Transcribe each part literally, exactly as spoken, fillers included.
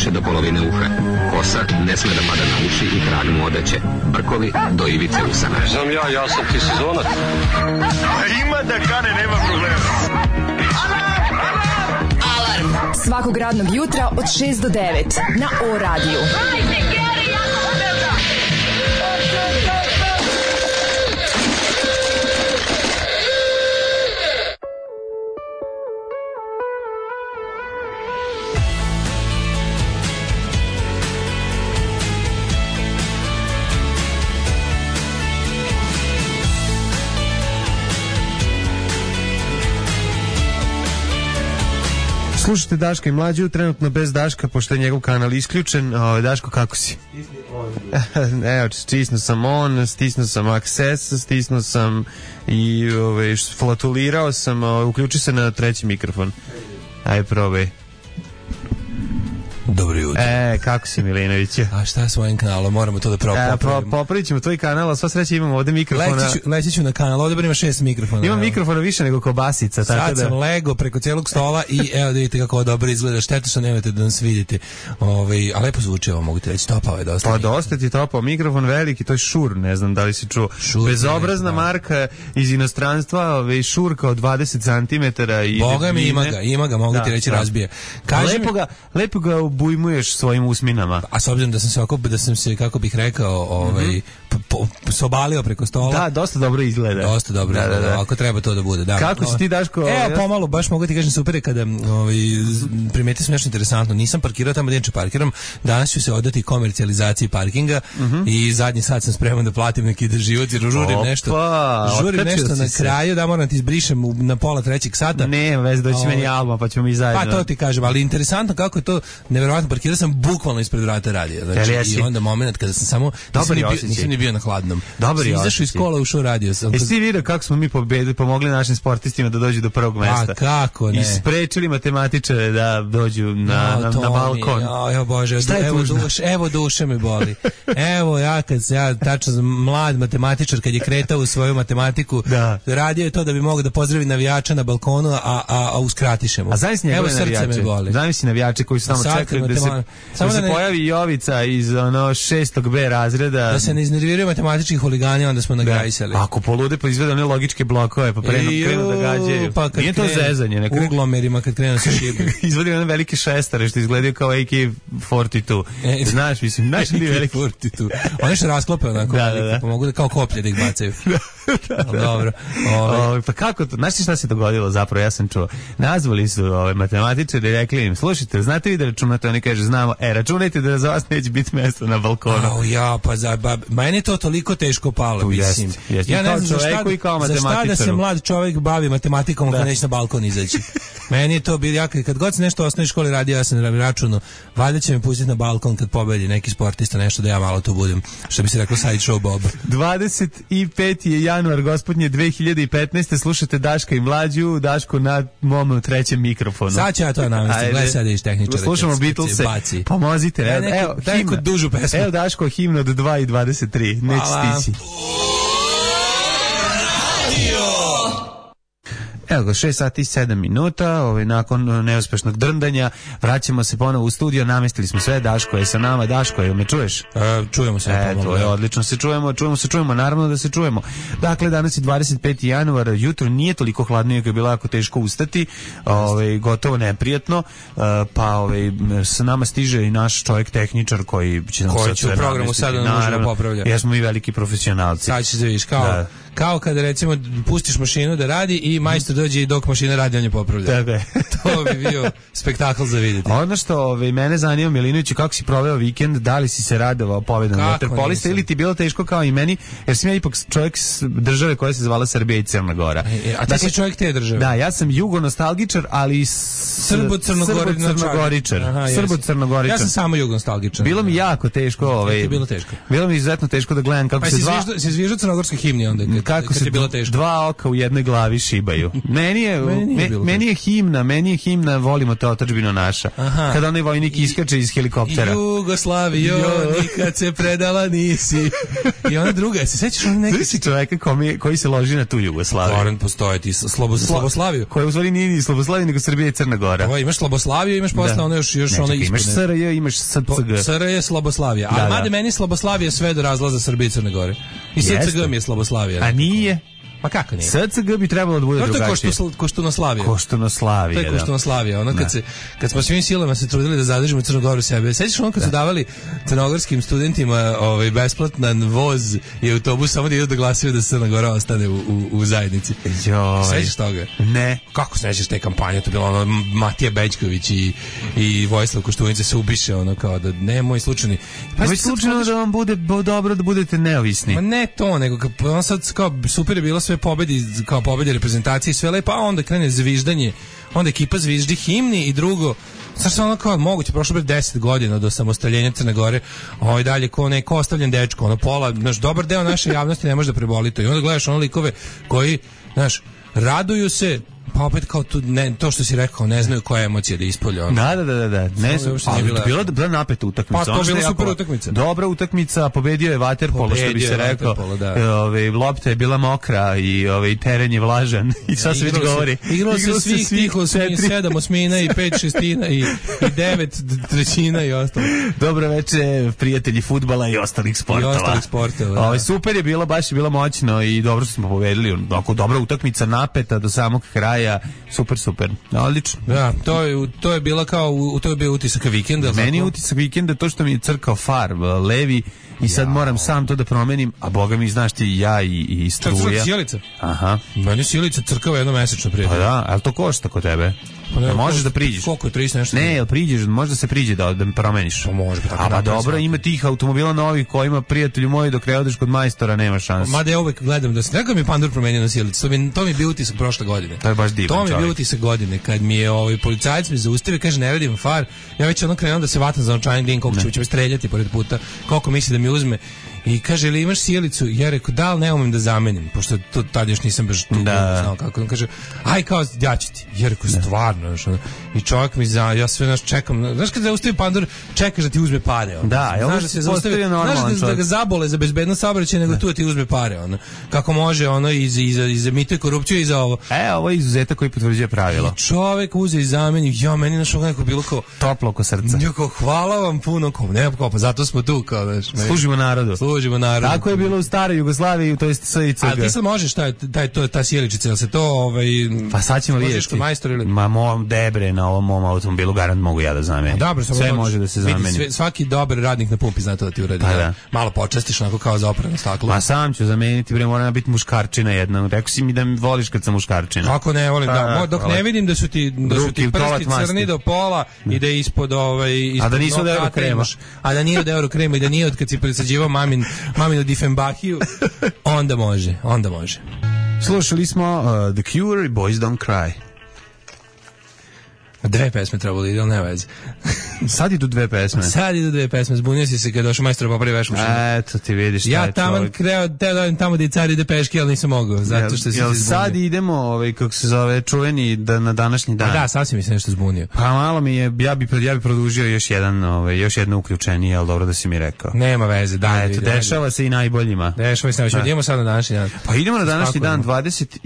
više do polovine uha. Kosa ne sme da pada na uši i trag mu odeće. Brkovi do ivice usana. Znam ja, ja sam ti sezonac. Ima da kane, nema problema. Alarm svakog radnog jutra od šest do devet na O radiju. Slušajte Daška i Mlađu, trenutno bez Daška, pošto je njegov kanal isključen. O, Daško, kako si? Evo, stisnuo sam on, stisnuo sam access, stisnuo sam i ove, flatulirao sam, o, uključi se na treći mikrofon. Ajde, probaj. Dobro jutro. E, kako si, Milinoviću? A šta je s mojim kanalom? Moramo to da popravimo. E, po, popravit ćemo tvoj kanal, a sva sreća imamo ovde mikrofona. Leći ću, leći ću na kanal, ovde bar ima šest mikrofona. Imam mikrofona više nego kobasica. Sad tako da... sam lego preko cijelog stola i evo da vidite kako ovo dobro izgleda. Šteta što nemate da nas vidite. Ove, a lepo zvuči ovo, mogu ti reći. Topao je dosta. Pa dosta ti topao. Mikrofon veliki, to je Shure, ne znam da li si čuo. Shure, bezobrazna ne, marka iz inostranstva, ove, Shure kao dvadeset centimetara. I Boga mi ima ga, ima ga, mogu da, ti reći da. Razbije. Kaži lepo, mi... ga, lepo ga obujmuješ svojim usminama. A s obzirom da sam se oko, da sam se, kako bih rekao, ovaj, mm-hmm. po, po, sobalio preko stola. Da, dosta dobro izgleda. Dosta dobro da, izgleda, da, da. Ako treba to da bude. Da. Kako si ti, Daško? Evo, pomalo, baš mogu ti kažem super je kada ovaj, primetio sam nešto interesantno. Nisam parkirao tamo gdje neče parkiram. Danas ću se odati komercijalizaciji parkinga mm-hmm. i zadnji sat sam spreman da platim neki život jer žurim Opa, nešto. Žurim nešto na se. Kraju, da moram ti izbrišem na pola trećeg sata. Ne, vez doći ovaj, meni album, pa ćemo mi zajedno. Pa to ti kažem, ali interesantno kako je to neverovatno. Parkirao sam bukvalno ispred vrata radija. Znači, i onda moment kada sam samo nisam ni, bio, nisam ni bio na hladnom. Dobar je. Izašao iz kola, ušao radio sam. Jesi ti vidio kako smo mi pobedili, pomogli našim sportistima da dođu do prvog mesta? A kako ne? I sprečili matematičare da dođu na, no, na, na balkon. Ja, ja bože, evo duše, evo duše me boli. Evo ja kad se ja tačno mlad matematičar kad je kretao u svoju matematiku, da. Radio je to da bi mogao da pozdravi navijača na balkonu, a a a uskratiše mu. A zamisli njegove navijače. Zamisli navijače koji su samo čekali da se samo da se pojavi Jovica iz ono šestog B razreda. Da se ne iznerviraju matematički huligani, onda smo nagrajsali. Ako polude pa izvede one logičke blokove, pa prenu, krenu da gađaju. Pa nije to zezanje. Ne krenu uglomerima kad krenu se šibe. Izvodi one velike šestare što izgledaju kao A K četrdeset dva. E, znaš, mislim, znaš li veliki četrdeset dva. Oni se rasklope onako, da, da, da. Pa mogu da kao koplje da ih bacaju. da, da, dobro. Ove. Ove, pa kako to? Znaš šta se dogodilo zapravo? Ja sam čuo. Nazvali su ove matematičari i rekli im, slušajte, znate vi da računate? Oni kažu, znamo, e, računajte da za vas neće biti mjesto na balkonu. Au ja, pa za, ba, meni je to toliko teško palo, tu mislim. Jest, jest. Ja ne znam za šta, i kao za šta da se mlad čovjek bavi matematikom da. Kad neće na balkon izaći. Meni je to bilo, ja kad god se nešto u osnovnoj školi radio, ja sam računao, valjda će me pustiti na balkon kad pobedi neki sportista, nešto da ja malo tu budem, što bi se reklo side show Bob. dvadeset peti je januar, gospodnje, dve hiljade petnaeste. Slušate Daška i Mlađu, Daško na mom trećem mikrofonu. Sad ću ja to navesti, gledaj sad iš tehničara. Slušamo Beatlese, pomozite. Evo, neku, evo, daj neku dužu pesmu. Evo Daško, himna od dva i dvadeset tri, neće stići. Evo ga, šest sati i sedam minuta, ovaj, nakon neuspešnog drndanja, vraćamo se ponovo u studio, namestili smo sve, Daško je sa nama. Daško, jel me čuješ? E, čujemo se. E, to je odlično, se čujemo, čujemo se, čujemo, naravno da se čujemo. Dakle, danas je dvadeset peti januar, jutro nije toliko hladno, iako je bilo jako teško ustati, ovaj, gotovo neprijatno, pa ovaj, sa nama stiže i naš čovjek tehničar koji će nam koji će u programu sada nužno popravlja. Jer smo mi veliki profesionalci. Sad će se vidiš, kao... Da. Kao kada recimo pustiš mašinu da radi i majstor dođe i dok mašina radi on je popravlja. Tako je. To bi bio spektakl za vidjeti. Ono što ove, mene zanima, Milinović, kako si proveo vikend, da li si se radovao pobedom vaterpolista ili ti bilo teško kao i meni, jer sam ja ipak čovjek države koja se zvala Srbija i Crna Gora. E, a ti dakle, si čovjek te države? Da, ja sam jugonostalgičar, ali Srbo-crnogoričar. Srbo-crnogoričar. Ja sam samo jugonostalgičar. Bilo mi jako teško. Ovaj, bilo teško. Bilo mi izuzetno teško da gledam kako pa se si dva... Pa si zviždao crnogorske himne onda? kako kad se je bilo teško. Dva oka u jednoj glavi šibaju. Meni je, meni, me, meni je himna, meni je himna Volimo te otadžbino naša. Aha. Kada onaj vojnik iskače iz helikoptera. Jugoslavijo, nikad se predala nisi. I ona druga, se sećaš on neki si čoveka koji, koji se loži na tu Jugoslaviju. Goran postoje ti Slobo, Sloboslaviju. Koja u stvari nije ni Sloboslavija, nego Srbija i Crna Gora. Ovo, imaš Sloboslaviju, imaš posle ono još, još ono ispune. Imaš S R J, imaš S C G. S R J je Sloboslavija. Da, a mada meni Sloboslavija sve do razlaza Srbije i Crne Gore. I S C G mi je Sloboslavija. A nije? Pa kako nije? S C G bi trebalo da bude no, drugačije. To je Koštunoslavija. Koštunoslavija, da. To je Koštunoslavija. Ono kad, se, kad smo svim silama se trudili da zadržimo Crnu Goru sebe. Sećaš ono kad da. su davali crnogorskim studentima ovaj, besplatan voz i autobus samo da idu da glasaju da Crna Gora ostane u, u, u zajednici. Joj. Sećaš toga? Ne. Kako se nećeš te kampanje? To je bilo ono Matija Bećković i, i Vojislav Koštunica se ubiše ono kao da ne moj slučajni. Pa je slučajno da vam bude dobro da budete neovisni. Ma ne to, nego on sad kao super je bilo sve pobedi, kao pobedi reprezentacije sve lepo, a onda krene zviždanje, onda ekipa zviždi himni i drugo, znaš ono kao moguće, prošlo bi deset godina do samostaljenja Crne Gore, ovaj dalje ko neko ostavljen dečko, ono pola, znaš, dobar deo naše javnosti ne može da preboli to i onda gledaš ono likove koji, znaš, raduju se, pa opet kao tu, ne, to što si rekao, ne znaju koja emocija da ispolje. Ono. Da, da, da, da. Ne znam, ali bila, bila, bila napeta utakmica. Pa to je bila super utakmica. Dobra utakmica, pobedio je vaterpolo, što bi se rekao. Ove, lopta je bila mokra i ove, teren je vlažan. I sad se već govori. Igralo se svih tih osmi, sedam osmina i pet šestina i, i devet trećina i ostalo. Dobro veče, prijatelji fudbala i ostalih sportova. I ostalih sportova, da. Ove, super je bilo, baš je bilo moćno i dobro smo pobedili. Oko dobra utakmica, napeta do samog kraja. Super, super. Odlično. Da, to je, to je bila kao, to je bio utisak vikenda. Meni je utisak vikenda to što mi je crkao far levi i sad ja. moram sam to da promenim, a boga mi znaš ti ja i, i struja. Čak crk sjelica. Aha. Meni sjelica crkava jednomesečno prije. Pa da, ali to košta kod tebe? Pa ne, možeš da priđeš. Koliko je trista nešto? Ne, jel priđeš, možda se priđe da, da promeniš. Pa može, pa tako. A pa dobro, ima tih automobila novih kojima prijatelju moji dok ne odeš kod majstora nema šanse. Mada ja uvek gledam da se nekako mi je Pandur promenio na sjelicu. To mi to mi je bio utisak prošle godine. To je baš divan. To mi je bio utisak godine kad mi je ovaj policajac me zaustavio, kaže ne vidim far. Ja već ono krenuo da se vatam za novčanik, din koliko će me streljati pored puta. Koliko misli da mi uzme. I kaže, ili imaš sjelicu? Ja rekao, da li ne umem da zamenim, pošto to tad još nisam baš tu da. znao kako. On kaže, aj kao, ja ću ti. Ja rekao, stvarno. Znaš, ono. I čovjek mi za, ja sve naš čekam. Znaš kada zaustavi Pandur, čekaš da ti uzme pare. Ono. Da, znaš da se zaustavi, znaš da, da ga zabole za bezbedno saobraćaj, nego da. tu da ti uzme pare. Ono. Kako može, ono, iz, iz, iz, iz mito i korupciju i za ovo. E, ovo je izuzetak koji potvrđuje pravilo. I čovjek uze i zameni, ja, meni našo neko bilo kao... Toplo oko srca. Ja kao, hvala vam puno, kao, ne, kao, pa zato smo tu, kao, znaš. Služimo narodu. Služimo narodu. Tako je bilo u staroj Jugoslaviji, to jest S I C G. A ti sad možeš taj taj to ta sjeličica, jel se to ovaj pa sad ćemo vidjeti. Ili... Ma mom debre na ovom mom automobilu garant mogu ja da zamenim. Dobro, sve može, može da se zameni. Vidi, sve, svaki dobar radnik na pumpi zna to da ti uradi. Pa da. Malo počastiš onako kao za oprano staklo. Ma sam ću zameniti, bre, moram biti muškarčina jedna. Rekao si mi da mi voliš kad sam muškarčina. Kako ne volim, pa, da. Dok ne vidim da su ti da su ti prsti crni do pola i da ispod ovaj ispod. A da nisu od euro krema. A da nije od euro krema i da nije od kad si presađivao mamin maminu Difenbahiju. Onda može, onda može. Slušali smo uh, The Cure i Boys Don't Cry. Dve pesme trebalo ide, ali ne veze. Sad idu dve pesme. Sad idu dve pesme. Zbunio si se kad došao majstor popravi vešmušinu. Eto ti vidiš šta ja je taman kreo, te da tamo da i car ide peški, ali nisam mogao, zato što si se zbunio. Sad idemo, ovaj, kako se zove, čuveni da, na današnji dan. A da, sasvim mi se nešto zbunio. Pa malo mi je, ja bi, ja bi produžio još jedan, ovaj, još jedno uključenje, ali dobro da si mi rekao. Nema veze, da. Eto, dešava se i najboljima. Dešava se najboljima. Idemo sad na današnji dan. Pa idemo na današnji dan, dvadeset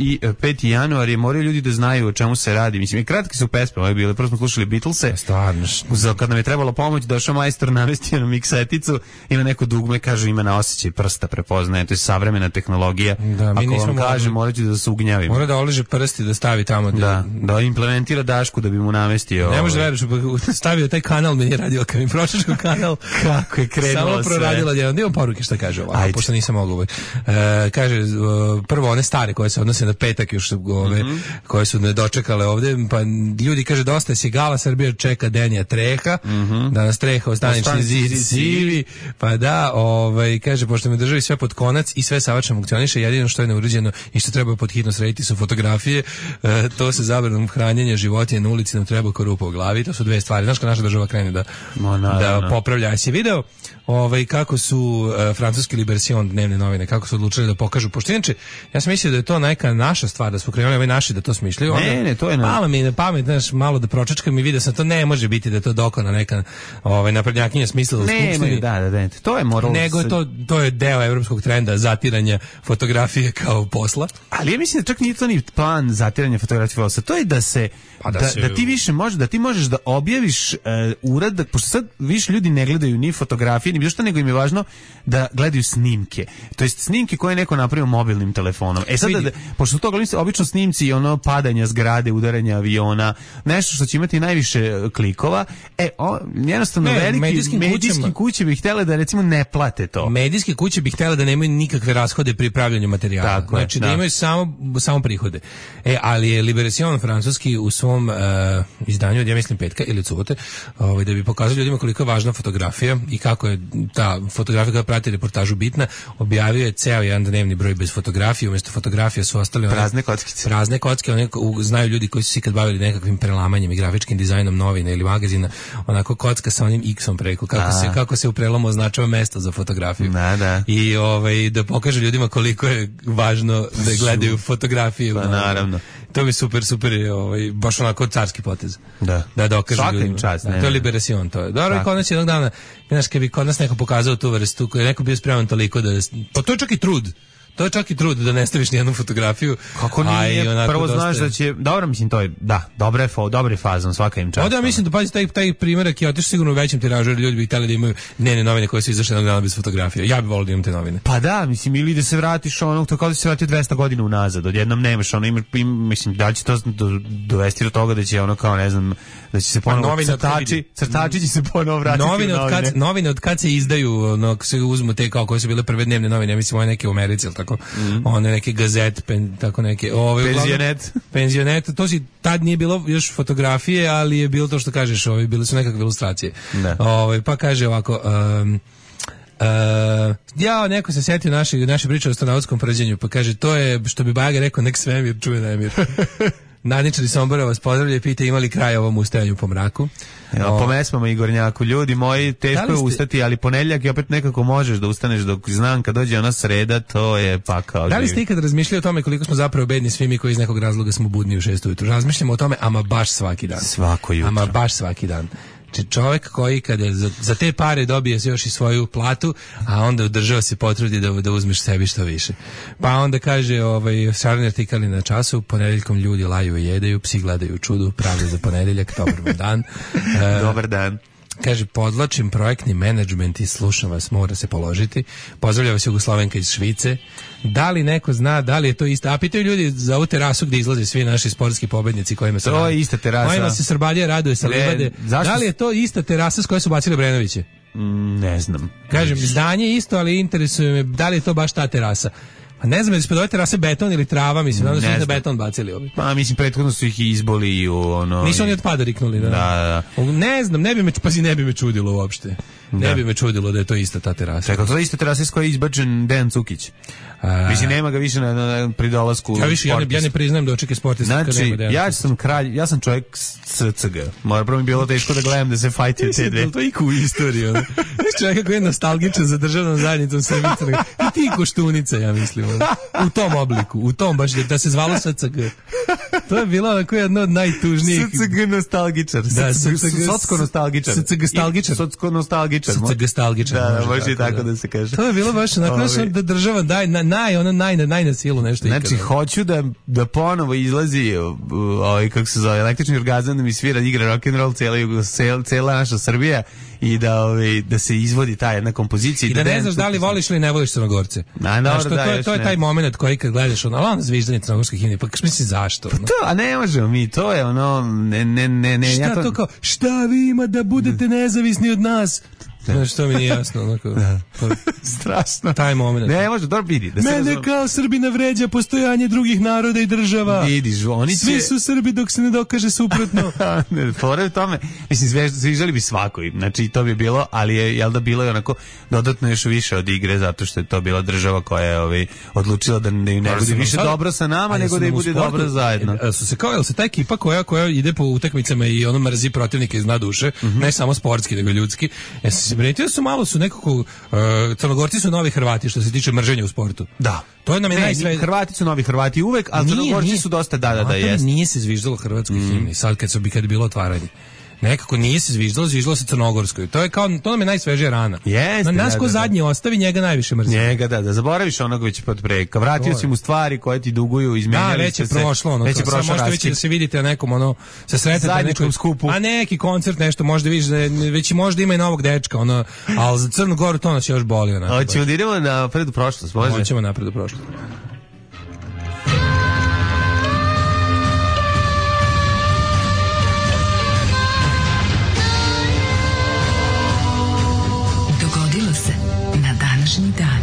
peti januar, je moraju ljudi da znaju o čemu se radi. Mislim, kratke su pesme, ove bile, prvo smo slušali Beatlese. Stvarno. Za kad nam je trebalo pomoć, došao majstor, namestio na mikseticu, ima neko dugme, kaže ima na osjećaj prsta, prepoznaje, to je savremena tehnologija. Da, mi ako vam kaže, morat ću da se ugnjavim. Mora da oliže prsti, da stavi tamo. Da, da implementira dašku da bi mu namestio. Ne može da veriš, stavio taj kanal, meni je radio kad mi pročačko kanal. Kako je krenulo sve. Samo proradila jedan. Dio poruke šta kaže ovako, pošto nisam mogao. E, kaže, prvo one stare koje se odnose na petak još ove, mm -hmm. koje su ne dočekale ovde, pa ljudi kaže, dosta je sigala, Srbija čeka Denija Treha, mm -hmm. da nas Treha ostanični zid sivi, pa da, ovaj, kaže, pošto me državi sve pod konac i sve savršeno funkcioniše, jedino što je neuređeno i što treba pod hitno srediti su fotografije, e, to se zabranom hranjenja životinja na ulici nam treba korupa u glavi, to su dve stvari. Znaš kad naša država krene da, no, no, da no. popravlja. Jesi video ovaj, kako su uh, francuski Libération dnevne novine, kako su odlučili da pokažu, pošto inače, ja sam mislio da je to neka naša stvar, da smo krenuli ovaj naši da to smišljaju. Ne, onda, ne, to je na... Malo mi na pamet, znaš, malo da pročačkam i vidio sam, to ne može biti da je to dokona neka ovaj, naprednjakinja smislila u Skupštini. Da, da, da, to je moral... Nego to, to je deo evropskog trenda zatiranja fotografije kao posla. Ali ja mislim da čak nije to ni plan zatiranja fotografije posla, to je da se Pa da, da, se... da ti više možeš, da ti možeš da objaviš uh, uradak, pošto sad više ljudi ne gledaju ni fotografije, ni bilo šta, nego im je važno da gledaju snimke. To jest snimke koje je neko napravio mobilnim telefonom. E sad, da, da, pošto to gledaju obično snimci ono padanja zgrade, udaranja aviona, nešto što će imati najviše klikova, e, o, jednostavno ne, veliki medijskim, medijskim kuće bi htjele da recimo ne plate to. Medijske kuće bi htjele da nemaju nikakve rashode pri pravljanju materijala. Tako znači je, da, da imaju samo, samo prihode. E, ali je Libération francuski u svom uh, izdanju od, ja mislim, petka ili subote, ovaj, da bi pokazali ljudima koliko je važna fotografija i kako je ta fotografija koja prati reportažu bitna, objavio je ceo jedan dnevni broj bez fotografije, umjesto fotografije su ostali prazne kockice. Prazne kocke, one, znaju ljudi koji su se ikad bavili nekakvim prelamanjem i grafičkim dizajnom novina ili magazina, onako kocka sa onim X-om preko, kako se, kako se u prelomu označava mesto za fotografiju. Da, da. I ovaj, da pokaže ljudima koliko je važno da gledaju fotografiju. Pa naravno. To bi super, super, ovaj, baš onako carski potez. Da. Da dokaže ljudima. Čast, da, to je Libération, to je. Dobro, kod nas jednog dana, znaš, kad bi kod nas neko pokazao tu vrstu, koji je neko bio spreman toliko da... Pa to je čak i trud. To je čak i trud da ne staviš nijednu fotografiju. Kako nije, prvo znaš dosta... da će, dobro mislim to je, da, dobra je, fo, dobra je fazom, svaka im čast. Onda ja mislim da pazi taj, taj primjerak je otišao sigurno u većem tiražu, jer ljudi bi htjeli da imaju dnevne novine koje su izašle jednog dana bez fotografije. Ja bih volio da imam te novine. Pa da, mislim, ili da se vratiš ono, to kao da se vratio dvesta godina unazad, odjednom nemaš ono, imaš, im, mislim, da li će to do, dovesti do toga da će ono kao, ne znam, da će se ponovo pa crtači, crtači će se ponovo vratiti novine od kad, novine od kad se izdaju, ono, se uzmu te kao koje su bile prve dnevne novine, ja mislim, ove neke u Americi, ili tako, mm. one neke gazet, pen, tako neke, ove, penzionet. Penzionet, to si, tad nije bilo još fotografije, ali je bilo to što kažeš, ove, bile su nekakve ilustracije. Ove, pa kaže ovako, um, Uh, ja, neko se setio naše, naše priče o astronautskom prđenju, pa kaže, to je, što bi Baga rekao, nek svemir čuje nemir. Nadničari Sombora vas pozdravlja i pita imali kraj ovom ustajanju po mraku. Evo, po mesmama Igornjaku, ljudi moji, teško je ustati, ali ponedjeljak i opet nekako možeš da ustaneš, dok znam kad dođe ona sreda, to je pakao. Da li ste ikad razmišljali o tome koliko smo zapravo bedni svi mi koji iz nekog razloga smo budni u šest ujutru? Razmišljamo o tome, ama baš svaki dan. Svako jutro. Ama baš svaki dan. Znači čovjek koji kada za, za te pare dobije još i svoju platu, a onda u država se potrudi da, da uzmeš sebi što više. Pa onda kaže, ovaj, šarni artikali na času, ponedeljkom ljudi laju i jedaju, psi gledaju čudu, pravda za ponedeljak, dobar vam dan. E, dobar dan. Kaže, podlačim projektni menadžment i slušam vas, mora se položiti. Pozdravlja vas Jugoslovenka iz Švice. Da li neko zna, da li je to isto? A pitaju ljudi za ovu terasu gdje izlaze svi naši sportski pobednici kojima se to je ista terasa. Kojima se Srbalija raduje sa livade. Da li je to ista terasa s koje su bacili Brenoviće? Mm, ne znam. Kažem, zdanje isto, ali interesuje me da li je to baš ta terasa. A ne znam, je li ispod ove terase beton ili trava, mislim, da su ih na beton bacili ovi. Pa, mislim, prethodno su ih izboli i u ono... Nisu oni od pada riknuli, da? Da, da, da. Ne znam, ne bi me, pazi, ne bi me čudilo uopšte. Ne da. bi me čudilo da je to ista ta terasa. Čekaj, to je ista terasa iz koje je izbačen Dejan Cukić. A... Mislim, nema ga više na, na, na pri dolasku. Ja više, ja ne, ja ne priznajem da očeke sportista. Znači, ja sam kralj, ja sam čovjek S C G. Mora prvo mi bilo teško da gledam da se fajtio te dve. To je i ku istoriju. Znaš čovjeka koji je nostalgičan za državnom zajednicom Srbije. I ti Koštunica, ja mislim. U tom obliku, u tom baš, da se zvalo S C G. To je bilo onako jedno od najtužnijih. S C G nostalgičar. Da, Socko nostalgičar. S C G nostalgičar. Socko nostalgičar. S C G nostalgičar. Da, može i tako da se kaže. To je bilo baš onako da država daj naj ono naj naj na silu nešto ikada. Znači hoću da da ponovo izlazi ovaj kako se zove električni orgazam da mi svira igra rock and roll cela cela, cela naša Srbija i da ovaj da se izvodi ta jedna kompozicija i da, da ne znaš da li voliš ili ne voliš Crnogorce. Na, no, što, da, to, je, to je taj momenat koji kad gledaš ono, ono zviždanje crnogorske himne, pa misliš zašto? Pa to, a ne možemo mi, to je ono ne ne ne ne šta ja to... to kao šta vi ima da budete nezavisni od nas? Znaš, to mi nije jasno. Onako, da. Strašno. Taj moment. Ne, može, dobro vidi. Da Mene razum... kao Srbina vređa postojanje drugih naroda i država. Vidiš, oni će... Svi su Srbi dok se ne dokaže suprotno. Ne, pored tome, mislim, sviđali bi svakoj, znači to bi bilo, ali je, jel da bilo je onako dodatno još više od igre, zato što je to bila država koja je ovaj, odlučila da ne, ne bude više sad, dobro sa nama, nego da i bude sportu, dobro zajedno. Su se kao, jel se ta ekipa koja, koja ide po utakmicama i ono mrzi protivnike iz dna duše, mm-hmm. ne samo sportski, nego ljudski, ja se primetio su malo su nekako, uh, Crnogorci su novi Hrvati što se tiče mrženja u sportu. Da. To je nam je najsve... Hrvati su novi Hrvati uvek, ali Crnogorci su dosta da, da, da, jest. Nije se zviždalo hrvatskoj mm. himni, sad kad, su, kad je bilo otvaranje. Nekako nije se zviždalo, zviždalo se crnogorskoj. To je kao, to nam je najsvežija rana. Jeste, na nas ko da, zadnji da. Ostavi, njega najviše mrzi. Njega, da, da zaboraviš onog već pod preka. Vratio si mu stvari koje ti duguju, izmenjali da, već je prošlo, ono, već je prošlo. Možete već da se vidite na nekom, ono, se sretnete na nekom skupu. A neki koncert, nešto, možda vidiš, već i možda ima i novog dečka, ono, ali za Crnu Goru to nas još boli. Onako, hoćemo da idemo na predu prošlost, može? Hoćemo na predu prošlost. Dan.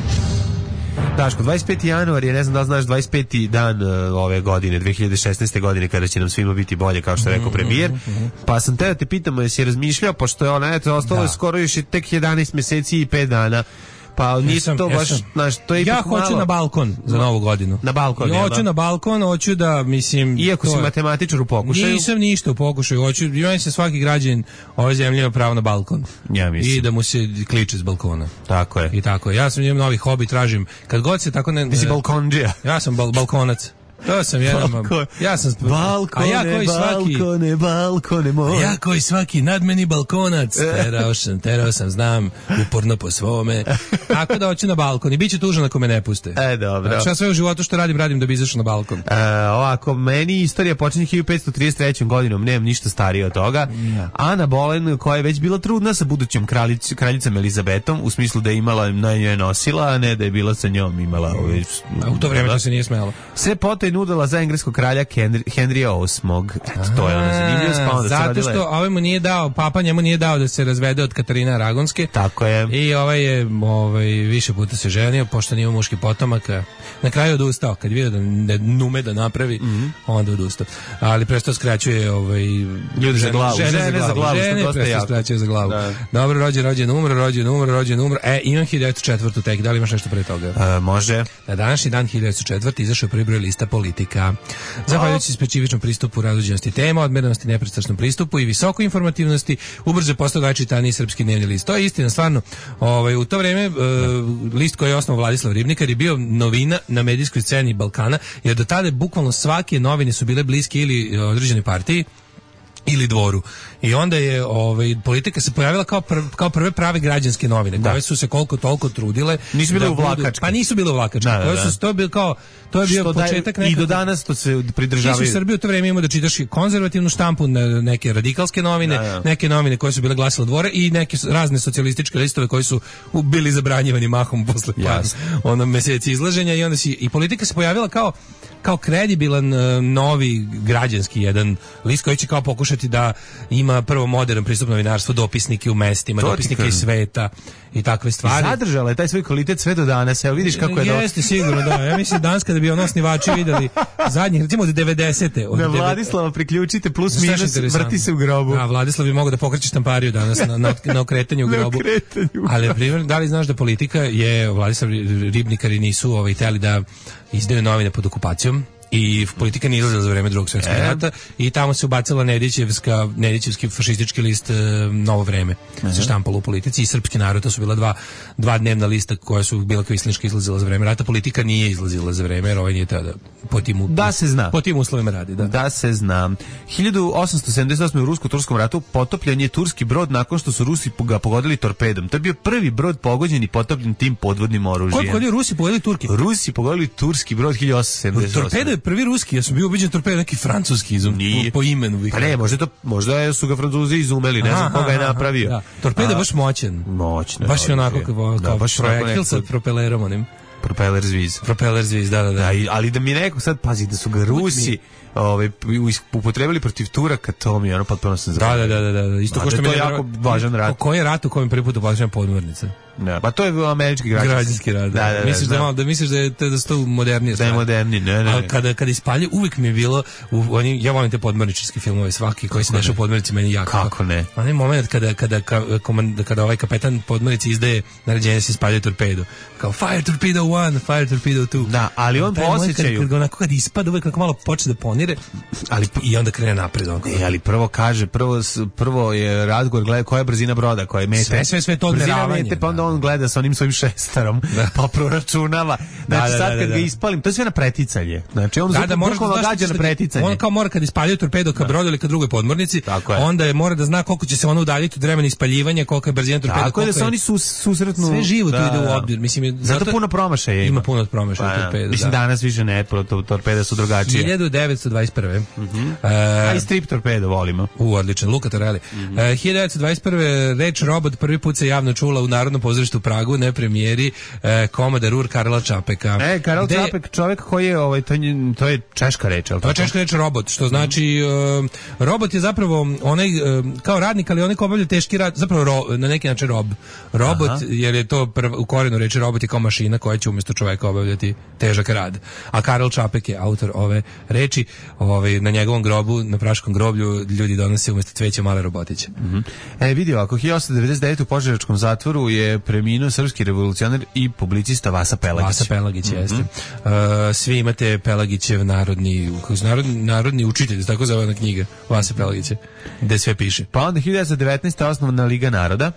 Daško, dvadeset peti januar je, ne znam da li znaš, dvadeset peti dan uh, ove godine, dve hiljade šesnaeste. godine, kada će nam svima biti bolje, kao što je rekao premijer. Mm-hmm. Pa sam te da te pitamo, jesi je razmišljao, pošto je ona, eto, ostalo je skoro još tek jedanaest meseci i pet dana. Pa nisam to baš, znaš, to je ja hoću malo... na balkon za novu godinu. Na balkon, ja hoću na balkon, hoću da, mislim... Iako si matematičar u pokušaju? Nisam ništa u pokušaju, hoću, imam se svaki građanin ove zemlje ima pravo na balkon. Ja mislim. I da mu se kliče s balkona. Tako je. I tako je. Ja sam imam novi hobi, tražim, kad god se tako ne... Ti si balkondžija. Ja sam bal, balkonac. To sam jedan, Balkon. ja sam balkone, a ja koji svaki balkone, balkone moj. Ja koji svaki nadmeni balkonac, terao sam, terao sam, znam, uporno po svome. Tako da hoću na balkon i bit će tužan ako me ne puste. E, dobro. Znači, ja sve u životu što radim, radim da bi izašao na balkon. E, ovako, meni istorija počinje hiljadu petsto trideset trećom. godinom, nemam ništa starije od toga. Ja. Ana Boleyn, koja je već bila trudna sa budućom kraljic, kraljicom Elizabetom, u smislu da je imala, na njoj nosila, a ne da je bila sa njom imala. Ove, a u to vreme to se nije smelo. Sve potom nudila za engleskog kralja Henrija osmog. Eto, to je ono zanimljivost, pa onda zato što ovaj mu nije dao, papa njemu nije dao da se razvede od Katarine Aragonske. Tako je. I ovaj je ovaj, više puta se ženio, pošto nije muški potomak. Na kraju odustao, kad je vidio da ne nume da napravi, mm-hmm. onda odustao. Ali presto skraćuje ovaj, ljudi za glavu. Žene, žene za glavu, žene presto skraćuje za glavu. Da. Dobro, rođen, rođen, umro, rođen, umro, rođen, umro. E, imam hiljadu devetsto četvrtu tek, da li imaš nešto pre toga? E, može. Na današnji dan hiljadu devetsto četvrte. izašao prvi broj lista Politika. Zahvaljujući specifičnom pristupu različitosti tema, odmerenosti, nepristrasnom pristupu i visokoj informativnosti, ubrzo postao najčitaniji srpski dnevni list. To je istina, stvarno. Ovaj, u to vreme uh, list koji je osnovao Vladislav Ribnikar je bio novina na medijskoj sceni Balkana, jer do tada bukvalno svake novine su bile bliske ili određenoj partiji ili dvoru. I onda je ovaj Politika se pojavila kao pr, kao prve prave građanske novine, koje su se koliko toliko trudile. Nisu bile uvlakačke. Pa nisu bile uvlakačke. Da, da, da. Su to bio kao to je bio što početak nekako. I do danas to se pridržavaju. Ti su u Srbiji u to vreme imao da čitaš konzervativnu štampu, neke radikalske novine, da, da. neke novine koje su bile glasilo dvora i neke razne socijalističke listove koji su bili zabranjivani mahom posle yes. ono meseci izlaženja i onda si i Politika se pojavila kao kao kredibilan uh, novi građanski jedan list koji će kao pokušati da ima prvo modern pristup novinarstvu, dopisnike u mestima, to dopisnike iz sveta i takve stvari. I zadržala je taj svoj kvalitet sve do danas. Evo vidiš kako je do... Jeste sigurno, da. Ja mislim danas kada bi ono osnivači videli zadnjih, recimo od devedesete. Od na Vladislava priključite plus minus, vrti se u grobu. Da, Vladislav bi mogao da pokreće štampariju danas na, na, na okretanju u grobu. okretanju. Ali, primjer, da li znaš da Politika je, Vladislav Ribnikari nisu ovaj, teli da izdaju novine pod okupacijom i Politika nije izlazila za vreme Drugog svjetskog rata i tamo se ubacila Nedićevska, Nedićevski fašistički list e, Novo vreme se štampalo u Politici i Srpski narod, to su bila dva, dva dnevna lista koja su bila kvislinška izlazila za vreme rata. Politika nije izlazila za vreme, jer ovaj nije tada po tim, da se zna. Po tim uslovima radi. Da. da se zna. hiljadu osamsto sedamdeset osme. u Rusko-Turskom ratu potopljen je turski brod nakon što su Rusi ga pogodili torpedom. To je bio prvi brod pogođen i potopljen tim podvodnim oružjem. Koliko je Rusi pogodili Turki? Rusi pogodili turski brod hiljadu osamsto sedamdeset osme. Torpedo je prvi ruski, ja sam bio ubeđen torpedo neki francuski izum, po imenu. Pa ne, možda, to, možda su ga Francuzi izumeli, ne znam koga je napravio. Da. Torpedo je baš moćan. Moćno. Baš je onako kao, kao da, projektil sa propelerom onim. Propeller zviz. Propeller zviz, da, da, da. da ali da mi neko sad, pazi, da su ga Rusi ovaj upotrebili protiv Turaka, to mi je ono potpuno sam da, da, da, da, da, isto ko što mi je jako važan rat. Koji je rat u kojem prvi put uplaćena podmornica? Ne, pa to je američki građanski, građanski rad. Da, da, da, misliš da, da, da misliš da je to da sto modernije. Da je moderniji, ne, ne. Ali kada kada ispalje uvek mi je bilo u oni ja volim te podmorničarske filmove svaki koji se dešava u podmornici meni jako. Kako ne? Onaj moment kada kada kada, kada ovaj kapetan podmornice izdaje naređenje se ispalje torpedu. Kao fire torpedo one, fire torpedo two. Da, ali on posjećaju. Kad, kad onako kad ispada uvek kako malo počne da ponire, ali i onda krene napred onako. E, ali prvo kaže, prvo prvo je razgovor gleda koja je brzina broda, koja je mete. Sve sve sve to odmeravanje. Pa onda on gleda sa onim svojim šestarom, da. Pa proračunava. Znači da, da, sad kad da, da, da. ga ispalim, to je sve na preticanje. Znači on da, da, bukvalno gađa na preticanje. On kao mora kad ispaljuje torpedo ka brodu ili ka drugoj podmornici, onda je mora da zna koliko će se ono udaljiti od vremena ispaljivanja, kolika je brzina torpeda. Tako je da se oni sus, susretnu. Sve živo tu ide u obzir. Mislim je zato puno promašaja ima. Ima puno promašaja torpeda. Mislim danas više ne, torpede su drugačije. hiljadu devetsto dvadeset prve Mhm. Aj strip torpedo volimo. U odličan Luka Torelli. hiljadu devetsto dvadeset prve reč robot prvi put se javno čula u Narodnom pozorištu u Pragu na premijeri eh, Komodar Karla Čapeka. E, Karel De... Čapek, čovjek koji je, ovaj, to, to je češka reč, ali to je češka reč robot, što znači uh, robot je zapravo onaj, uh, kao radnik, ali onaj ko obavlja teški rad, zapravo ro, na neki način rob. Robot, aha, jer je to prv, u korenu reči robot je kao mašina koja će umjesto čovjeka obavljati težak rad. A Karel Čapek je autor ove reči, ovaj, na njegovom grobu, na praškom groblju, ljudi donose umjesto cveća male robotiće. Mm-hmm. E, vidio, ako hiljadu osamsto devedeset devete u Požarevačkom zatvoru je preminuo srpski revolucionar i publicista Vasa Pelagić. Vasa Pelagić, mm-hmm, jeste. Uh, svi imate Pelagićev narodni, narodni, narodni učitelj, tako zove ona knjiga, Vasa Pelagića, gde sve piše. Pa onda hiljadu devetsto devetnaeste osnovna Liga naroda.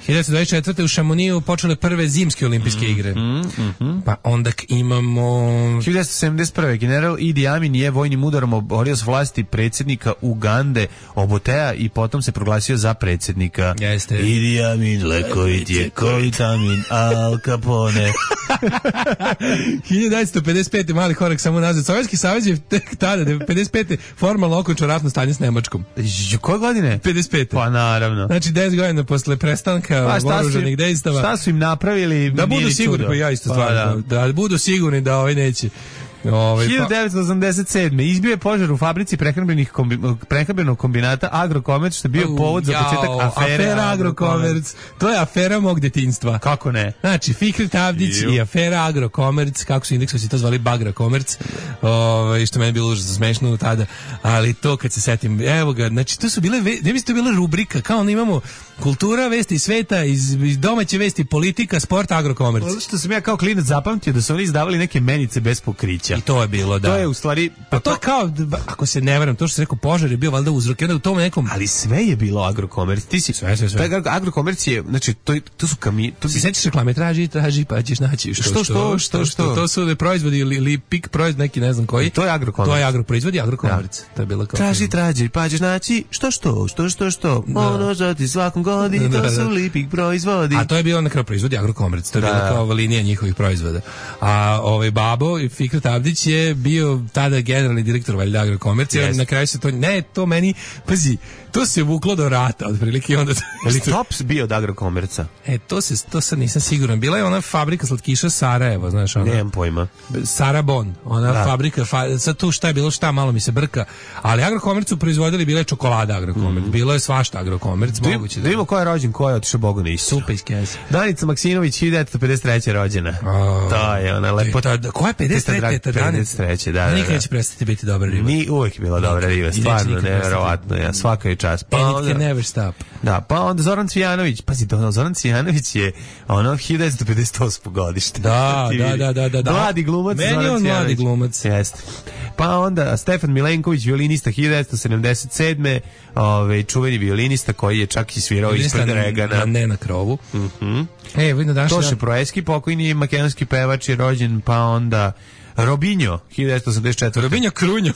hiljadu devetsto dvadeset četvrte u Šamoniju počele prve zimske olimpijske igre. Mm, mm, mm. Pa onda imamo... hiljadu devetsto sedamdeset prve general Idi Amin je vojnim udarom oborio s vlasti predsjednika Ugande Obotea i potom se proglasio za predsjednika. Jeste. Idi Amin, lekovit je Koitamin, Al Capone. hiljadu devetsto pedeset pete mali korak samo nazad. Sovjetski savez je tek tada, pedeset pete formalno okončao ratno stanje s Nemačkom. Koje godine? pedeset pete. Pa naravno. Znači deset godina posle prestanka pa, oružanih dejstava. Šta su im napravili? Da budu sigurni, pa ja isto pa, stvarno, da. da budu sigurni da ovaj neće. Ovaj, hiljadu devetsto osamdeset sedme izbio je požar u fabrici prehrambenih kombi, prehrambenog kombinata Agrokomerc, što je bio povod za početak afere, afera Agrokomerc. To je afera mog detinjstva. Kako ne? Znači, Fikret Avdić i afera Agrokomerc, kako su indeksovi to zvali Bagrakomerc, ovaj, što meni bilo užasno smešno tada, ali to kad se setim, evo ga, znači to su bile, ne bi to bila rubrika, kao ono imamo kultura, vesti sveta, iz, iz domaće vesti, politika, sport, Agrokomerc. Ono što sam ja kao klinac zapamtio da su oni izdavali neke menice bez pokrića. I to je bilo, da. To je u stvari... Pa to je kao, ako se ne varam, to što se rekao, požar je bio valjda uzrok, onda u tom nekom... Ali sve je bilo Agrokomerc. Ti si... Sve, sve, sve. Taj Agrokomerc je, znači, to, to su kami... To si sećaš reklame, traži, traži, pa ćeš naći. Što, što, što, što, što? To su proizvodi ili, ili pik proizvod, neki ne znam koji. I to je Agrokomerc. To je Agroproizvod i Agrokomerc. Da. To je bilo kao... Traži, traži, pa ćeš naći, što, što, što, što, što. Da. Ono što ti svakom godini, to su lipik proizvodi. A to je bilo na kraju proizvodi Agrokomerc. To je bila kao linija njihovih proizvoda. A ovaj babo i Fikret Avdić je bio tada generalni direktor valjda Agrokomercija, yes. Na kraju se to, ne, to meni, pazi, to se vuklo do rata, otprilike onda... Ali Tops bio od Agrokomerca? E, to se, to sad nisam siguran. Bila je ona fabrika slatkiša Sarajevo, znaš, ona... Nemam pojma. Sarabon, ona da. fabrika, fa, sad tu šta je bilo, šta, malo mi se brka, ali Agrokomercu proizvodili, bila je čokolada Agrokomerc, mm. bilo je svašta Agrokomerc, moguće da... Vidimo ko je rođen, ko je otišao Bogu na Isu. Supa iz kese. Danica Maksimović, hiljadu devetsto pedeset treće rođena. Oh, to je ona lepota. Ko je pedeset treće Danica? pedeset treće, da, da. Nikad neće prestati biti dobra riba. Ni uvijek bila dobra riba, stvarno, nevjerovatno, ja, svaka je čast. Pa and it can never stop. Da, pa onda Zoran Cvijanović, pazi, Zoran Cvijanović je ono hiljadu devetsto pedeset osme godište. Da, da, da, da, da, da. Mladi glumac. Meni on mladi glumac. Jeste. Pa onda Stefan Milenković, violinista hiljadu devetsto sedamdeset sedme ovaj čuveni violinista koji je čak i svirao ispred Regana. Na, ne na krovu. Mhm. E, vidno daš. Toše Proeski, pokojni makedonski pevač je rođen, pa onda Robinho, hiljadu devetsto osamdeset četvrte Robinho Krunjo.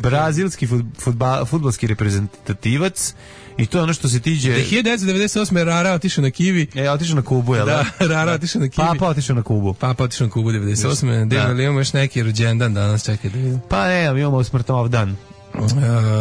Brazilski fudbal, fudbalski reprezentativac. I to je ono što se tiđe... hiljadu devetsto devedeset osme Rara otišao na Kivi. E, otišao na Kubu, jel da? Da, Rara otišao na Kivi. Papa otišao na Kubu. Papa otišao na Kubu devedeset osme Da, da imamo još neki rođendan danas, čekaj da vidim. Pa ne, imamo smrtov dan. Uh,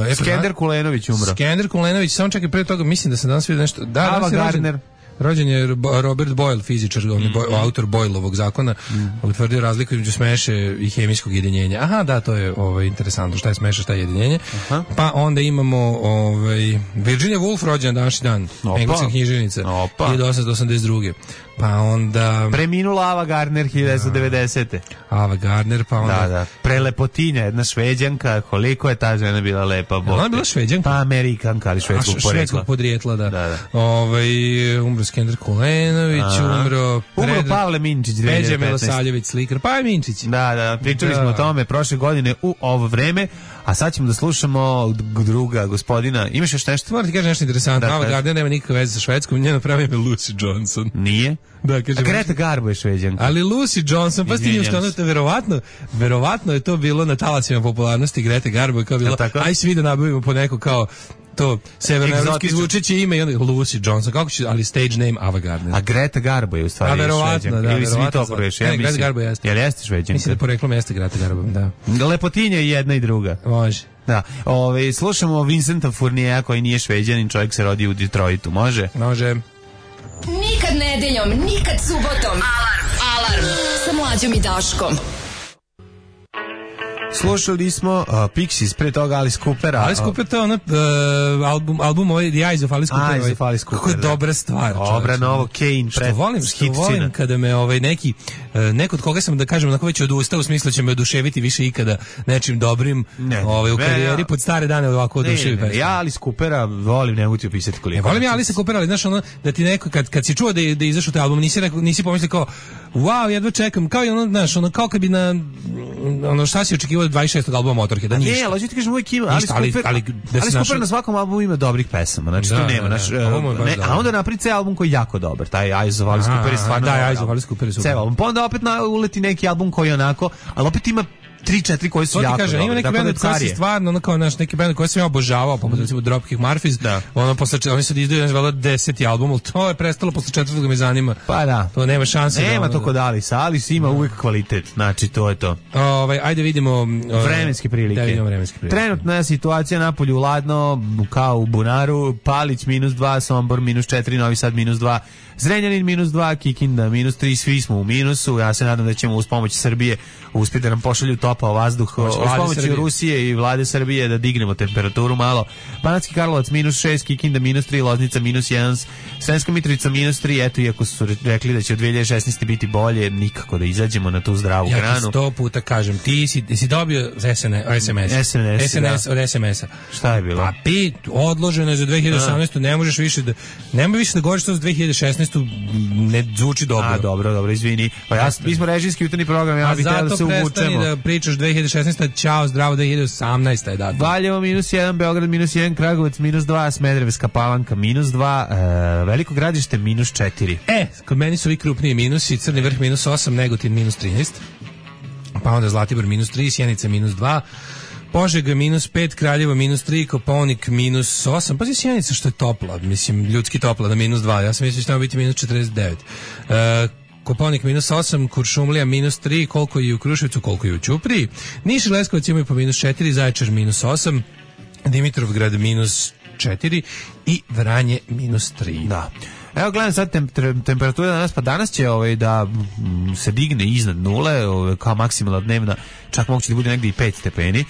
e, Skender Kulenović umro. Skender Kulenović, samo čekaj pre toga, mislim da se danas vidio nešto... Da, Ava Gardner. Rođen je Robert Boyle, fizičar, on je Boyle, autor Boyleovog zakona, mm. utvrdio razliku između smeše i hemijskog jedinjenja. Aha, da, to je ovaj, interesantno, šta je smeša, šta je jedinjenje. Aha. Pa onda imamo ovaj, Virginia Woolf, rođena današnji dan, engleska književnica, hiljadu osamsto osamdeset druge. Pa onda... Preminula Ava Gardner, hiljadu devetsto devedesete. Ava Gardner, pa onda... Da, da. Prelepotinja, jedna Šveđanka, koliko je ta žena bila lepa. Ona je bila Šveđanka? Pa Amerikanka, ali švedskog podrijetla. Švedskog podrijetla, da. da, da. Ovaj, umro Skender Kulenović, Aha. umro... Umro Pred... Pavle Minčić, dve hiljade petnaeste. Peđa Milosavljević, slikar, pa je Minčić. Da, da, pričali da. smo o tome prošle godine u ovo vreme, a sad ćemo da slušamo druga gospodina. Imaš još nešto? Moram ti kažem nešto interesantno. Ava Gardner nema nikakve veze sa Švedskom, njeno pravi ime Lucy Johnson. Nije? Da, kaže, a Greta Garbo je Šveđanka. Ali Lucy Johnson, pa ti što ono, verovatno, verovatno je to bilo na talasima popularnosti Grete Garbo, kao bilo, aj svi da nabavimo po neko kao to severnoevropski zvučeće ime i onda Lucy Johnson, kako će, ali stage name Ava Gardner. A Greta Garbo je u stvari Šveđanka. Da, ili svi to pogreš, ja Greta Garbo jeste. Jel jeste Šveđanka? Mislim da poreklom jeste Greta Garbo, da. Lepotinja je jedna i druga. Može. Da, ove, slušamo Vincenta Furniera koji nije Šveđanin, čovjek se rodi u Detroitu, može? Može. Nikad nedeljom, nikad subotom. Alarm, alarm, sa Mlađom i Daškom. Slušali smo uh, Pixies, pre toga Alice Coopera. Alice Cooper, to je ono, uh, album, album ovaj, The Eyes of Alice Cooper. Eyes of Alice Cooper, kako je da. dobra stvar. Dobra, novo, Kane, što volim, što volim kada me ovaj, neki, uh, neko od koga sam, da kažem, onako već odustao, u smislu će me oduševiti više ikada nečim dobrim ne, ovaj, u karijeri, ja, pod stare dane ovako oduševi. Ne, ne, ja Alice Coopera volim, ne mogu ti opisati koliko. Ja, volim ja Alice Coopera, ali znaš ono, da ti neko, kad, kad si čuo da je, da je izašao taj album, nisi, nisi pomislio kao, wow, jedva čekam, kao i ono, znaš, ono, kao kad bi na, ono, šta si očekivao od dvadeset šestog albuma Motorheada, ništa. Ne, ali ti kažem, uvijek ima, Alice Cooper, ali, ali, Alice Cooper na svakom albumu ima dobrih pesama, znači da, to nema, da, naš, da, ne, a onda napravi ceo album koji je jako dobar, taj Eyes of Alice Cooper je stvarno da, Eyes of Alice Cooper je super. Ceo album, pa onda opet na, uleti neki album koji je onako, ali opet ima tri četiri koji su jako kaže, dobri. Ima neki bend koji se stvarno, ono kao naš neki bend koji sam ja obožavao, poput recimo Dropkick Murphys, da. Ono posle oni su izdaju valjda deseti album, al to je prestalo posle četvrtog me zanima. Pa da. To nema šanse. Nema da, to kod Alice, Alice ima da. uvijek kvalitet. Znači to je to. Ovaj ajde vidimo ovaj, vremenske prilike. Da vidimo vremenske prilike. Trenutna je situacija na polju ladno, kao u bunaru, Palić minus dva, Sombor minus četiri, Novi Sad minus dva, Zrenjanin minus dva, Kikinda minus tri, svi smo u minusu. Ja se nadam da ćemo uz pomoć Srbije uspjeti da nam pošalju topao vazduh, uz pomoć Rusije i vlade Srbije da dignemo temperaturu malo. Banatski Karlovac minus šest, Kikinda minus tri, Loznica minus jedan, Sremska Mitrovica minus tri, eto, iako su rekli da će od dve hiljade šesnaeste biti bolje, nikako da izađemo na tu zdravu ja granu. Ja ti sto puta kažem, ti si, si dobio S M S. S M S, S M S da. Od S M S-a. Šta je bilo? A pet, odloženo je za dve hiljade osamnaestu, ne možeš više da, nema više da govoriš to za dve hiljade šesnaestu, ne zvuči dobro. A, dobro, dobro, izvini. Pa ja, mi smo režijski jutarnji program, ja bih htio da se uvučemo. A zato prestani da pričaš dve hiljade šesnaesta, čao, zdravo, dve hiljade osamnaesta je datum. Valjevo minus jedan, Beograd minus jedan, Kragujevac minus dva, Smederevska Palanka minus dva, e, Veliko Gradište minus četiri. E, kod meni su ovi krupniji minusi, Crni Vrh minus osam, Negotin minus trinaest, pa onda Zlatibor minus tri, Sjenica minus dva, Požega minus pet, Kraljevo minus tri, Kopaonik minus osam, pa si Sjenica što je topla, mislim, ljudski topla na minus dva, ja sam mislio što će biti minus četrdeset devet. E, Kopaonik minus osam, Kuršumlija minus tri, koliko je u Kruševcu, koliko je u Ćupriji, Niš i Leskovac imaju po minus četiri, Zaječar minus osam, Dimitrovgrad minus četiri i Vranje minus tri. Da. Evo gledam sad tem, tem, temperatura danas, pa danas će ovaj, da m, se digne iznad nule, ovaj, kao maksimalna dnevna, čak moguće da bude negdje i pet stepeni.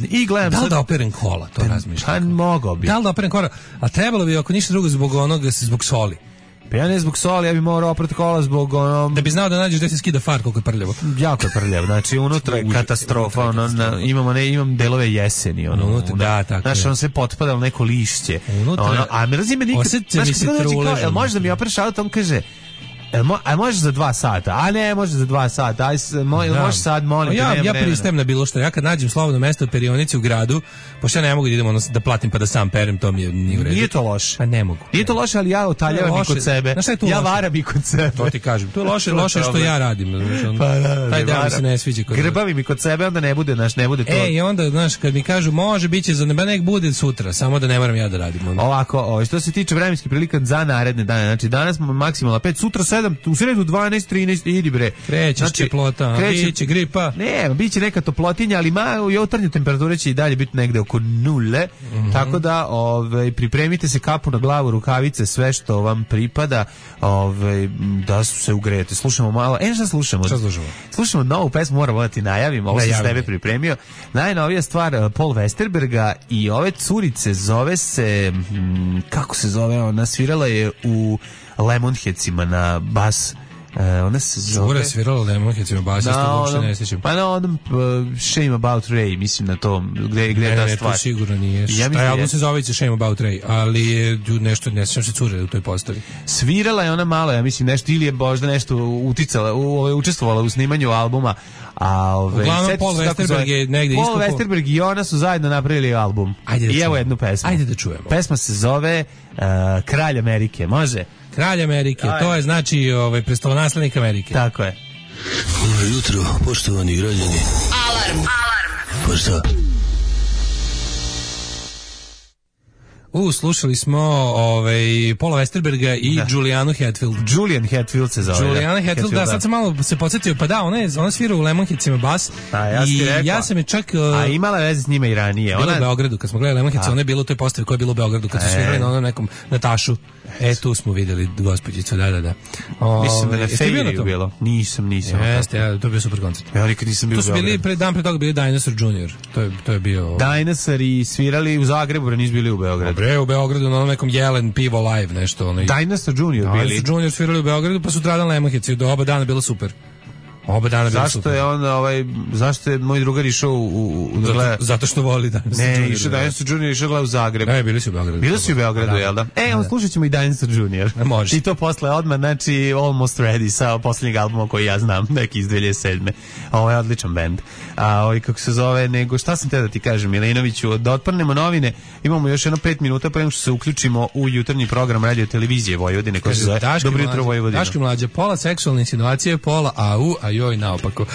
I gledam da li sad, da operem kola, to razmišljam. Pa mogao bi. Da li da operem kola, a trebalo bi ako ništa drugo zbog onoga, zbog soli. Pa ja ne zbog soli, ja bi morao oprati kola zbog onom... Da bi znao da nađeš da se skida far koliko je prljavo. Jako je prljavo, znači unutra je katastrofa, ono, na, imamo, ne, imam delove jeseni, ono, unutra, da, tako znaš, ono sve potpadalo neko lišće. Unutra, ono, a mrzim me nikad, znaš, kad god dođe kao, jel možeš da mi opereš auto, on kaže, jel mo, a može za dva sata, a ne može za dva sata, aj, mo, jel može sad, molim ja, te, nema ja vremena. pristajem na bilo što, ja kad nađem slobodno mesto u perionici u gradu, pošto ja ne mogu da idem ono, da platim pa da sam perem, to mi je nije u redu. Nije to loše. Pa ne mogu. Nije to loše, ali ja otaljavam i kod sebe. Ja varam i kod sebe. To ti kažem. To je loše, loše što ja radim. Znači, on, pa da, taj deo mi se ne sviđa. Grbavi mi kod sebe, onda ne bude, znaš, ne bude to. E, i onda, znaš, kad mi kažu, može, bit će za neba, nek bude sutra, samo da ne moram ja da radim. Onda. Ovako, ovo, što se tiče vremenskih prilika za naredne dane, znači danas maksimalno pet, sutra sedam sedam, u sredu dvanaest, trinaest, idi bre. Krećeš znači, teplota, kreće, biće gripa. Ne, biće neka toplotinja, ali ma, jutarnje temperature će i dalje biti negde oko nule, mm-hmm. tako da ovaj, pripremite se, kapu na glavu, rukavice, sve što vam pripada, ovaj, da su se ugrejete. Slušamo malo, e šta slušamo? Šta slušamo? Slušamo novu pesmu, moram da ti najavim, ovo ne, sam s tebe pripremio. Najnovija stvar, Paul Westerberga i ove curice, zove se, m, kako se zove, ona svirala je u Lemonheadsima na bas. Uh, ona se zove... Zora svirala Lemonheadsima bas, ja što uopšte ne sjećam. Pa na onom uh, Shame About Ray, mislim na tom, gde, gde je ta ne, stvar. Ne, to sigurno nije. Ja taj album se zove Shame About Ray, ali je nešto, ne sjećam se cure u toj postavi. Svirala je ona malo, ja mislim, nešto, ili je možda nešto uticala, u, učestvovala u snimanju albuma. A ove, uglavnom Paul Westerberg je negde Paul Westerberg i ona su zajedno napravili album. Ajde da I evo čujemo. jednu pesmu. Ajde da čujemo. Pesma se zove uh, Kralj Amerike, može? Kralj Amerike, Aj. to je znači ovaj prestolonaslednik Amerike. Tako je. Dobro jutro, poštovani građani. Alarm, alarm. Pa šta? U, slušali smo ovaj Paula Westerberga i da. Julianu Hatfield. Julian Hatfield se zove. Juliana Hatfield, Hatfield, da, sad sam malo se podsjetio, pa da, ona je, ona svira u Lemonheadsima bas. A, ja i ja sam je čak... Uh, a imala veze s njima i ranije. Bila ona... u Beogradu, kad smo gledali Lemonheads, ona je bila u toj postavi koja je bila u Beogradu, kad su svirali na onom nekom Natašu. E, tu smo videli gospođicu, da, da, da. O, mislim da na Fejriju bilo. Nisam, nisam. Jeste, ja, to je bio super koncert. Ja nikad nisam bio u Beogradu. Tu su bili, pre, dan pre toga bili Dinosaur junior To je, to je bio... Dinosaur i svirali u Zagrebu, a nisu bili u Beogradu. Dobre, u Beogradu, na onom nekom Jelen pivo live, nešto. Ono. Dinosaur junior bili. Dinosaur junior svirali u Beogradu, pa su tradan Lemonheads i do oba dana bilo super. Oba dana bilo zašto super. Je on, ovaj, zašto je moj drugar išao u... u, u zato, gleda... zato što voli Dinosaur ne, junior Ne, išao Dinosaur junior išao gleda u Zagrebu. Ne, bili su u Beogradu. Bili su u Beogradu, da. Jel da? E, on slušat ćemo i Dinosaur junior Ne može. I to posle odmah, znači Almost Ready sa posljednjeg albuma koji ja znam, neki iz dve hiljade sedme Ovo je odličan bend. A ovaj, kako se zove, nego šta sam te da ti kažem, Milinoviću, da otprnemo novine, imamo još jedno pet minuta pre nego što se uključimo u jutarnji program radio televizije Vojvodine, koji se zove Dobro jutro Vojvodina. Daško Mlađa, pola seksualne insinuacije, pola au, a joj naopako.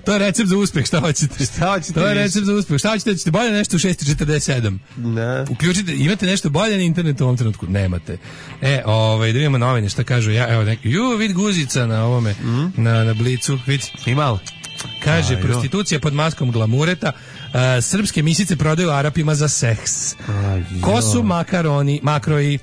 To je recept za uspeh, šta hoćete? Šta hoćete? To je recept za uspeh. Šta hoćete? Hoćete bolje nešto u šest četrdeset sedam Ne. Uključite, imate nešto bolje na internetu u ovom trenutku? Nemate. E, ovaj, da vidimo novine, šta kažu ja, evo neki, ju, vid guzica na ovome, mm? na, na blicu, vid. Imalo. Kaže, Aj, prostitucija pod maskom glamureta, uh, srpske misice prodaju Arapima za seks. Aj, Ko su makaroni, makroji?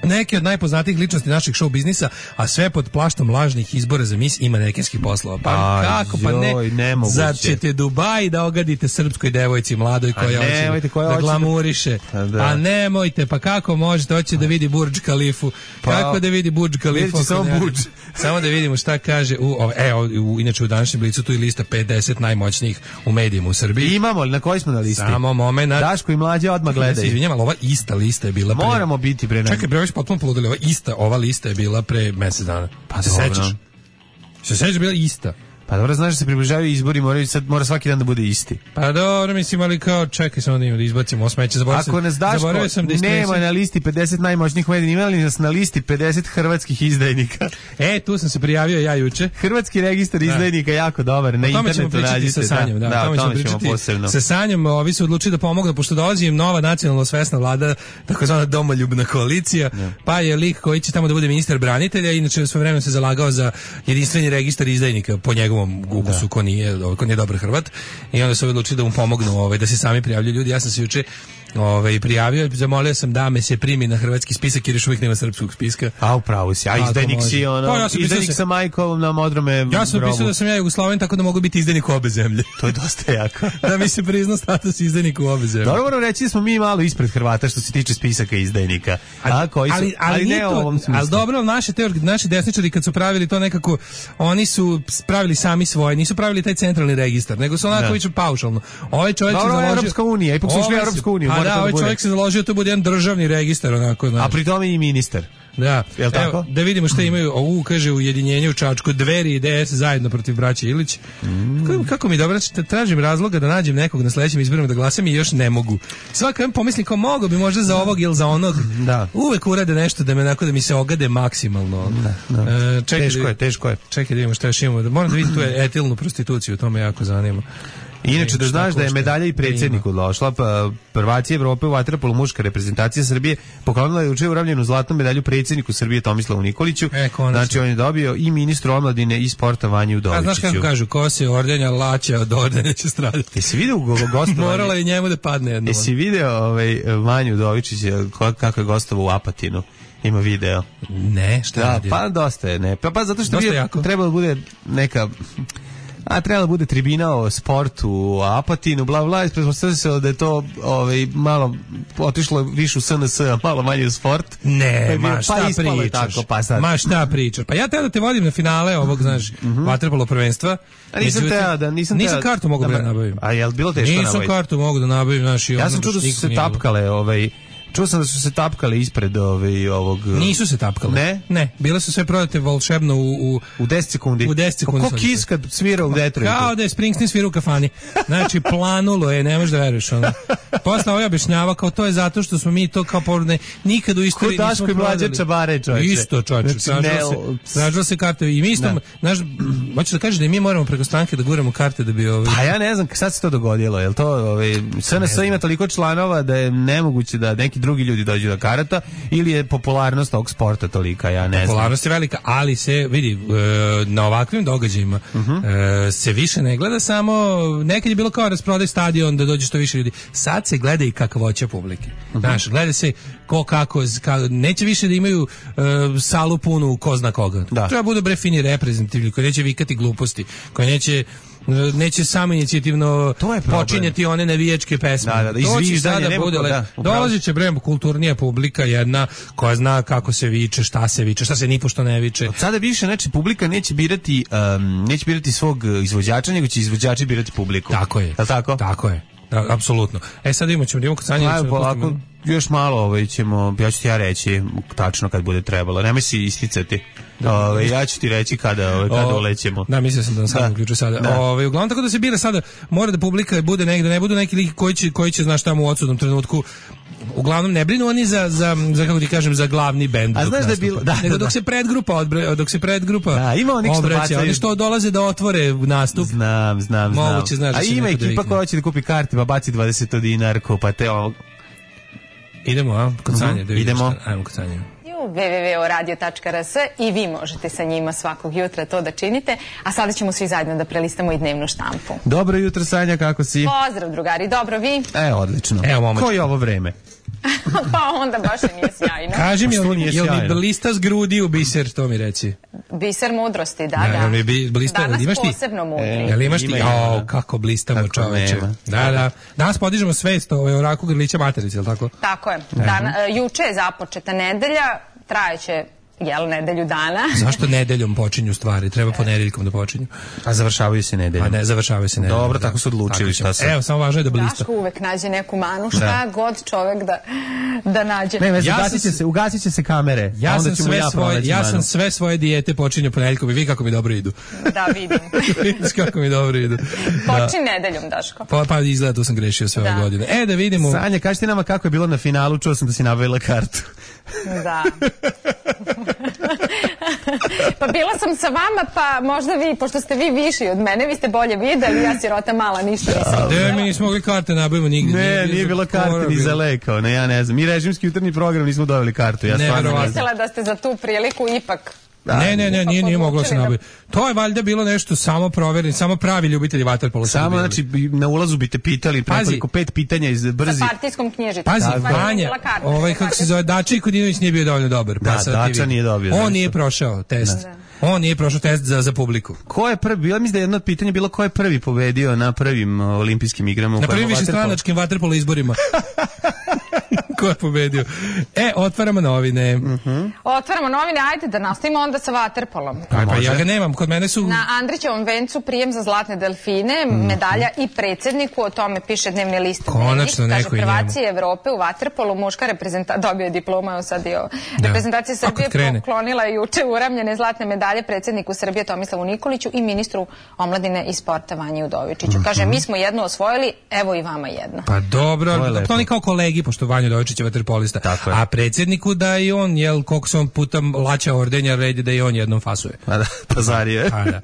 Neke od najpoznatijih ličnosti našeg show biznisa, a sve pod plaštom lažnih izbora za mis i manekenskih poslova. Pa Aj, kako, pa ne, joj, zar ćete Dubai da ogadite srpskoj devojci mladoj koja hoće da, da glamuriše? Da, da. A nemojte, pa kako možete, hoće da vidi Burj Khalifu, pa, kako da vidi Burj Khalifu? Samo Burj. Samo da vidimo šta kaže, u, e, u, inače u današnjem blicu tu je lista pedeset najmoćnijih u medijima u Srbiji. Imamo, na koji smo na listi? Samo moment. Daško i Mlađe odmah gledaju. Ja izvinjam, ali ova ista lista je bila pre... Moramo biti pre... Čekaj, bre, potpuno poludeli, ova ista, ova lista je bila pre mjesec dana. Pa se sećaš? Se sećaš, bila ista. Pa dobro, znaš da se približavaju izbori, moraju sad mora svaki dan da bude isti. Pa dobro, mislim, ali kao čekaj samo da im da izbacimo smeće, zaboravio sam. Ako nas Daško nema na listi pedeset najmoćnijih medija, ima li nas na listi pedeset hrvatskih izdajnika? E, tu sam se prijavio ja juče. Hrvatski registar izdajnika je jako dobar, na internetu nađite. Sa Sanjom, da, da, o tome ćemo pričati posebno. Sa Sanjom, ovi su odlučili da pomognu, pošto dolazi im nova nacionalno svesna vlada, takozvana domoljubna koalicija, ja. Pa je lik koji će tamo da bude ministar branitelja, inače sve vreme se zalagao za jedinstveni registar izdajnika po njegovom ukusu, ko nije, ko nije dobar Hrvat, i onda su odlučili da mu pomognu, ovaj, da se sami prijavljuju ljudi. Ja sam se juče ovaj, prijavio, zamolio sam da me se primi na hrvatski spisak jer još uvijek nema srpskog spiska. A upravo si, a izdajnik si ono, pa, ja izdajnik sa majkom na modrome Ja sam grobu. pisao da sam ja Jugosloven, tako da mogu biti izdajnik u obe zemlje. To je dosta jako. Da mi se prizna status izdajnika u obe zemlje. Dobro, moram reći da smo mi malo ispred Hrvata što se tiče spisaka izdajnika. A, koji su, ali, ali, ali ne to, u ovom smislu. Ali dobro, naše, teori, naši desničari kad su pravili to nekako, oni su pravili sami svoje, nisu pravili taj centralni registar, nego su onako viču paušalno. Ovaj čovjek se založio... Evropska unija, ipak su šli Evropsku uniju. A da, ovaj čovjek se založio to bude jedan državni registar onako. A pri tome i ministar. Da, jel tako? Evo, da vidimo šta imaju. U kaže ujedinjenje u Čačku, Dveri i D S zajedno protiv braće Ilić. Mm. Kako, kako mi dobro, tražim razloga da nađem nekog na sledećim izborima da glasam i još ne mogu. Svaka pomislim kao mogu bi možda za ovog ili za onog. Da. Uvek urade nešto da me onako da mi se ogade maksimalno. Da, da. E, čekaj, teško je, teško je. Čekaj da vidimo šta još imamo. Moram da vidim tu etilnu prostituciju, to me jako zanima. Inače, da znaš da je medalja i predsjedniku došla, pa prvaci Evrope u vaterpolu muška reprezentacija Srbije poklonila je juče uravljenu zlatnu medalju predsjedniku Srbije Tomislavu Nikoliću. E, znači, on je dobio i ministru omladine i sporta Vanju Udovičiću. A znaš kako kažu, ko se ordenja laća od ordenja će stradati. Jesi vidio gostovanje? Morala je njemu da padne jedno. Jesi vidio ovaj, Vanju Udovičića kako je gostovao u Apatinu? Ima video. Ne, šta da, radio? Pa dosta je, ne. Pa, pa zato što je trebalo da bude neka... A trebalo da bude tribina o sportu, o Apatinu, bla bla, isprepostavlja se da je to ovaj, malo otišlo više u S N S, a malo manje u sport. Ne, pa ma šta pa pričaš, tako, pa sad. ma šta pričaš. Pa ja teo da te vodim na finale ovog, znaš, mm -hmm. vaterpolo prvenstva. A nisam teo da, nisam Nisam teo, kartu mogu da, da nabavim. A je li bilo teško nabaviti? Nisam kartu mogu da nabavim, znaš, i ono. Ja sam čuo da su se tapkale, ovaj... Čuo sam da su se tapkale ispred ovaj, ovog... Nisu se tapkale. Ne? Ne, bile su sve prodate volšebno u... U, u deset sekundi. U deset sekundi. Ko Kiss kad svira u Detroitu. Kao da je Springsteen svira u kafani. Znači, planulo je, ne možeš da veruješ. Ono. Posle ovaj objašnjava kao to je zato što smo mi to kao porodne nikad u istoriji nismo prodali. Ko Daško i Mlađa Čabare, čovječe. Isto, čovječe. Znači, Snažilo se, se karte. I mi isto, znaš, hoćeš da kažeš da mi moramo preko stranke da guramo karte da bi... Ovaj... Pa ja ne znam, sad se to dogodilo. Je li to, ovaj, S N S ima toliko članova da je nemoguće da neki drugi ljudi dođu da karata, ili je popularnost ovog sporta tolika, ja ne znam. Popularnost je velika, ali se vidi na ovakvim događajima uh -huh. se više ne gleda samo, nekad je bilo kao rasprodaj stadion da dođe što više ljudi, sad se gleda i kakvoća publike. Uh -huh. Znaš, gleda se ko kako, ka, neće više da imaju uh, salu punu ko zna koga. Da. Treba budu bre fini reprezentativni, koji neće vikati gluposti, koji neće neće samo inicijativno počinjati one navijačke pesme. Da, da, da, izviždanje, da bude, da, dolazit će bre kulturnija publika jedna koja zna kako se viče, šta se viče, šta se nipošto ne viče. Od sada više, znači, publika neće birati um, neće birati svog izvođača, nego će izvođači birati publiku. Tako je. Da, tako? Tako je. Da, apsolutno. E sad imamo ćemo, imamo kocanje. Ajmo polako, još malo ovaj, ćemo, ja ću ti ja reći tačno kad bude trebalo. Nemoj si isticati. Ove, ja ću ti reći kada, ove, kada o, ulećemo. Da, mislio sam da nam sad uključu sada. Da. Ove, uglavnom tako da se bira sada, mora da publika bude negde, ne budu neki lik koji će, koji će znaš tamo u odsudnom trenutku. Uglavnom ne brinu oni za, za, za kako ti kažem, za glavni bend. A znaš da je bilo, da, nego da, dok se predgrupa odbre, dok se predgrupa da, ima onih što bacaju. Oni što dolaze da otvore nastup. Znam, znam, znam. Moguće, znaš, a ima ekipa koja hoće da kupi karti, pa baci dvadeset dinarku, pa te ovog. Idemo, a? Kod Sanje, da idemo. Ajmo kod Sanje. w w w tačka radio tačka r s i vi možete sa njima svakog jutra to da činite, a sada ćemo svi zajedno da prelistamo i dnevnu štampu. Dobro jutro, Sanja, kako si? Pozdrav, drugari, dobro, vi? E, odlično. Evo, momač. Ko je ovo vreme? Pa onda baš i nije sjajno. Kaži mi, jel mi blista s grudi u biser, to mi reci. Biser mudrosti, da, da. da. Blista, danas imaš ti? posebno mudri. E, jel imaš ti? O, kako blistamo, čoveče. Da, da. Danas podižemo svest o raku grlića materice, je li tako? Tako je. Dan, juče je započeta nedelja, trajeće jel, nedelju dana. Zašto nedeljom počinju stvari? Treba ponedeljkom da počinju. A završavaju se nedeljom. A ne, završavaju se nedeljom. Dobro, tako su odlučili šta se. Evo, samo važno je da blista. Daško uvek nađe neku manu, šta da. god čovek da, da nađe. Ne, ja ugasit će se, ugasit će se kamere. Ja sam sve ja svoje, ja sam sve svoje dijete počinio ponedeljkom i vi kako mi dobro idu. Da, vidim. Vidiš kako mi dobro idu. Počin da. nedeljom, Daško. Pa, pa izgleda, tu sam grešio sve da. ove godine. E, da vidimo. Sanja, kaži ti nama kako je bilo na finalu, čuo sam da si nabavila kartu. Da. Pa bila sam sa vama, pa možda vi, pošto ste vi viši od mene, vi ste bolje videli, ja sirota mala, ništa nisam videla. Mi nismo mogli karte nabavimo nigdje. Ne, nije, nije bilo karte ni za lekao, ne, ja ne znam. Mi režimski jutarnji program nismo dobili kartu, ja stvarno ne znam. Mislila da ste za tu priliku ipak... Da, ne, ne, ne, nije, nije moglo se nabaviti. To je valjda bilo nešto samo provjereni, samo pravi ljubitelji vaterpola. Samo, znači, na ulazu bi te pitali nekoliko pet pitanja iz brzi. Sa partijskom knjižicom. Pazi, Vanja, ovaj, kako se zove, Dači Kodinović nije bio dovoljno dobar. Da, Dača nije dobio. On nije prošao test. Da. On nije prošao test za, za publiku. Ko je prvi, bila mislim da je jedno od pitanja bilo ko je prvi pobedio na prvim olimpijskim igrama. Na prvim višestranačkim vaterpolo izborima. Ko je pobedio? E, otvaramo novine. Uh -huh. Otvaramo novine, ajde da nastavimo onda sa vaterpolom. Pa, pa ja ga nemam, kod mene su... Na Andrićevom vencu prijem za zlatne delfine, uh -huh. medalja i predsjedniku, o tome piše dnevni list. Konačno neko i njemu. Kaže, prvaci Evrope u vaterpolu, muška reprezentacija, dobio je diploma, evo sad je da. Reprezentacija Srbije poklonila je juče uramljene zlatne medalje predsjedniku Srbije Tomislavu Nikoliću i ministru omladine i sporta Vanji Udovičiću. Uh -huh. Kaže, mi smo jednu osvojili, evo i vama jedno. Pa dobro, to oni kao kolegi, pošto Vanja Udovičić Kovačić je vaterpolista. A predsjedniku da i on, jel, koliko se on puta laća ordenja, red je da i on jednom fasuje. A da, pazario je. A da.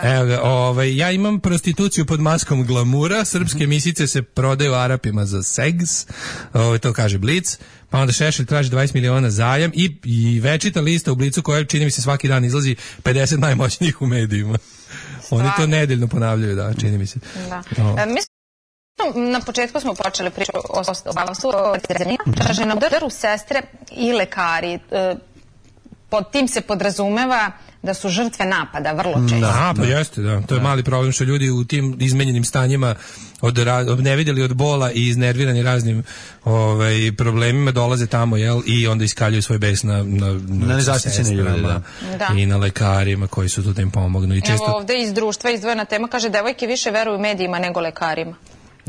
Evo ga, ovaj, ja imam prostituciju pod maskom glamura, srpske misice se prodaju Arapima za seks, ovaj, to kaže Blic, pa onda Šešelj traži dvadeset miliona zajam i, i večita lista u Blicu koja čini mi se svaki dan izlazi pedeset najmoćnijih u medijima. Oni to nedeljno ponavljaju, da, čini mi se. Da. E, mislim, na početku smo počeli priču o ostavstvu, o kaže na udaru sestre i lekari. E, pod tim se podrazumeva da su žrtve napada vrlo često. Da, pa jeste, da. To je mali problem što ljudi u tim izmenjenim stanjima od, od nevidjeli od bola i iznervirani raznim ovaj, problemima dolaze tamo, jel, i onda iskaljuju svoj bes na, na, na, na nezaštićene ljude, da. Da. I na lekarima koji su tu da im pomognu. I često... Evo ovde iz društva izdvojena tema, kaže devojke više veruju medijima nego lekarima.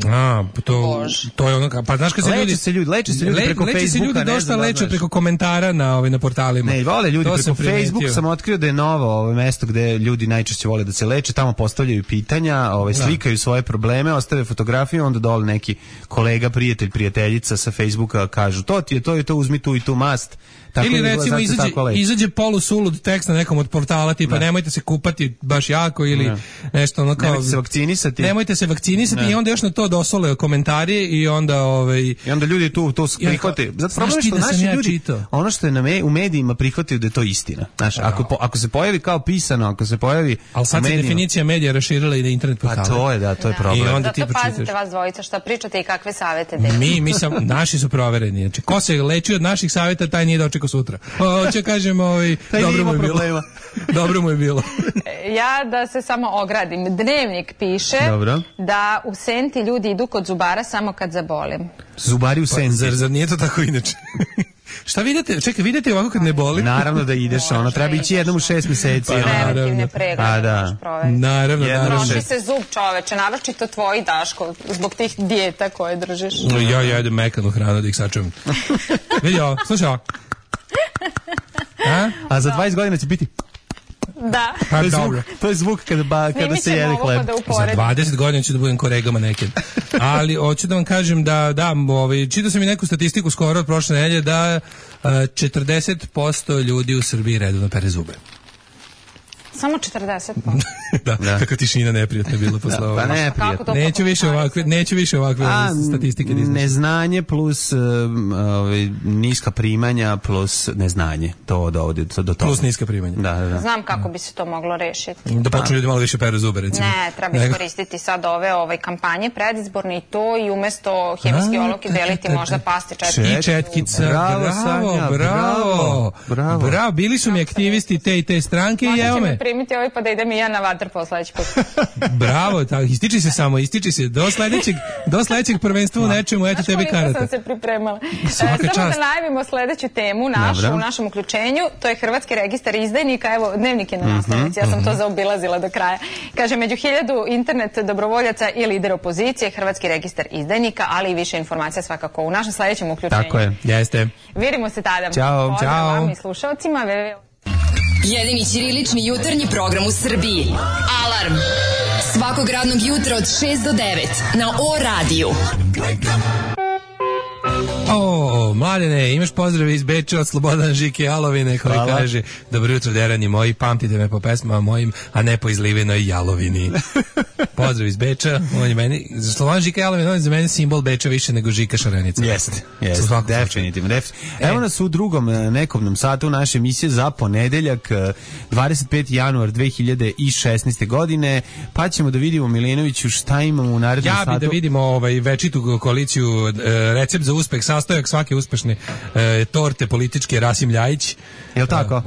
A, to, to je ono, pa znaš kad se leče ljudi se ljudi, leče se ljudi le, preko leče Facebooka, se ljudi dosta leče preko komentara na ovaj na portalima. Ne, vole ljudi to preko Facebooka, sam otkrio da je novo ovo mesto gde ljudi najčešće vole da se leče, tamo postavljaju pitanja, ovaj slikaju svoje probleme, ostave fotografiju, onda dole neki kolega, prijatelj, prijateljica sa Facebooka kažu: "To ti je, to je to, uzmi tu i tu mast." Tako ili recimo izađe, izađe polusulud tekst na nekom od portala tipa ne. Nemojte se kupati baš jako ili ne. Nešto ono kao nemojte se vakcinisati. Nemojte se vakcinisati ne. I onda još na to dosole komentari i onda ovaj i onda ljudi tu to prihvate. Zato problem što naši ja ljudi čitao? Ono što je na me, u medijima prihvataju da je to istina. Znaš, ako po, ako se pojavi kao pisano, ako se pojavi al sad se definicija medija raširila i na internet portale. A to je da, to je problem. I onda ti pazite vas dvojica šta pričate i kakve savete dajete. Mi mi sam naši su provereni. Znači ko se leči od naših saveta taj nije dočekao sutra. Hoće kažem, ovaj, dobro mu je bilo. Dobro mu je bilo. Ja da se samo ogradim. Dnevnik piše dobro. Da u Senti ljudi idu kod zubara samo kad zabolim. Zubari u Senti. Pa, zar, zar nije to tako inače? Šta vidite? Čekaj, vidite ovako kad ne boli? Naravno da ideš, ono treba ići jednom u šest mjeseci. Pa, preventivne preglede. A da. Naravno, naravno. Troši se zub, čoveče, naročito tvoji, Daško, zbog tih dijeta koje držiš. No, ja jedem mekanu hranu da ih sačuvam. Vidi ovo, slušaj ovo. A? A za dvadeset godina će biti... Da. To je zvuk, to je zvuk kada, ba, kada se jede hleb. Za dvadeset godina ću da budem kolegama nekad. Ali hoću da vam kažem da, da ovaj, čitao sam i neku statistiku skoro od prošle nedelje da uh, četrdeset posto ljudi u Srbiji redovno pere zube. Samo četrdeset posto. da, da, kako tišina neprijatna bila posle ovoga. Pa neprijatno. Neću više ovakve, neću više ovakve A, statistike. Neznanje plus uh, ovaj, niska primanja plus neznanje. To dovodi do toga. Plus niska primanja. Da, da, da. Znam kako bi se to moglo rešiti. Da počnu ljudi malo više peru zube, recimo. Ne, treba iskoristiti sad ove ovaj, kampanje predizborne i to i umesto hemijski olovke deliti možda pasti četkica. I četkica. Bravo, Sanja, bravo. Bravo. Bravo, bili su mi aktivisti te i te stranke i evo me. Primiti ovaj pa da idem i ja na vaterpolo sledeći put. Bravo, tako, ističi se samo, ističi se. Do sledećeg, do sledećeg prvenstva u nečemu, eto tebi karata. Znaš koliko sam se pripremala. E, samo da najavimo sledeću temu našu, Dobra. U našem uključenju, to je Hrvatski registar izdajnika, evo, dnevnik je na naslovnici, ja sam to zaobilazila do kraja. Kaže, među hiljadu internet dobrovoljaca i lider opozicije, Hrvatski registar izdajnika, ali i više informacija svakako u našem sledećem uključenju. Tako je, jeste. Vidimo se tada. Ćao, Pozdrav ćao. vam i slušalcima. Jedini ćirilični jutarnji program u Srbiji. Alarm. Svakog radnog jutra od šest do devet na O radiju. O, Mladene, imaš pozdrave iz Beča od Slobodana Žike Jalovine koji Hvala. Kaže: dobro jutro, derani moji, pamtite me po pesmama mojim, a ne po izlivenoj jalovini. Pozdrav iz Beča, on je meni, Slobodan Žika Jalovina, on je za mene simbol Beča više nego Žika Šarenica. Jeste, jeste, definitivno. Def... E. Evo nas u drugom nekovnom satu naše emisije za ponedeljak, dvadeset peti januar dve hiljade šesnaeste. godine, pa ćemo da vidimo, Milinoviću, šta imamo u narednom satu. Ja bi da vidimo ovaj, večitu koaliciju, recept za uspeh, sastojak svake uspešne e, torte političke, Rasim Ljajić. Jel' tako?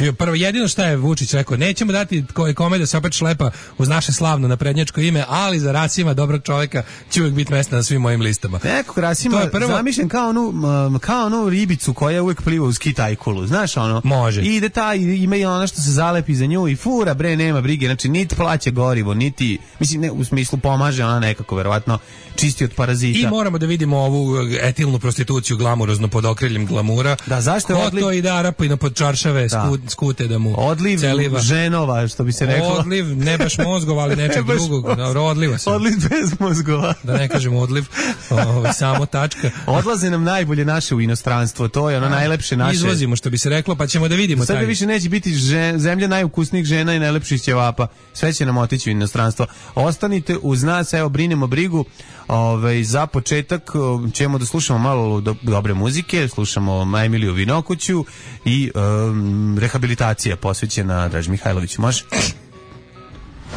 E, prvo, jedino šta je Vučić rekao, nećemo dati kome da se opet šlepa uz naše slavno naprednjačko ime, ali za Rasima, dobrog čovjeka, će uvijek biti mesta na svim mojim listama. Nekog Rasima prvo... zamišljen kao onu, um, kao onu ribicu koja uvijek pliva uz kitajkulu, znaš ono? Može. I ide ta, ima i ono što se zalepi za nju i fura, bre, nema brige, znači niti plaće gorivo, niti, mislim, ne, u smislu pomaže ona nekako, verovatno, čisti od parazita. I moramo da vidimo ovu etilnu prostituciju glamurozno pod okriljem glamura. Da, zašto je odliv? Ko to ide Arapina pod čaršave, da. skut, skute da mu odliv celiva. Ženova, što bi se reklo. Odliv, ne baš mozgova, ali nečeg ne drugog. Dobro, odliva se. Odliv bez mozgova. Da ne kažem odliv, o, samo tačka. Odlaze nam najbolje naše u inostranstvo, to je ono najlepše naše. Izvozimo, što bi se reklo, pa ćemo da vidimo. Sada više neće biti žen, zemlja najukusnijih žena i najlepših ćevapa. Sve će nam otići u inostranstvo. Ostanite uz nas, evo, brinemo brigu. Ove, za početak ćemo da slušamo malo do, dobre muzike, slušamo Emiliju Vinokuću i um, rehabilitacija posvećena Draži Mihajloviću. Može?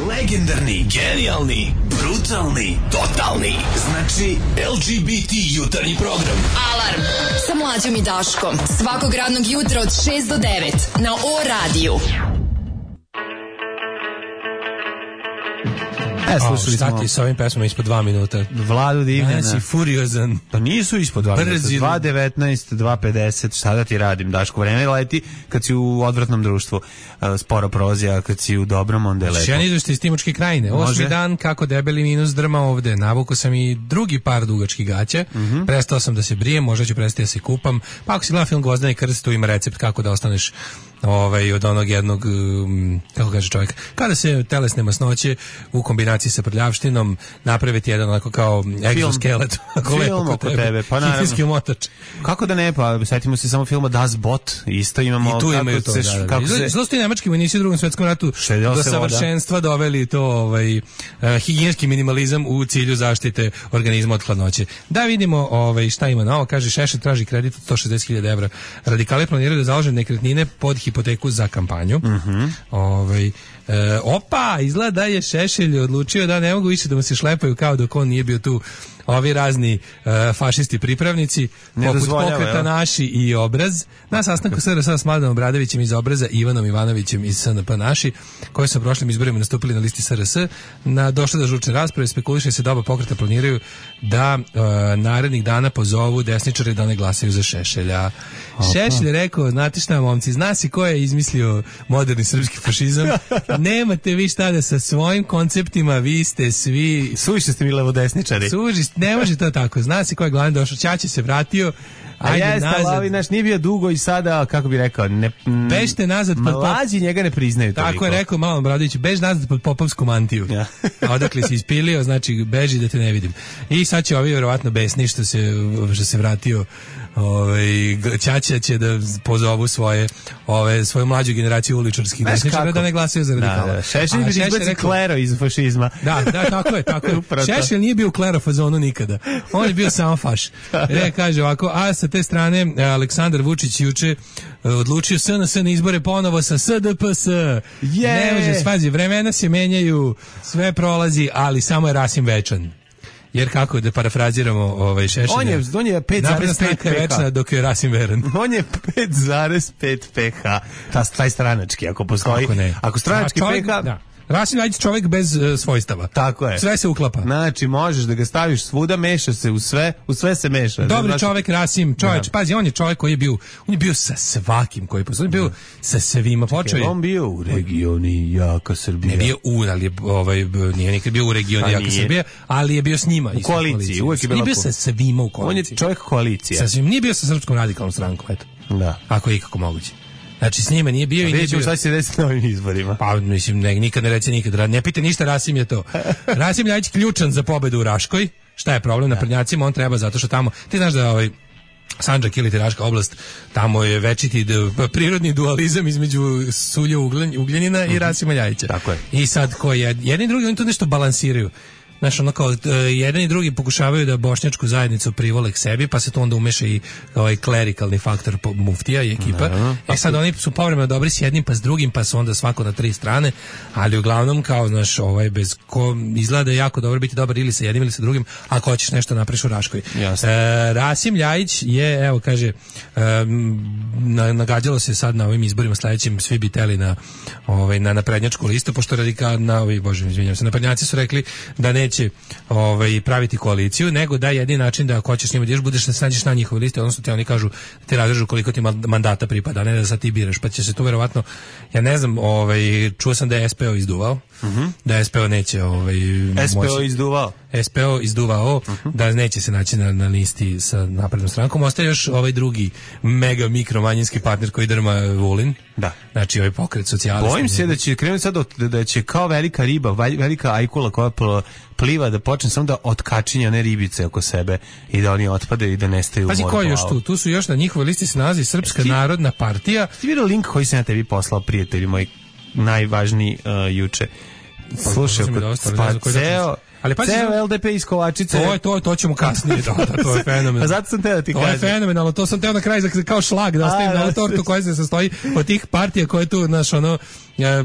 Legendarni, genijalni, brutalni, totalni. Znači L G B T jutarnji program. Alarm sa Mlađom i Daškom. Svakog radnog jutra od šest do devet na O radiju. E, slušali smo. Šta ti s ovim pesmama ispod dva minuta? Vladu Divljana. Znači, furiozan. Pa nisu ispod dva minuta. dva devetnaest, dva pedeset, šta da ti radim, Daško, vreme leti kad si u odvratnom društvu. Sporo prozija, kad si u dobrom, onda je lepo. Šen izveštaj iz Timočke krajine. Osmi dan, kako debeli minus drma ovde. Navuko sam i drugi par dugačkih gaća. Mm -hmm. Prestao sam da se brijem, možda ću prestati da se kupam. Pa ako si gleda film Gvozdeni krst, tu ima recept kako da ostaneš ovaj, od onog jednog, um, kako kaže čovjek, kada se telesne masnoće u kombinaciji sa prljavštinom napraviti jedan onako kao egzoskelet. Film oko tebe, tebe. Pa naravno. Motač. Kako da ne, pa setimo se samo filma Das Boot, isto imamo. I tu imaju to, se, da, da. Kako se... Zlo su ti nemački vojnici u drugom svjetskom ratu do savršenstva voda. Doveli to ovaj, uh, higijenski minimalizam u cilju zaštite organizma od hladnoće. Da vidimo ovaj, šta ima na ovo, kaže Šešelj traži kredit od sto šezdeset hiljada evra. Radikali planiraju da založe nekretnine pod hipoteku za kampanju. Mm -hmm. Ovaj, e, opa, izgleda da je Šešelj odlučio da ne mogu više da mu se šlepaju kao dok on nije bio tu ovi razni uh, fašisti pripravnici poput Pokreta Naši i Obraz na sastanku S R S s Mladenom Obradovićem iz Obraza i Ivanom Ivanovićem iz S N P Naši, koji su u prošlim izborima nastupili na listi S R S. Na došle do žučne rasprave spekuliše se da oba pokreta planiraju da uh, narednih dana pozovu desničare da ne glasaju za Šešelja. Opa. Šešelj je rekao, znate šta, momci, zna si ko je izmislio moderni srpski fašizam, nemate vi šta da sa svojim konceptima, vi ste svi suviše ste mi levodesničari. Suži, ne može to tako. Zna se ko je glavni došao, Ćaće se vratio. Ajde, a jeste, ali naš nije bio dugo i sada, kako bi rekao, ne, bežte nazad pod mlađi pop... njega ne priznaju toliko. Tako je rekao Malo Obradović, bež nazad pod popovsku mantiju. Ja. A odakle si ispilio, znači beži da te ne vidim. I sad će ovi vjerovatno besni što se, što se vratio. Ovaj Ćaća će da pozovu svoje ove svoju mlađu generaciju uličarskih desničara da ne glasaju za radikala. Da, da. Šešelj bi izbacio klero iz fašizma. Da, da, tako je, tako je. Šešelj nije bio u klero fazonu nikada. On je bio samo faš. Re kaže ovako, a sa te strane Aleksandar Vučić juče odlučio S N S na izbore ponovo sa S D P S. Ne može, svazi, vremena se menjaju, sve prolazi, ali samo je Rasim večan. Jer kako da parafraziramo ovaj Šešelja. On je on je pet zarez pet večna dok je Rasim veran. On je pet zarez pet pH. Ta taj stranački ako postoji. Ako, ako stranački pH, da. Rasim Ljajić čovjek bez uh, svojstava. Tako je. Sve se uklapa. Znači, možeš da ga staviš svuda, meša se u sve, u sve se meša. Dobri znači... čovjek Rasim, čovječ, da. Pazi, on je čovjek koji je bio, on je bio sa svakim koji postoji, on je bio da. Sa svima. Počeo je. On bio u regioni Jaka Srbija. Ne bio u, ali je, ovaj, nije nikad bio u regioni Jaka Srbija, ali je bio s njima. U koaliciji, uvijek je bilo. Nije bio sa svima u koaliciji. On je čovjek koalicija. Sa svim, nije bio sa Srpskom radikalnom strankom, eto. Da. Ako je ikako moguće. Znači s njima nije bio i nije bio. Šta će se desiti na ovim izborima? Pa mislim ne, nikad ne reći nikad. Ne pita ništa, Rasim je to. Rasim Ljajić ključan za pobedu u Raškoj. Šta je problem na Prnjacima? On treba zato što tamo, ti znaš da ovaj Sandžak ili Raška oblast, tamo je večiti prirodni dualizam između Sulja Ugljanina i Rasima Ljajića. Tako je. I sad ko je, jedni i drugi oni to nešto balansiraju. Znaš, ono kao, jedan i drugi pokušavaju da bošnjačku zajednicu privole k sebi, pa se to onda umeša i ovaj klerikalni faktor muftija i ekipa. No, e sad oni su povremeno dobri s jednim pa s drugim, pa su onda svako na tri strane, ali uglavnom kao, znaš, ovaj, bez ko izgleda jako dobro biti dobar ili sa jednim ili sa drugim, ako hoćeš nešto napraviš u Raškoj. E, Rasim Ljajić je, evo, kaže, e, nagađalo se sad na ovim izborima sledećim, svi bi teli na, ovaj, na naprednjačku listu, pošto radika, na ovi, bože, izvinjam se, naprednjaci su rekli da ne će ovaj, praviti koaliciju, nego da je jedini način da ako hoćeš njima da budeš da se nađeš na njihovoj listi, odnosno ti oni kažu da ti razrežu koliko ti mandata pripada, ne da sad ti biraš, pa će se to verovatno, ja ne znam, ovaj, čuo sam da je S P O izduvao, mm-hmm. da S P O neće ovaj, S P O moći, izduvao. S P O izduvao, uh-huh. da neće se naći na, na listi sa naprednom strankom. Ostaje još ovaj drugi mega mikro manjinski partner koji drma Vulin. Da. Znači ovaj pokret socijalista. Bojim se da će krenuti sad od, da će kao velika riba, velika ajkula koja pliva da počne samo da otkačinja one ribice oko sebe i da oni otpade i da nestaju u moru. Pazi ko je još tu? Tu su još na njihovoj listi se nalazi Srpska ti, narodna partija. Ti vidio link koji sam ja tebi poslao, prijatelji moji, najvažniji uh, juče. Slušaj, pa ceo... Ali pa ceo L D P iz Kovačice. To je to, to ćemo kasnije, da, da, to je fenomenalno. A zato sam teo da ti kažem. To je fenomenalno, to sam teo na kraju kao šlag da ostavim na tortu koja se sastoji od tih partija koje tu, znaš, ono,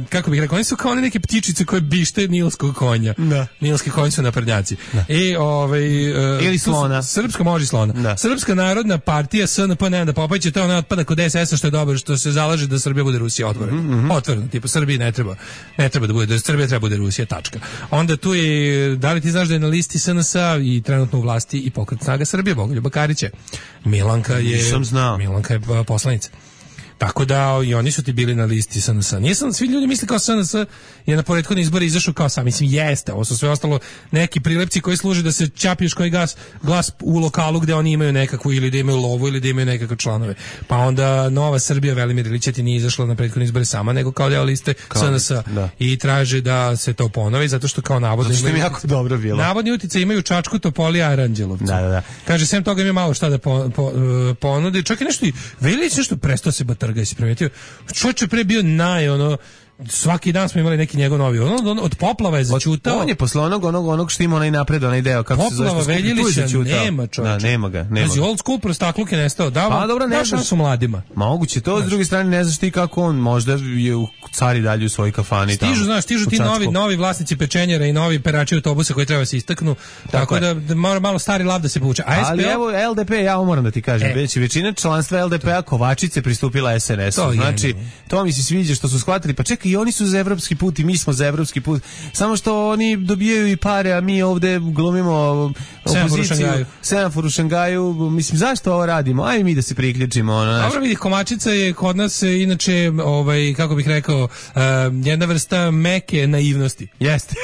kako bih rekao, oni su kao one neke ptičice koje bište nilskog konja. Da. Nilski konj su naprednjaci. Da. I, ovaj, uh, ili slona. Srpska može slona. Da. Srpska narodna partija S N P, ne da Popović, to je ona otpada kod S S A što je dobro, što se zalaže da Srbija bude Rusija otvorena. Mm-hmm. Otvorena, tipa Srbiji ne treba, ne treba da bude, da Srbija treba bude Rusija, tačka. Onda tu je, da li ti znaš da je na listi S N S A i trenutno u vlasti i pokret Snaga Srbije, Bogoljuba Karića. Milanka je, Milanka je poslanica. Tako da i oni su ti bili na listi S N S A. Nisam, svi ljudi misle kao S N S je na prethodni izbori izašao kao sam. Mislim, jeste. Ovo su sve ostalo neki prilepci koji služe da se čapiješ koji gas, glas u lokalu gde oni imaju nekakvu ili da imaju lovu ili da imaju nekakve članove. Pa onda Nova Srbija, Velimir Ilić ti nije izašla na prethodni izbori sama, nego kao deo liste S N S A. Da. I traže da se to ponovi, zato što kao navodno zato što im jako dobro bilo. Navodni utice imaju Čačku, Topoli, Aranđelovcu. Da, da, da. Kaže, sem toga ima malo šta da po, po, uh, ponudi. Čak i nešto i Velić nešto prestao se trga, si primetio. Čovjek je pre bio naj, ono, svaki dan smo imali neki njegov novi. On, on, od poplava je začutao. On je posle onog, onog, onog što ima onaj napred, onaj deo. Kako poplava se Veljilića nema, čovječe. Da, nema ga. Nema znači, old school prostakluk je nestao. Da, pa, dobro, ne znaš, su mladima. Moguće to, znači, s druge strane ne znaš ti kako on, možda je u cari dalje u svojoj kafani. Stižu, tamo, znaš, stižu ti novi, novi vlasnici pečenjera i novi perači autobusa koji treba se istaknu. Tako, tako da, da mora malo stari lav da se povuče. A S P O, ali evo L D P, ja moram da ti kažem, e. već većina članstva L D P-a Kovačice pristupila S N S-u. Znači, to mi se sviđa što su shvatili. Pa čekaj, i oni su za evropski put i mi smo za evropski put. Samo što oni dobijaju i pare, a mi ovde glumimo opoziciju. Semafor u Šangaju. Mislim, zašto ovo radimo? Ajde mi da se priključimo. Ono, dobro, vidi, Kovačica je kod nas inače, ovaj, kako bih rekao, uh, jedna vrsta meke naivnosti. Jeste.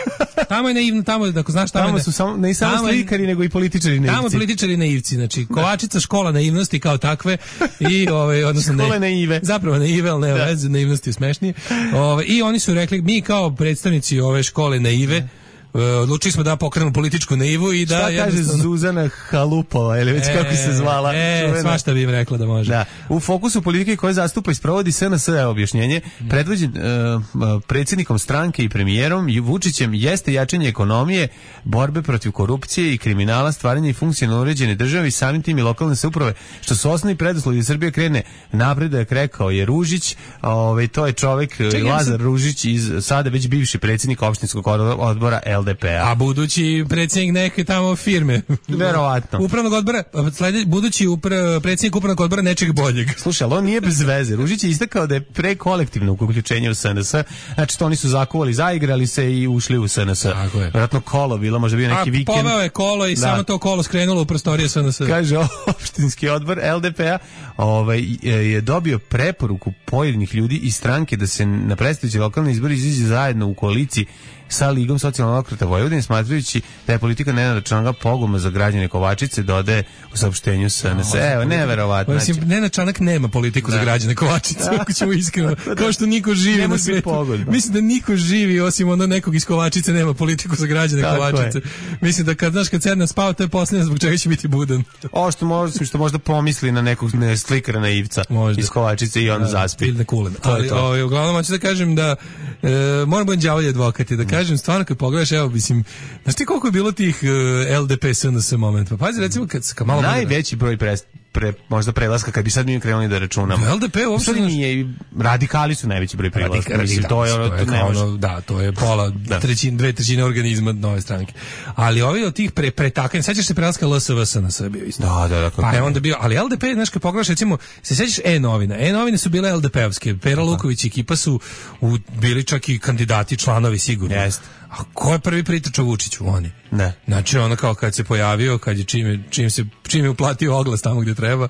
Tamo je naivno, tamo, ako znaš, tamo, tamo su samo, ne samo slikari, nego i političari naivci. Tamo političari naivci, znači, Kovačica škola naivnosti kao takve i, ovaj, odnosno, škole naive. Zapravo naive, ali ne, veze, naivnosti je smešnije. Ovaj, i oni su rekli, mi kao predstavnici ove škole naive, Uh, odlučili smo da pokrenemo političku naivu i da... Šta kaže Zuzana Halupova, ili već e, kako se zvala? E, svašta bi im rekla da može. Da. U fokusu politike koje zastupa i sprovodi S N S A objašnjenje, predvođen uh, predsjednikom stranke i premijerom Vučićem jeste jačanje ekonomije, borbe protiv korupcije i kriminala, stvaranje i funkcionalno uređene države i samim tim i lokalne samouprave, što su osnovni preduslovi da Srbija krene napredak, rekao je Ružić. Ovaj, to je čovjek Čekaj, Lazar sam... Ružić, iz, sada već bivši predsjednik opštinskog odbora L D P-a. A budući predsjednik neke tamo firme. Verovatno. Upravnog odbora, slede, budući upra, predsjednik upravnog odbora nečeg boljeg. Slušaj, ali on nije bez veze. Ružić je istakao da je pre kolektivno uključenje u S N S. Znači, to oni su zakuvali, zaigrali se i ušli u S N S. Vjerojatno kolo bilo, možda bio neki A, vikend. A poveo je kolo i da. samo to kolo skrenulo u prostorije S N S. Kaže, opštinski odbor L D P-a ovaj, je dobio preporuku pojedinih ljudi iz stranke da se na predstojeći lokalni izbori izađe zajedno u koaliciji sa Ligom socijaldemokrata Vojvodine, smatrajući da je politika Nenada Čanka pogubna za građane Kovačice, dodaje u saopštenju S N S. Evo, neverovatno. Mislim, Nenad Čanak nema politiku da. za građane Kovačice, ako ćemo iskreno. Kao što niko živi na svijetu. Mislim da niko živi, osim ono nekog iz Kovačice, nema politiku za građane Tako Kovačice. Je. Mislim da kad, znaš, kad Cerna spava, to je posljedno zbog čega će biti budan. O, što možda, što možda pomisli na nekog ne, slikara naivca možda. iz Kovačice i on da, zaspi. Ili na kulen. Ali, o, uglavnom, hoću da kažem da e, moram biti đavolji advokati, da kažem, stvarno kad pogledaš, evo, mislim, znaš ti koliko je bilo tih uh, L D P S N S momenta? Pa pazi, recimo, kad, kad malo... Najveći broj prest, pre, možda prelaska, kad bi sad mi krenuli da računamo. L D P uopšte nije, radikali su najveći broj prelaska. Radik, mislim, to je, to je, to je ono, da, to je pola, da. trećin, dve trećine organizma nove stranke. Ali ovi od tih pre, pretakanja, sećaš se prelaska L S V S na sve bio isto. Da, da, da. Pa je onda bio, ali L D P, znaš, kad pogledaš, recimo, se sećaš E-novina. E-novine su bile L D P-ovske. Pera Luković i ekipa su u, bili čak i kandidati, članovi sigurno. Jeste. A ko je prvi pritačao Vučiću? Oni. Ne. Znači, ono kao kad se pojavio, kad je čim, čim, se, čim je uplatio oglas tamo gdje treba,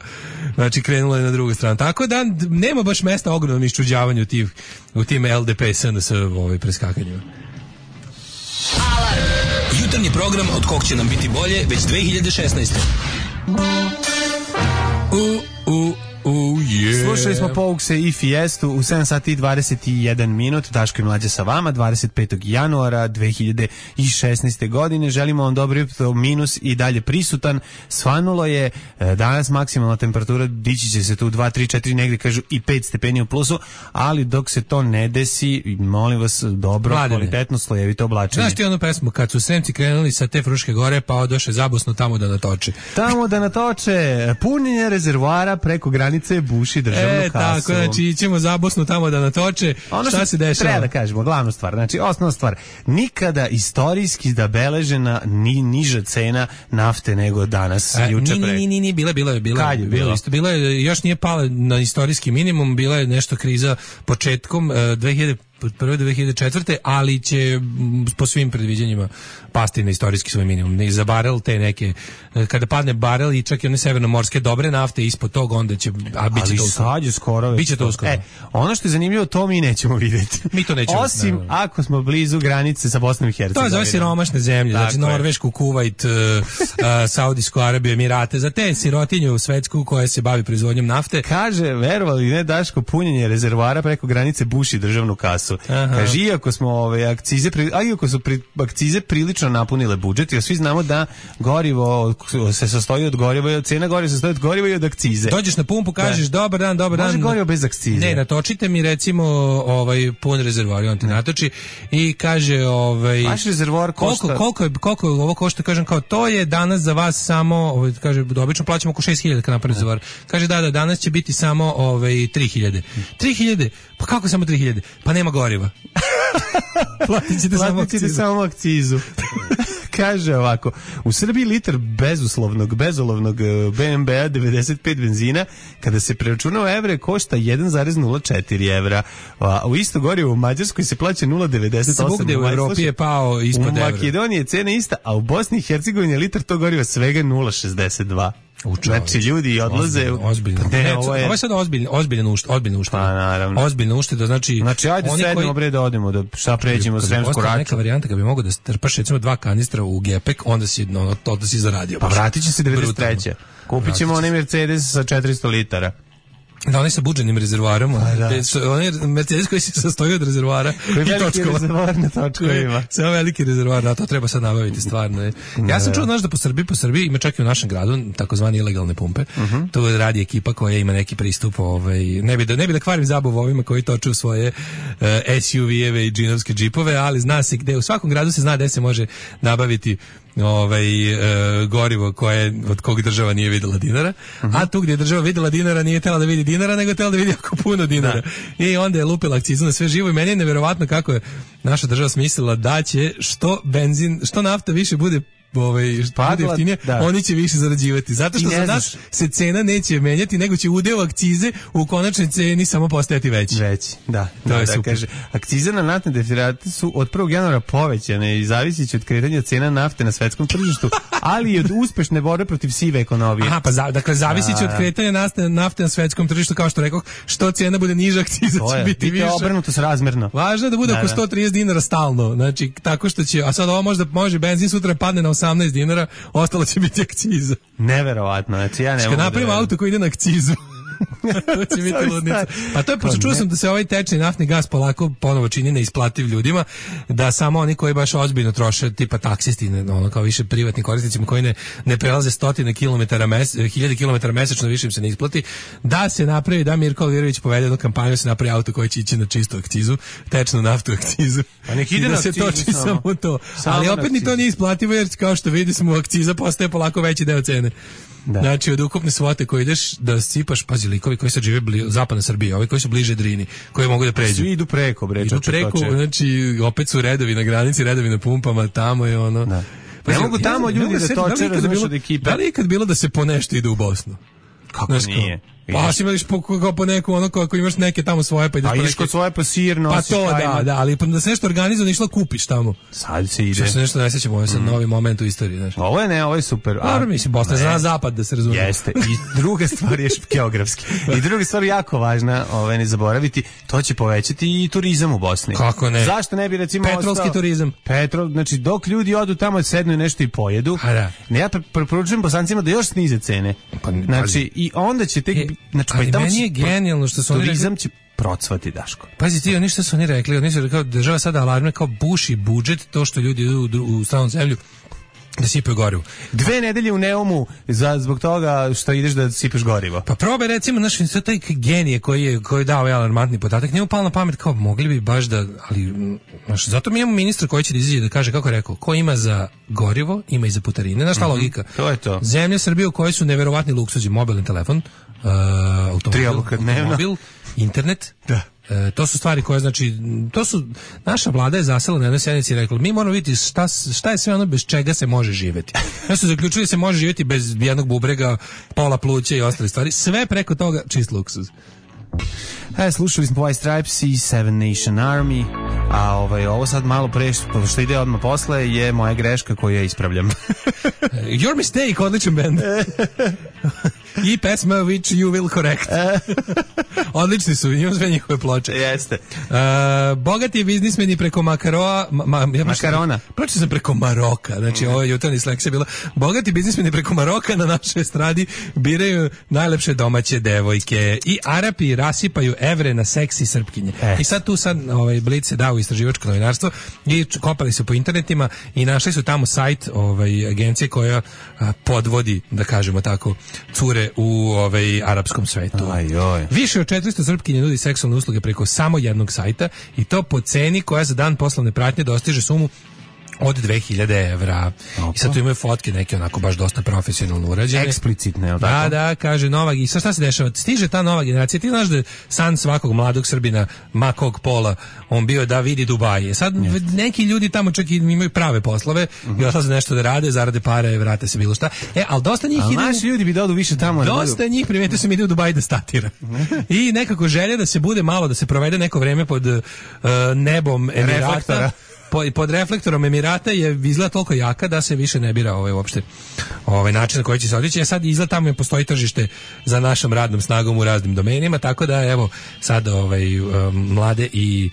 znači krenulo je na drugu stranu. Tako da nema baš mesta ogromnom iščuđavanju u tim, u tim L D P S N S ovaj preskakanjima. jutarnji program od kog će nam biti bolje već dve hiljade šesnaeste. U, u, u, yeah. Slušali smo Poukse i Fiestu u sedam sati i dvadeset jedan minut. Daško i Mlađa sa vama, dvadeset petog januara dve hiljade šesnaeste. godine. Želimo vam dobro jutro, minus i dalje prisutan. Svanulo je danas maksimalna temperatura, dići će se tu dva, tri, četiri, negde kažu i pet stepeni u plusu, ali dok se to ne desi, molim vas, dobro, Mladine, kvalitetno, slojevito oblačenje. Znaš ti onu pesmu, kad su Sremci krenuli sa te Fruške gore, pa odoše zabosno tamo da natoče. Tamo da natoče, punjenje rezervoara preko granice buši državnu e, kasu. E, tako, znači ićemo zabosno tamo da natoče. Ono šta se dešava? Treba da kažemo, glavnu stvar, znači osnovna stvar, nikada istorijski da beležena ni niža cena nafte nego danas, A, juče pre. Ni, ni, ni, bila, bila je, bila, Kad je bila? bila, isto, bila je, još nije pala na istorijski minimum, bila je nešto kriza početkom uh, dve hiljade prve do dve hiljade četvrte. ali će po svim predviđanjima pasti na istorijski svoj minimum. Ne za barel te neke, kada padne barel i čak i one severnomorske dobre nafte ispod toga, onda će, a bit će to uskoro. Ali sad je skoro. Biće to uskoro. E, ono što je zanimljivo, to mi nećemo vidjeti. Mi to nećemo. Osim ne, ako smo blizu granice sa Bosnom i Hercegovinom. To je za siromašne zemlje, znači Norvešku, Kuvajt, uh, uh, Saudijsku Arabiju, Emirate, za te sirotinju svetsku koja se bavi proizvodnjom nafte. Kaže, verovali ne, Daško, punjenje rezervoara preko granice buši državnu kasu. Aha. Kaže, iako smo ove akcize, a iako su pri, akcize prilično napunile budžet, jer svi znamo da gorivo se sastoji od goriva i od cena goriva se sastoji od goriva i od akcize. Dođeš na pumpu, kažeš da. dobar dan, dobar dan. Može gorivo bez akcize. Ne, natočite mi recimo ovaj pun rezervoar, on ti natoči i kaže ovaj vaš rezervoar košta koliko koliko je koliko ovo košta, kažem kao to je danas za vas samo, ovaj kaže obično plaćamo oko šest hiljada kad napravi rezervoar. Kaže da da danas će biti samo ovaj tri hiljade. tri hiljade? Pa kako samo tri hiljade? Pa nema goriva. Platit ćete samo akcizu. samo akcizu. Kaže ovako, u Srbiji litar bezuslovnog, bezolovnog B M B-a devedeset pet benzina, kada se preračuna u evre, košta jedan zarez nula četiri evra. A u isto gorivo u Mađarskoj se plaća nula zarez devedeset osam. Svugde u Evropi je pao ispod evra. U Makedoniji je cena ista, a u Bosni i Hercegovini je litar tog goriva svega nula zarez šezdeset dva. Znači ljudi odlaze ozbiljno. Pa ne, ovo je ovo je sad ozbiljno, ozbiljno ušt, ozbiljno ušt. Pa naravno. Ozbiljno ušteda, znači Znači ajde sednemo bre da odemo da šta pređemo Sremsku Raču. Neka varijanta kad bi mogao da strpaš recimo dva kanistra u gepek, onda si no, to da si zaradio. Pa vratit će se devedeset treće. Kupit ćemo onaj Mercedes sa četiristo litara. Da, onaj sa budženim rezervoarom, da. Onaj Mercedes koji se sastoji od rezervoara koji i točkova. Rezervoar na točkovima. Samo veliki rezervoar, da, to treba sad nabaviti stvarno. Je. Ja sam čuo, znaš, da po Srbiji, po Srbiji ima čak i u našem gradu takozvani ilegalne pumpe. Uh-huh. To radi ekipa koja ima neki pristup, ovaj, ne bi da, ne bi da kvarim zabavu ovima koji toču svoje uh, S U V-eve i džinovske džipove, ali zna se gde, u svakom gradu se zna gde se može nabaviti ovaj e, gorivo koje od kog država nije videla dinara, uh-huh. a tu gdje je država videla dinara nije htjela da vidi dinara, nego htjela da vidi jako puno dinara. Da. I onda je lupila akcizu na sve živo i meni je neverovatno kako je naša država smislila da će što benzin, što nafta više bude ovaj bude jeftinije, oni će više zarađivati. Zato što za nas se cena neće menjati, nego će udeo akcize u konačnoj ceni samo postajati veći. Veći, da. To da, je da, super. Kaže, akcize na naftne derivate su od prvog januara povećane i zavisiće od kretanja cena nafte na svetskom tržištu, ali i od uspešne borbe protiv sive ekonomije. Aha, pa za, dakle zavisiće od kretanja nafte, nafte na svetskom tržištu, kao što rekoh, što cena bude niža, akciza to će je, biti više. Obrnuto srazmerno. Važno je da bude da, oko sto trideset dinara stalno. Znači, tako što će, a sad ovo možda može benzin sutra padne na osamnaest dinara, ostalo će biti akciza. Neverovatno, znači ja ne mogu. Kad napravim da auto koji ide na akcizu, to će biti ludnica. Pa to je, pošto čuo sam da se ovaj tečni naftni gas polako ponovo čini neisplativ ljudima, da samo oni koji baš ozbiljno troše, tipa taksisti, ono kao više privatni korisnicima koji ne, ne prelaze stotine kilometara, mes, hiljade kilometara mesečno, više im se ne isplati, da se napravi, da Mirko Alvirović povede jednu kampanju, da se napravi auto koji će ići na čistu akcizu, tečnu naftu akcizu. Pa nek ide da na se akcizu, toči samo, samo to. Samo ali opet ni to nije isplativo, jer kao što vidi smo, akciza postaje polako veći deo cene. Da. Znači od ukupne svote koje ideš da sipaš, pazi, likovi koji sad žive blizu zapadne Srbije, ovi koji su bliže Drini, koji mogu da pređu. Svi idu preko, bre, idu preko, znači opet su redovi na granici, redovi na pumpama, tamo je ono. Da. Pa ne mogu tamo ljudi da toče, razumiješ od ekipe. Da li je ikad bilo da se po nešto ide u Bosnu? Kako znaš, nije? Pa si imališ po, kao po neku, ono, ako imaš neke tamo svoje, pa ideš pa po ideš kod svoje, pa sir nosiš. Pa to, da, da, ali da se nešto organizuje, išla kupiš tamo. Sad se ide. Što se nešto ne sećamo, ovo je sad mm. novi moment u istoriji, znaš. Ovo je ne, ovo je super. Dobro, mislim, Bosna je za zapad, da se razumije. Jeste. I druga stvar je geografski. I druga stvar jako važna, ovaj, ne zaboraviti, to će povećati i turizam u Bosni. Kako ne? Zašto ne bi, recimo, petrolski ostao, turizam. Petrol, znači, dok ljudi odu tamo, sednu i nešto i pojedu, da. ne, ja preporučujem Bosancima da još snize cene. Pa, znači, i onda će tek... E, znači, ali pa meni je genijalno što su oni turizam će procvati, Daško. Pazi ti, oni što su oni rekli, oni su rekao, država sada alarmira kao buši budžet, to što ljudi idu u, u stranom zemlju, da sipaju gorivo. Dve nedelje u Neumu za, zbog toga što ideš da sipeš gorivo. Pa probaj recimo, znaš, sve taj genije koji je, koji je dao ovaj alarmantni podatak, njemu palo na pamet kao, mogli bi baš da, ali, znaš, zato mi imamo ministra koji će da izađe da kaže, kako je rekao, ko ima za gorivo, ima i za putarine. Znaš ta mm-hmm. logika? To je to. Zemlja Srbije u kojoj su neverovatni luksuzi, mobilni telefon, uh, automobil, automobil, internet, da. E, to su stvari koje, znači, to su, naša vlada je zasela na jednoj sednici i rekla, mi moramo vidjeti šta, šta je sve ono bez čega se može živjeti. Ja su zaključili se može živjeti bez jednog bubrega, pola pluća i ostale stvari, sve preko toga čist luksuz. E, slušali smo White Stripes i Seven Nation Army, a ovaj, ovo sad malo pre što ide odmah posle je moja greška koju ja ispravljam. Your mistake, odličan band. I pesma which you will correct. Odlični su, imam sve njihove ploče. Jeste. Uh, bogati biznismeni preko Makaroa, ma, ma, ja Makarona. Pročio sam preko Maroka, znači mm. ovo je jutarnji sleks je bilo. Bogati biznismeni preko Maroka na našoj estradi biraju najlepše domaće devojke i Arapi rasipaju evre na seksi srpkinje. Eh. I sad tu sad ovaj, Blic se dao u istraživačko novinarstvo i kopali su po internetima i našli su tamo sajt ovaj, agencije koja a, podvodi, da kažemo tako, cure u ovaj arapskom svetu. Aj, oj. Više od četiristo srpkinja nudi seksualne usluge preko samo jednog sajta i to po ceni koja za dan poslovne pratnje dostiže sumu od dve hiljade evra. Opa. I sad tu imaju fotke neke onako baš dosta profesionalno urađene. Eksplicitne, je li da, tako? Da, kaže nova, i sad šta se dešava? Stiže ta nova generacija, ti znaš da je san svakog mladog Srbina, makog pola, on bio da vidi Dubaje. Sad yes. neki ljudi tamo čak i imaju prave poslove, uh-huh. i odlaze nešto da rade, zarade pare, vrate se bilo šta. E, ali dosta njih ali ide... naši ljudi bi da odu više tamo. Dosta njih, primetio sam, ide u Dubaj da statira. I nekako želja da se bude malo, da se provede neko vreme pod uh, nebom Emirata. Reflektora. Pod reflektorom Emirata je izgleda toliko jaka da se više ne bira ovaj uopšte ovaj način na koji će se otići. A sad izgleda tamo postoji tržište za našom radnom snagom u raznim domenima, tako da evo sad ovaj um, mlade i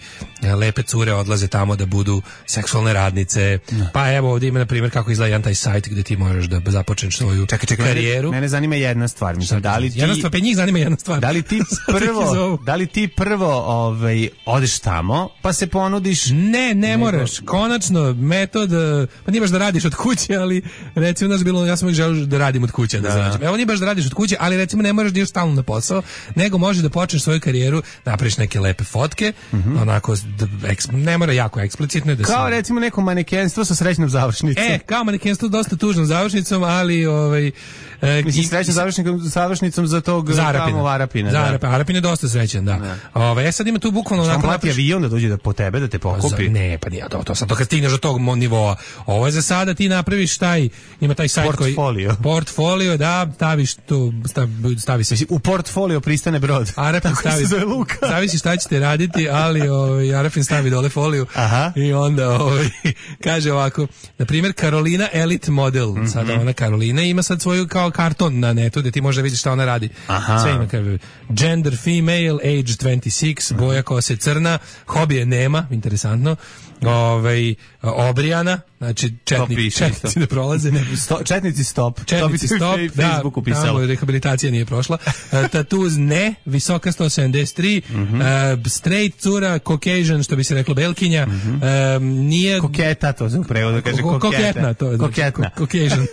lepe cure odlaze tamo da budu seksualne radnice. No. Pa evo ovdje ima na primjer kako izgleda jedan taj sajt gdje ti možeš da započneš svoju čekaj, čekaj, karijeru. Mene zanima jedna stvar, mislim, da li ti jedna stvar, pa njih zanima jedna stvar. Da li ti prvo, da li ti prvo ovaj odeš tamo, pa se ponudiš? Ne, ne moraš. Konačno, metod, pa nije baš da radiš od kuće, ali recimo, znaš, bilo, ja sam uvijek želeo da radim od kuće, da, da. Evo nije baš da radiš od kuće, ali recimo ne moraš da ideš stalno na posao, nego možeš da počneš svoju karijeru, napraviš neke lepe fotke, mm-hmm. onako, da, eks, ne mora jako eksplicitno. Da kao se... recimo neko manekenstvo sa srećnom završnicom. E, kao manekenstvo dosta tužnom završnicom, ali ovaj... E, mislim, srećnom završnicom, završnicom za tog tamo Arapina. Za Arapina, Arapin je dosta srećan, da. da. Ove, ja sad ima tu bukvalno... Što on plati napriš... avion da dođe da po tebe, da te pokupi? Za, ne, pa nije, to, to sad to kad stigneš do tog nivoa. Ovo je za sada, ti napraviš taj, ima taj sajt koji... Portfolio. Portfolio, da, staviš tu, stavi, stavi se... U portfolio pristane brod. Arapin stavi, zavisi šta ćete raditi, ali ovaj, Arapin stavi dole foliju. Aha. I onda ovaj, kaže ovako, na primjer, Karolina Elite Model, mm-hmm. sada ona Karolina ima sad svoju kao karton na netu gdje ti možda vidiš šta ona radi. Aha. Sve ima kao gender female, age dvadeset šest, boja kose crna, hobije nema, interesantno. Ovaj obrijana, znači četnik, četnici ne prolaze, ne. Sto, četnici stop. Četnici stop, da, tamo rehabilitacija nije prošla. Tatuz ne, visoka sto sedamdeset tri, mm-hmm. uh, straight cura, Caucasian, što bi se reklo belkinja, mm-hmm. um, nije... Koketa, to se u prevodu kaže koketa. Koketna, to znači, koketna. Caucasian.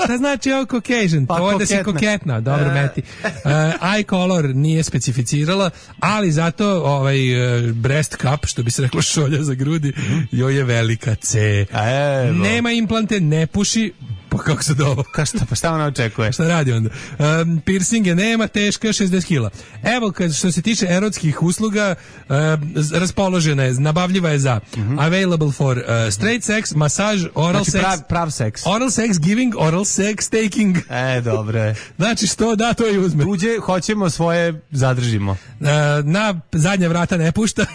Šta znači ovo Caucasian? Pa, to je da si koketna, dobro uh. meti. Uh, eye color nije specificirala, ali zato ovaj uh, breast cup, što bi se reklo šolja za grudi, mm-hmm. joj je velika C. Evo. Nema implante, ne puši, Pa kako se dobro? Ka šta, pa šta ona očekuje? Šta radi onda? Um, piercinge nema, teška šezdeset kila. Evo, kad, što se tiče erotskih usluga, uh, raspoložena je, nabavljiva je za mm-hmm. available for uh, straight sex, masaž, oral znači, sex. Prav, prav seks. Oral sex giving, oral sex taking. E, dobro je. Znači, što da, to i uzme. Tuđe, hoćemo, svoje zadržimo. Uh, na zadnja vrata ne pušta.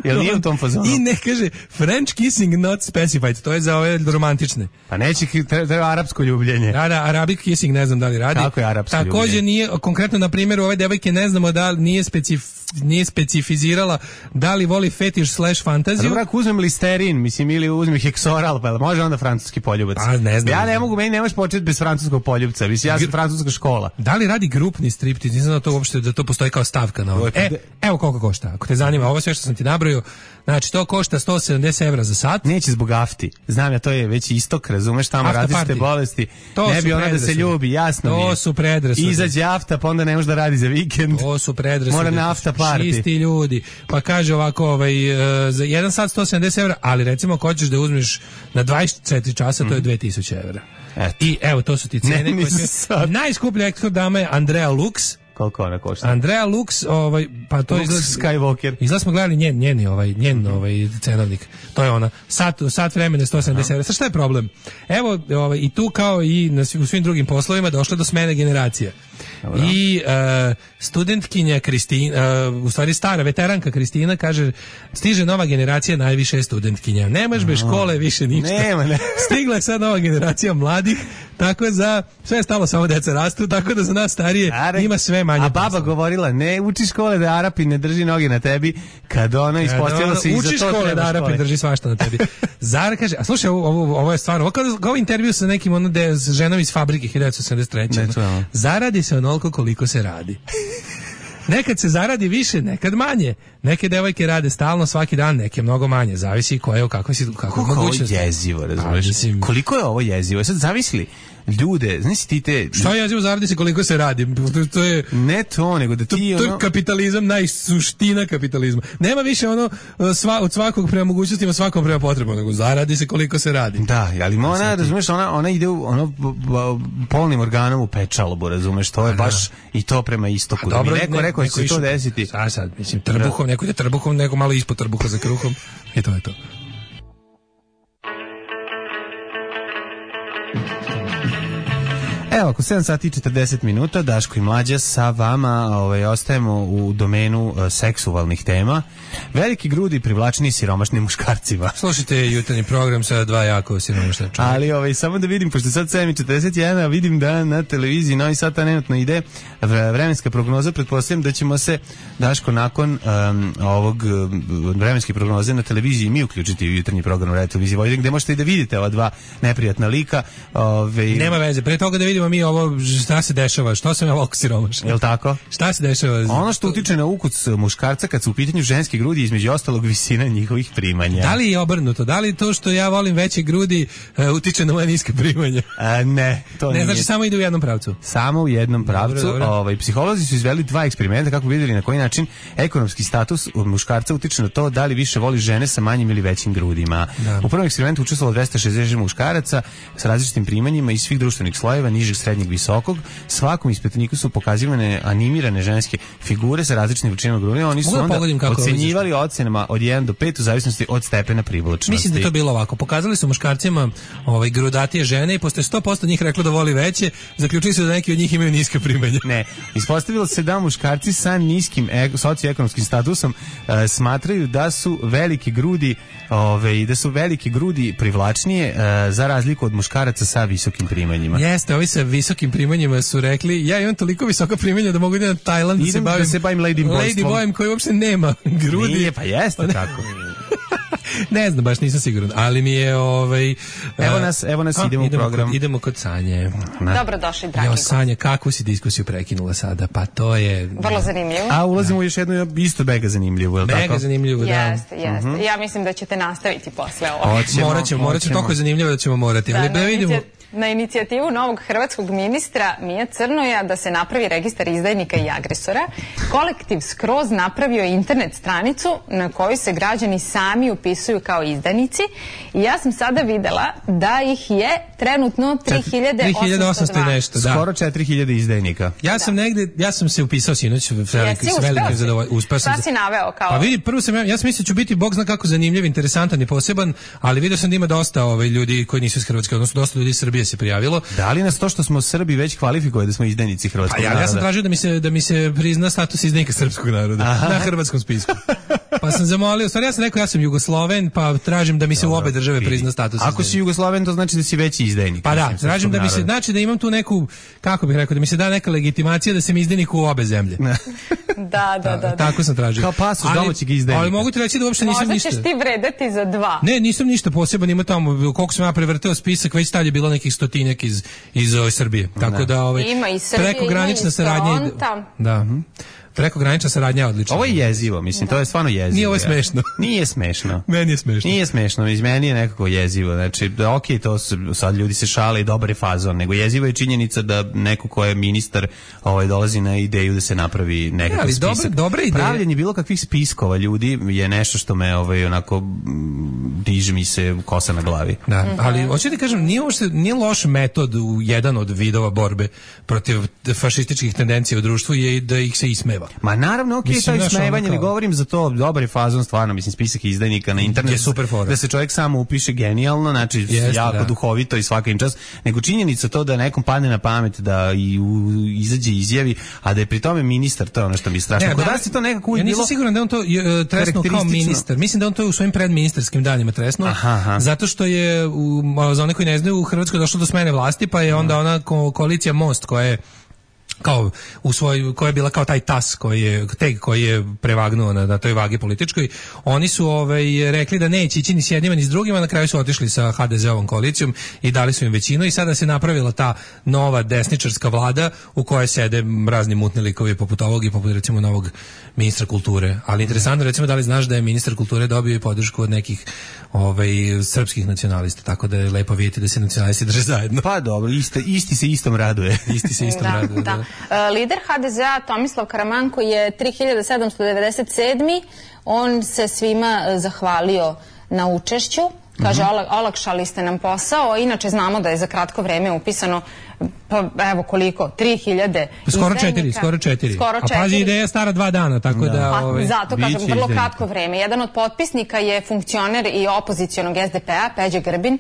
Jel nije u tom fazonu? I ne kaže French kissing not specified, to je za ove romantične. Pa neće, treba arapsko ljubljenje. Da, da, Arabic kissing ne znam da li radi. Kako je arapsko Takođe ljubljenje? Takođe nije, konkretno na primjeru ove devojke ne znamo da li nije specif, nije specifizirala da li voli fetiš slash fantaziju. Dobro, ako uzmem listerin, mislim, ili uzmem heksoral, pa može onda francuski poljubac. A, ne znam. Ja ne mogu, meni ne možeš početi bez francuskog poljubca, mislim, ja sam francuska škola. Da li radi grupni striptiz? Nisam da to uopšte, da to postoji kao stavka na ovo. E, evo koliko košta, ako te zanima, ovo sve što sam ti nabrojio, znači to košta sto sedamdeset evra za sat. Neće zbog afti. Znam ja, to je već istok, razumeš, tamo različite bolesti. To ne bi ona da se ljubi, jasno mi je. To su predrasude. Izađe afta, pa onda ne može da radi za vikend. To su predrasude. Mora na afta party. Čisti ljudi. Pa kaže ovako, ovaj, uh, za jedan sat sto sedamdeset evra, ali recimo ako hoćeš da uzmeš na dvadeset četiri časa, to je dve tisuće evra. Eto. I evo, to su ti cene. Ne, koje najskuplja ekskort dama je Andrea Lux. Koliko ona košta? Andrea Lux, ovaj, pa to Lux izgleda Skywalker. Izgleda smo gledali njen, njeni, ovaj, njen ovaj, cenovnik. To je ona. Sat, sat vremena sto sedamdeset evra. Sa šta je problem? Evo, ovaj, i tu kao i na, u svim drugim poslovima došlo do smene generacija. Dobro. I uh, studentkinja Kristina, uh, u stvari stara veteranka Kristina kaže, stiže nova generacija, najviše studentkinja. Nemaš bez škole više ništa. Nema, ne. Stigla je sad nova generacija mladih, tako za sve je stalo, samo deca rastu, tako da za nas starije Are, ima sve manje. A baba posla. Govorila, ne uči škole da Arapi ne drži noge na tebi, kad ona ispostavila se i za to uči škole da Arapi drži svašta na tebi. Zara kaže, a slušaj, ovo, ovo, ovo je stvarno, ovo, kao, kao intervju sa nekim ono de, s ženom iz fabrike hiljadu devetsto sedamdeset treće. Ne, zaradi se onoliko koliko se radi. Nekad se zaradi više, nekad manje. Neke devojke rade stalno svaki dan, neke mnogo manje. Zavisi koje, kako si, kako mogućnosti. Koliko je jezivo, razumiješ? Mislim... Koliko je ovo jezivo? Sad zamisli ljude, znaš ti te... Šta je jezivo, zaradi se koliko se radi. To, to je... Ne to, nego da ti to, ono... To je kapitalizam, najsuština kapitalizma. Nema više ono sva, od svakog prema mogućnostima, svakom prema potrebom, nego zaradi se koliko se radi. Da, ali ona, razumeš, ona, ona ide u, ono, polnim organom u pečalbu, razumeš, to je baš i to prema istoku. Da mi neko ne, rekao će se to desiti. Sad, sad, mislim, trbuhom, neko ide trbuhom, neko malo ispod trbuha za kruhom. I to je to. Evo, ako sedam sati i četrdeset minuta, Daško i Mlađa sa vama ovaj, ostajemo u domenu uh, seksualnih tema. Veliki grudi privlačni siromašnim muškarcima. Slušajte jutarnji program sa dva jako siromašna čovjeka. Ali ovaj, samo da vidim, pošto sad sedam i četrdeset jedan, vidim da na televiziji Novi Sad trenutno ide vremenska prognoza. Pretpostavljam da ćemo se, Daško, nakon um, ovog um, vremenske prognoze na televiziji mi uključiti u jutarnji program Radio Televizije Vojvodine, gde možete i da vidite ova dva neprijatna lika. Ovaj... Nema veze, pre toga da vidimo mi ovo šta se dešava, što sam ja ovako siromašan. Jel tako? Šta se dešava? Ono što utiče na ukuc muškarca kad su u pitanju ženske grudi, između ostalog visina njihovih primanja. Da li je obrnuto? Da li to što ja volim veće grudi uh, utiče na moje niske primanja? A, ne, to ne. Nije. Znači samo ide u jednom pravcu? Samo u jednom pravcu. Dobro, dobro. Ovaj, psiholozi su izveli dva eksperimenta kako bi vidjeli na koji način ekonomski status muškarca utiče na to da li više voli žene sa manjim ili većim grudima. Da. U prvom eksperimentu učestvovalo dvesta šezdeset muškaraca sa različitim primanjima iz svih društvenih slojeva, nižeg, srednjeg, visokog. Svakom ispitaniku su pokazivane animirane ženske figure sa različitim veličinama grudima. Oni su onda ocenjivali ocenama od jedan do pet u zavisnosti od stepena privlačnosti. Mislim da je to bilo ovako. Pokazali su muškarcima ovaj, grudatije žene i pošto je sto posto njih reklo da voli veće, zaključili su da neki od njih imaju niske primanja. Ne, ispostavilo se da muškarci sa niskim e socioekonomskim statusom e, smatraju da su velike grudi ove, da su velike grudi privlačnije e, za razliku od muškaraca sa visokim primanjima. Jeste, ovi sa visokim primanjima su rekli, ja imam toliko visoka primanja da mogu da na Tajland da se bavim, da se bavim lady lady boyem koji uopšte nema grudi. Nije, pa jeste tako. Ne znam, baš nisam siguran, ali mi je ovaj evo nas, evo nas a, idemo, idemo u program. Kod, idemo kod Sanje. Dobrodošli, dragi. Jo, Sanja, kakvu si diskusiju prekinula sada? Pa to je vrlo zanimljivo. A ulazimo u još jednu isto mega zanimljivu, je l' tako? Mega zanimljivo, da. Jeste, jeste. Uh-huh. Ja mislim da ćete nastaviti posle ovo. Hoćemo, morat ćemo, morat ćemo, toliko je zanimljivo da ćemo morati. Da, ali da vidimo. Na inicijativu novog hrvatskog ministra Mije Crnoja da se napravi registar izdajnika i agresora, kolektiv skroz napravio internet stranicu na kojoj se građani sami upisuju kao izdajnici i ja sam sada videla da ih je trenutno tri hiljade osamsto dva. Nešto, da. Skoro četiri hiljade izdajnika. Ja sam da. negde, ja sam se upisao sinoć s velikim zadovoljstvom. Uspeo sam. Šta si naveo kao? Pa vidi, prvo sam ja, ja sam mislio da ću biti bog zna kako zanimljiv, interesantan i poseban, ali vidio sam da ima dosta ovaj ljudi koji nisu iz Hrvatske, odnosno dosta ljudi iz Srbije se prijavilo. Da li nas to što smo Srbi već kvalifikuje da smo izdajnici hrvatskog pa ja, naroda? Ja sam tražio da mi se da mi se prizna status izdajnika srpskog naroda. Aha. Na hrvatskom spisku. Pa sam zamolio, stvari ja sam rekao ja sam Jugosloven, pa tražim da mi se u obe države prizna status izdajnika. Ako si Jugosloven, to znači da si veći izdajnik. Pa da, tražim da mi se, znači da imam tu neku, kako bih rekao, da mi se da neka legitimacija da sam izdajnik u obe zemlje. Da, da, da, da. Tako sam tražio. Kao pasoš domaćeg izdajnika. Ali mogu ti reći da uopšte nisam Možda ništa. Možda ćeš ti vredeti za dva. Ne, nisam ništa poseban, ima tamo, koliko sam ja prevrteo spisak, već tad je bilo nekih stotinjak iz, iz ove Srbije. Tako da, ovaj, ima i Srbije, ima i Fronta. Da. Prekogranična saradnja je odlična. Ovo je jezivo, mislim, to je stvarno jezivo. Nije ovo smešno. Nije smešno. Meni je smešno. Nije smešno, iz meni je nekako jezivo. Znači, da, ok, to su, sad ljudi se šale i dobar je fazon, nego jezivo je činjenica da neko ko je ministar ovaj, dolazi na ideju da se napravi nekakav ja, spisak. Dobre, dobre ideje. Pravljenje bilo kakvih spiskova ljudi je nešto što me ovaj, onako diže mi se kosa na glavi. Da, mm-hmm. ali hoću ti kažem, nije, uopšte, nije loš metod u jedan od vidova borbe protiv fašističkih tendencija u društvu je da ih se ismeva. Ma naravno, ok, to je ismevanje, ne govorim za to, dobar je fazon, stvarno, mislim, spisak izdajnika na internetu, je super fora. Da se čovjek samo upiše genijalno, znači Jeste, jako da. duhovito i svaka im čast, nego činjenica to da nekom padne na pamet da i u, izađe izjavi, a da je pri tome ministar, to je ono što mi je strašno. Ne, Kod da, nas je to nekako uvijek bilo... Ja nisam siguran da on to uh, tresnuo kao ministar, mislim da on to u svojim predministarskim danima tresnuo, aha, aha. zato što je, u, za one koji ne znaju, u Hrvatskoj došlo do smene vlasti, pa je onda ona ko, koalicija Most koja je kao u svoj, koja je bila kao taj tas koji je teg koji je prevagnuo na, na toj vagi političkoj, oni su ovaj rekli da neće ići ni s jednima ni s drugima, na kraju su otišli sa ha de ze ovom koalicijom i dali su im većinu i sada se napravila ta nova desničarska vlada u kojoj sede razni mutni likovi poput ovog i poput recimo novog ministra kulture. Ali interesantno, recimo, da li znaš da je ministar kulture dobio i podršku od nekih ovaj srpskih nacionalista, tako da je lepo vidjeti da se nacionalisti drže zajedno. Pa dobro, isti, isti se istom raduje. Isti se istom da, raduje. Da. Da. Uh, lider ha de zea Tomislav Karamanko je tri hiljade sedamsto devedeset sedmi. On se svima zahvalio na učešću. Kaže, mm-hmm. olakšali ste nam posao, inače znamo da je za kratko vreme upisano, pa evo koliko, tri hiljade skoro četiri, skoro četiri. Skoro četiri. A pazi, ideja stara dva dana, tako da... da pa, ovaj, zato, kažem, vrlo kratko vreme. Jedan od potpisnika je funkcioner i opozicionog es de pe a, Peđa Grbin.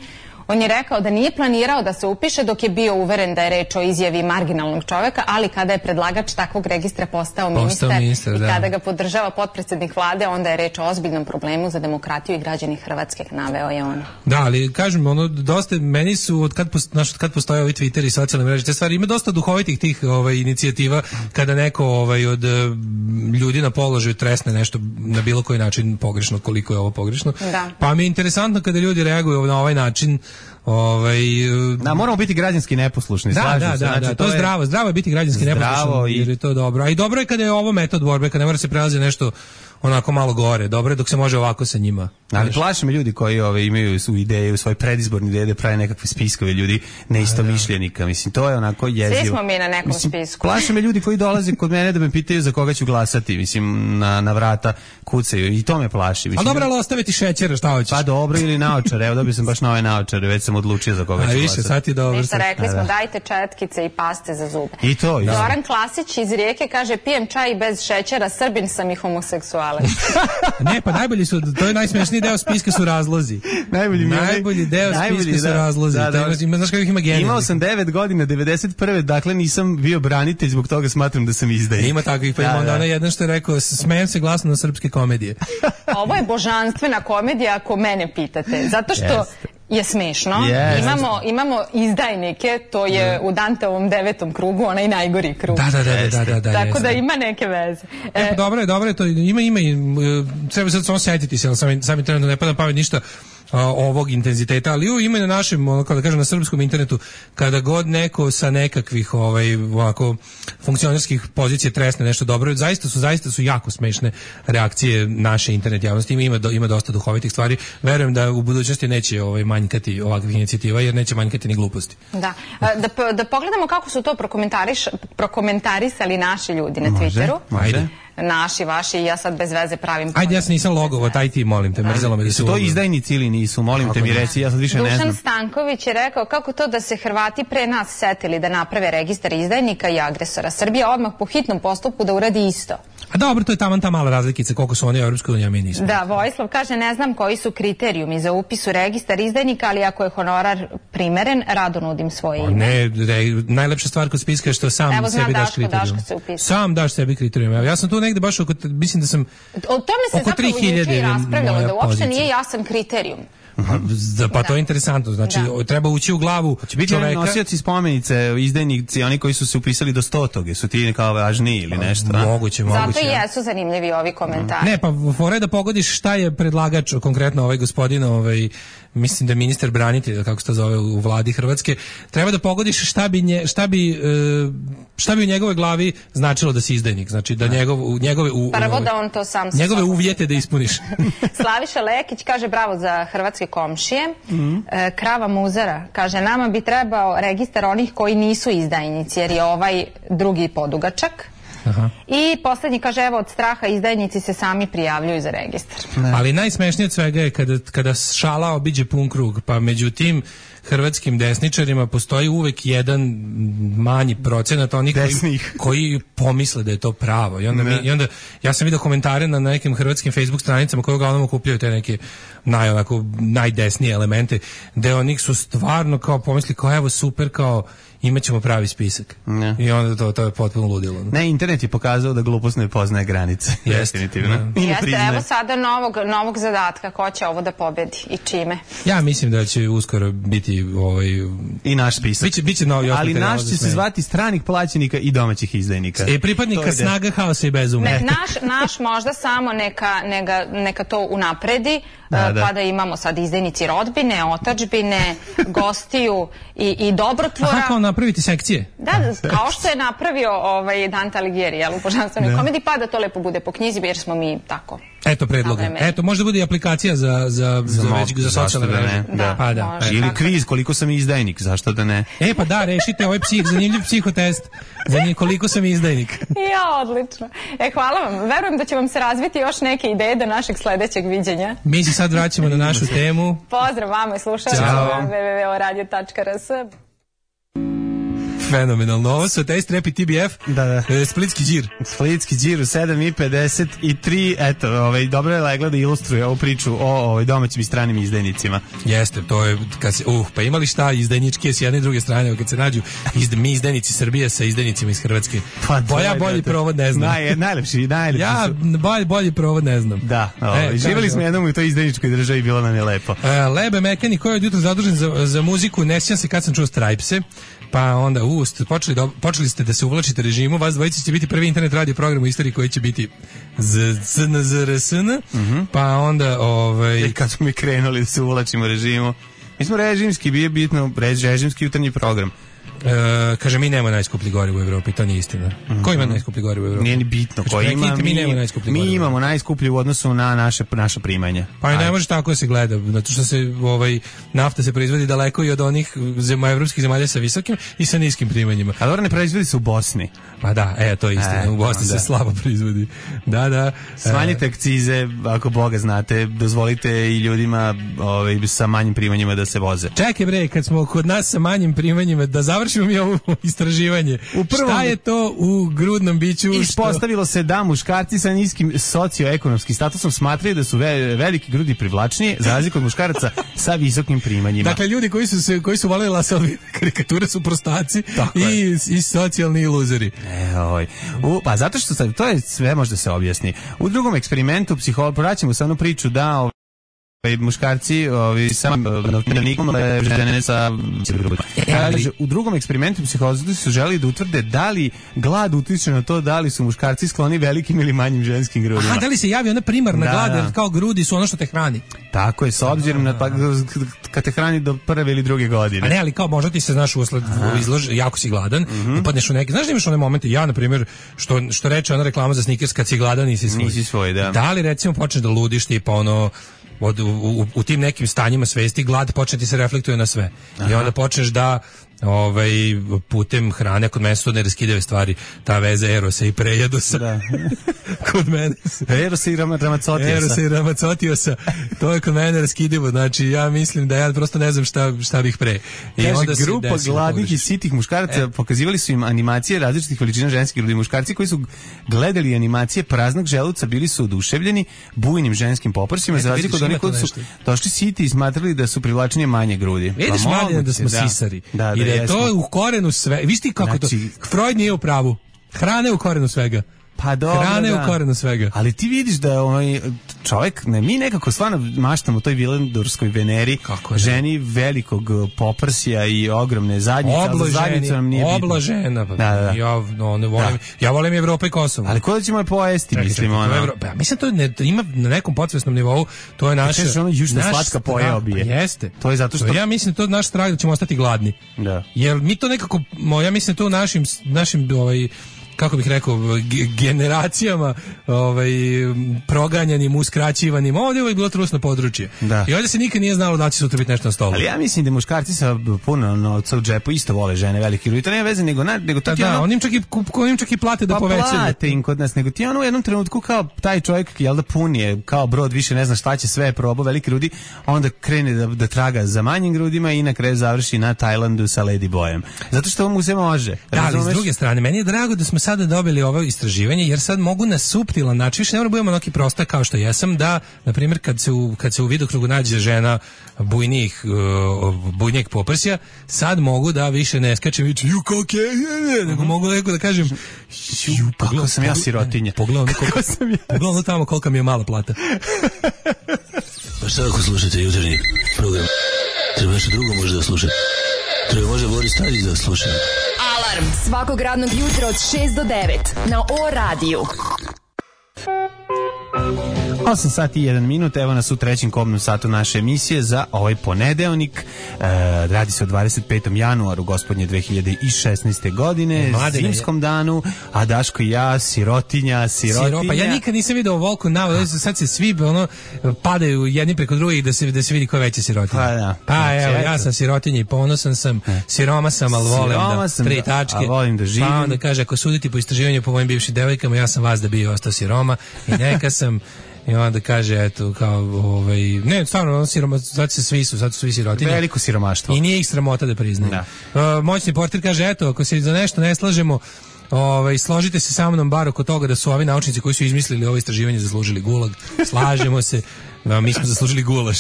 On je rekao da nije planirao da se upiše dok je bio uveren da je reč o izjavi marginalnog čoveka, ali kada je predlagač takvog registra postao, postao ministar, ministar i da. kada ga podržava potpredsednik vlade, onda je reč o ozbiljnom problemu za demokratiju i građani Hrvatske, naveo je on. Da, ali kažem, ono, dosta, meni su, od kad, post, naš, od kad postoje ovi Twitter i socijalne mreže, te stvari, ima dosta duhovitih tih ovaj, inicijativa, kada neko ovaj, od ljudi na položaju tresne nešto na bilo koji način pogrešno, koliko je ovo pogrešno. Da. Pa mi je interesantno kada ljudi reaguju na ovaj način. Ovaj da, moramo biti građanski neposlušni, da, slažem da, se. Da, znači, da, to je zdravo, zdravo je biti građanski neposlušan, i... jer je to dobro. A i dobro je kada je ovo metod borbe, kada ne mora se prelazi nešto onako malo gore, dobro je dok se može ovako sa njima. Ali plaše me ljudi koji ove, imaju su ideje, svoje predizborne ideje da prave nekakve spiskove ljudi neistomišljenika. Mislim, to je onako jezivo. Svi smo mi na nekom Mislim, spisku. Plaše me ljudi koji dolaze kod mene da me pitaju za koga ću glasati. Mislim, na, na vrata kucaju i to me plaši. Mislim, a dobro, ali ostaviti šećera, šta hoćeš? Pa dobro, ili naočare. Evo, dobio sam baš nove naočare, već sam odlučio za koga a, ću više, glasati. Sad ti dobro. Ništa, rekli smo, dajte četkice i paste za zube. I to. I Zoran Klasić iz Rijeke kaže, pijem čaj bez šećera, Srbin sam i homoseksualac. Ne, pa najbolji su, to je najsmešniji deo spiska su razlozi. Najbolji, najbolji deo najbolji, spiska da, su razlozi. Da, da, ima, znaš kako ih ima genija. Imao sam devet godina, devedeset prve dakle nisam bio branitelj, zbog toga smatram da sam izdaje. Ima takvih, pa ima onda ona jedan što je rekao, smejem se glasno na srpske komedije. Ovo je božanstvena komedija, ako mene pitate. Zato što yes. je smešno. Yes. Imamo, imamo izdajnike, to je u Danteovom devetom krugu, onaj najgori krug. Da, da, da, da, da, da. Tako da ima neke veze. E, pa dobro je, dobro je to. Ima, ima i, treba sad samo setiti se, ali sami, sami trenutno ne pada pamet ništa. a, ovog intenziteta, ali u, ima i na našem, ono, kao da kažem, na srpskom internetu, kada god neko sa nekakvih ovaj, ovako, funkcionerskih pozicija tresne nešto dobro, zaista su, zaista su jako smešne reakcije naše internet javnosti, ima, do, ima dosta duhovitih stvari, verujem da u budućnosti neće ovaj, manjkati ovakvih inicijativa, jer neće manjkati ni gluposti. Da, da, da pogledamo kako su to prokomentariš, prokomentarisali naši ljudi na Twitteru. Može, ajde. Naši, vaši, ja sad bez veze pravim... Ajde, ja sam nisam logovo, taj ti, molim te, mrzelo me da se... To izdajnici ili nisu, molim kako te mi reci, ja sad više Dušan ne znam. Dušan Stanković je rekao kako to da se Hrvati pre nas setili da naprave registar izdajnika i agresora. Srbija odmah po hitnom postupku da uradi isto. A dobro, to je taman ta mala razlikica, koliko su oni u Europskoj uniji, a mi nismo. Da, Vojislav kaže, ne znam koji su kriterijumi za upis u registar izdajnika, ali ako je honorar primeren, rado nudim svoje ime. Ne, re, najlepša stvar kod spiska je što sam Evo, sebi daš Daško, kriterijum. Daško sam daš sebi kriterijum. Ja sam tu negde baš oko, mislim da sam o tome se oko zapravo juče i raspravljalo, da uopšte pozicija. Nije jasan kriterijum. Pa, pa to je interesantno, znači da. Treba ući u glavu će biti čoveka. Nosioci spomenice, izdajnici, oni koji su se upisali do stotoge, su ti kao važniji ili nešto? A, moguće, moguće. Zato i jesu zanimljivi ovi komentari. Ne, pa fora je da pogodiš šta je predlagač, konkretno ovaj gospodin, ovaj, mislim da je ministar branitelja, kako se to zove u vladi Hrvatske, treba da pogodiš šta bi, nje, šta bi, šta bi u njegovoj glavi značilo da si izdajnik, znači da njegov, njegove, u, Prvo da on to sam njegove uvjete da ispuniš. Slaviša Lekić kaže bravo za hrvatske komšije. Mm-hmm. E, Krava Muzara kaže nama bi trebao registar onih koji nisu izdajnici jer je ovaj drugi podugačak. Aha. I poslednji kaže evo od straha izdajnici se sami prijavljuju za registar. Ne. Ali najsmešnije od svega je kada, kada šala obiđe pun krug, pa među tim hrvatskim desničarima postoji uvek jedan manji procenat onih koji, koji pomisle da je to pravo. I onda, mi, i onda ja sam vidio komentare na nekim hrvatskim Facebook stranicama koje uglavnom okupljaju te neke naj, onako, najdesnije elemente, gde onih su stvarno kao pomisli kao evo super, kao imat ćemo pravi spisak. Ne. I onda to, to je potpuno ludilo. Ne, internet je pokazao da glupost ne poznaje granice. Jeste. Definitivno. Jeste, evo sada novog, novog zadatka. Ko će ovo da pobedi i čime? Ja mislim da će uskoro biti ovaj... i naš spisak. Biće, biće novi ali naš će se zvati stranih plaćenika i domaćih izdajnika. E, pripadnika snaga, haosa i bezumlja. Ne, naš, naš možda samo neka, neka, neka to unapredi, da, da. Pa da imamo sad izdajnici rodbine, otadžbine, gostiju i, i dobrotvora. Aha, kao napraviti sekcije. Da, kao što je napravio ovaj Dante Alighieri, jel, u Božanstvenoj komediji, pa da to lepo bude po knjizi, jer smo mi tako. Eto predloga. Eto, možda bude i aplikacija za, za, za, za, već, za socijalne mreže. Da, da. Pa, da. Ili kviz, koliko sam izdajnik, zašto da ne? E, pa da, rešite ovaj psih, zanimljiv psihotest, za koliko sam izdajnik. Ja, odlično. E, hvala vam. Verujem da će vam se razviti još neke ideje do našeg sledećeg viđenja. Mi se sad vraćamo na našu temu. Pozdrav vama i slušajte na w w w tačka radio tačka r s. Fenomenalno. Ovo su Taste Rap i T B F. Da, da. E, Splitski đir. Splitski đir u sedam i pedeset tri. Eto, ovaj, dobro je legla da ilustruje ovu priču o ovaj, domaćim i stranim izdajnicima. Jeste, to je, kad se, uh, pa imali šta izdajničke s jedne i druge strane, kad se nađu izd, mi izdajnici Srbije sa izdajnicima iz Hrvatske. Pa, Boja bolji provod ne znam. Naj, najlepši, najlepši ja, bolji, bolji provod ne znam. Da, ovaj, e, živjeli smo jednom u toj izdajničkoj državi i bilo nam je lepo. E, Lebe Mekani, koji je od jutra zadužen za, za muziku, ne sjećam se kad sam čuo Stripse, pa onda u, počeli, do, počeli ste da se uvlačite režimu, vas dvojica će biti prvi internet radio program u istoriji koji će biti z n z r s n, mm-hmm. pa onda ovaj... I kad smo mi krenuli da se uvlačimo režimu, mi smo režimski, bio bitno režimski jutarnji program. E, kaže, mi nemamo najskuplji gorivo u Evropi, to nije istina. Mm-hmm. Ko ima najskuplji gorivo u Evropi? Nije ni bitno ko ima, mi, mi, nemamo najskuplji mi imamo najskuplji u odnosu na naše, naša primanja. Pa i ne može tako da se gleda, zato što se ovaj, nafta se proizvodi daleko i od onih zema, evropskih zemalja sa visokim i sa niskim primanjima. A dobro, ne proizvodi se u Bosni. Pa da, e, to je istina, e, u Bosni da. se slabo proizvodi. Da, da. Smanjite akcize, ako Boga znate, dozvolite i ljudima ovaj, sa manjim primanjima da se voze. Čekaj bre, kad smo kod nas sa manjim primanjima, da završimo mi ovo istraživanje. U prvom, šta je to u grudnom biću? Ispostavilo što... se da muškarci sa niskim socioekonomskim statusom smatraju da su ve, veliki grudi privlačniji, za razliku od muškaraca sa visokim primanjima. Dakle, ljudi koji su se koji su voleli Lasalove karikature su prostaci i, i socijalni luzeri. E, oj. U, pa zato što sad, to je sve možda se objasni. U drugom eksperimentu psiholog, vraćamo se onu priču da muškarci ovi samo novčanikom žene sa kaže u drugom eksperimentu psihologiji su želeli da utvrde da li glad utiče na to da li su muškarci skloni velikim ili manjim ženskim grudima. A da li se javi ona primarna da, glad da. Kao grudi su ono što te hrani. Tako je, s obzirom na pa, kad te hrani do prve ili druge godine. A ne, ali kao možda ti se znaš usled izlož, jako si gladan, mm-hmm. upadneš u neki, znaš da imaš one momente, ja na primjer što što reče ona reklama za Snickers, kad si gladan nisi svoj. Nisi svoj, da. Da li recimo počneš da ludiš tipa ono Od, u, u, u tim nekim stanjima svesti glad počne ti se reflektuje na sve. Aha. I onda počneš da ovaj putem hrane, kod mene su neraskidive stvari, ta veza erosa i prejedosa. Da. Kod mene erosa i ramacotiosa. Erosa i ramacotiosa. To je kod mene neraskidivo. Znači ja mislim da ja prosto ne znam šta šta bih pre. I kaže, onda grupa gladnih i sitih muškaraca e. pokazivali su im animacije različitih veličina ženskih grudi. Muškarci koji su gledali animacije praznog želuca bili su oduševljeni bujnim ženskim poprsima, e, za razliku od onih koji su došli siti i smatrali da su privlačnije manje grudi. Vidiš, pa, mladine, da smo da. sisari. Da, da, I da je to u korenu sve. Viš ti kako znači, to? Freud nije u pravu. Hrana je u korenu svega. Pa dobro, hrane da. u korenu svega. Ali ti vidiš da ovaj čovjek, ne, mi nekako stvarno maštamo o toj Vilendorskoj Veneri, ženi velikog poprsija i ogromne zadnjice, ali zadnjica nam nije bitna. Oblažena. Pa, da, da. Ja, no, ne volim, da. ja volim Evropu i Kosovo. Ali ko da ćemo je pojesti, Čekaj, mislim, ono? Evro, pa, mislim, to ne, ima na nekom podsvesnom nivou, to je naša... Kažeš, ono južna slatka pojeo bi je. Jeste. To je zato što... Ja mislim, to je naš strah da ćemo ostati gladni. Da. Jer mi to nekako, ja mislim, to u našim, našim, ovaj, kako bih rekao, generacijama ovaj, proganjanim, uskraćivanim. Ovdje je uvijek bilo trusno područje. Da. I ovdje se nikad nije znalo da će sutra biti nešto na stolu. Ali ja mislim da muškarci sa puno novca u džepu isto vole žene velike grudi. To nema veze, nego, nego to da, ti da, ono... onim čak i, onim čak i plate da pa povećaju. Pa plate im kod nas, nego ti ono u jednom trenutku kao taj čovjek, jel da pun je, kao brod, više ne zna šta će, sve je probao, velike grudi, onda krene da, da traga za manjim grudima i na kraju završi na Tajlandu sa Lady Boyem. Zato što mu se može. Da, ali s druge strane, meni je drago da smo sada dobili ovo istraživanje, jer sad mogu na suptilan način, više ne mora budemo neki prostak kao što jesam, da, na primjer, kad se u, kad se u vidokrugu nađe žena bujnih, uh, bujnijeg poprsja, sad mogu da više ne skačem i ju koke, nego mogu neko da kažem ju, kako sam ja sirotinja. Pogledaj koliko sam ja. Pogledaj tamo kolika mi je mala plata. Pa šta ako slušate jutarnji program? Treba nešto drugo možda da slušate. Treba možda Boris Tadić da sluša. Alarm svakog radnog jutra od šest do devet na O radiju. osam sati i jedan minut, evo nas u trećem kobnom satu naše emisije za ovaj ponedeljnik. E, radi se o dvadeset petom januaru gospodnje dve hiljade šesnaeste. godine, Mladine, zimskom danu, a Daško i ja, sirotinja, sirotinja. Siropa, ja nikad nisam vidio Volku na, sad se svi ono, padaju jedni preko drugih da se, da se vidi ko je veća sirotinja. Pa, da. Pa evo, ja sam sirotinja i ponosan sam, siroma sam, ali volim da, tri tačke. Volim da živim. Pa onda kaže, ako suditi po istraživanju po mojim bivšim devojkama, ja sam vas da bio ostao siroma i neka sam. I onda kaže, eto, kao, ovaj, ne, stvarno, siroma, sad se svi su, sad su svi sirotinje. Veliko siromaštvo. I nije ih sramota da priznaju. Da. Uh, moćni portir kaže, eto, ako se za nešto ne slažemo, ovaj, složite se sa mnom bar oko toga da su ovi naučnici koji su izmislili ovo istraživanje zaslužili gulag. Slažemo se. Da, mi smo zaslužili gulaš.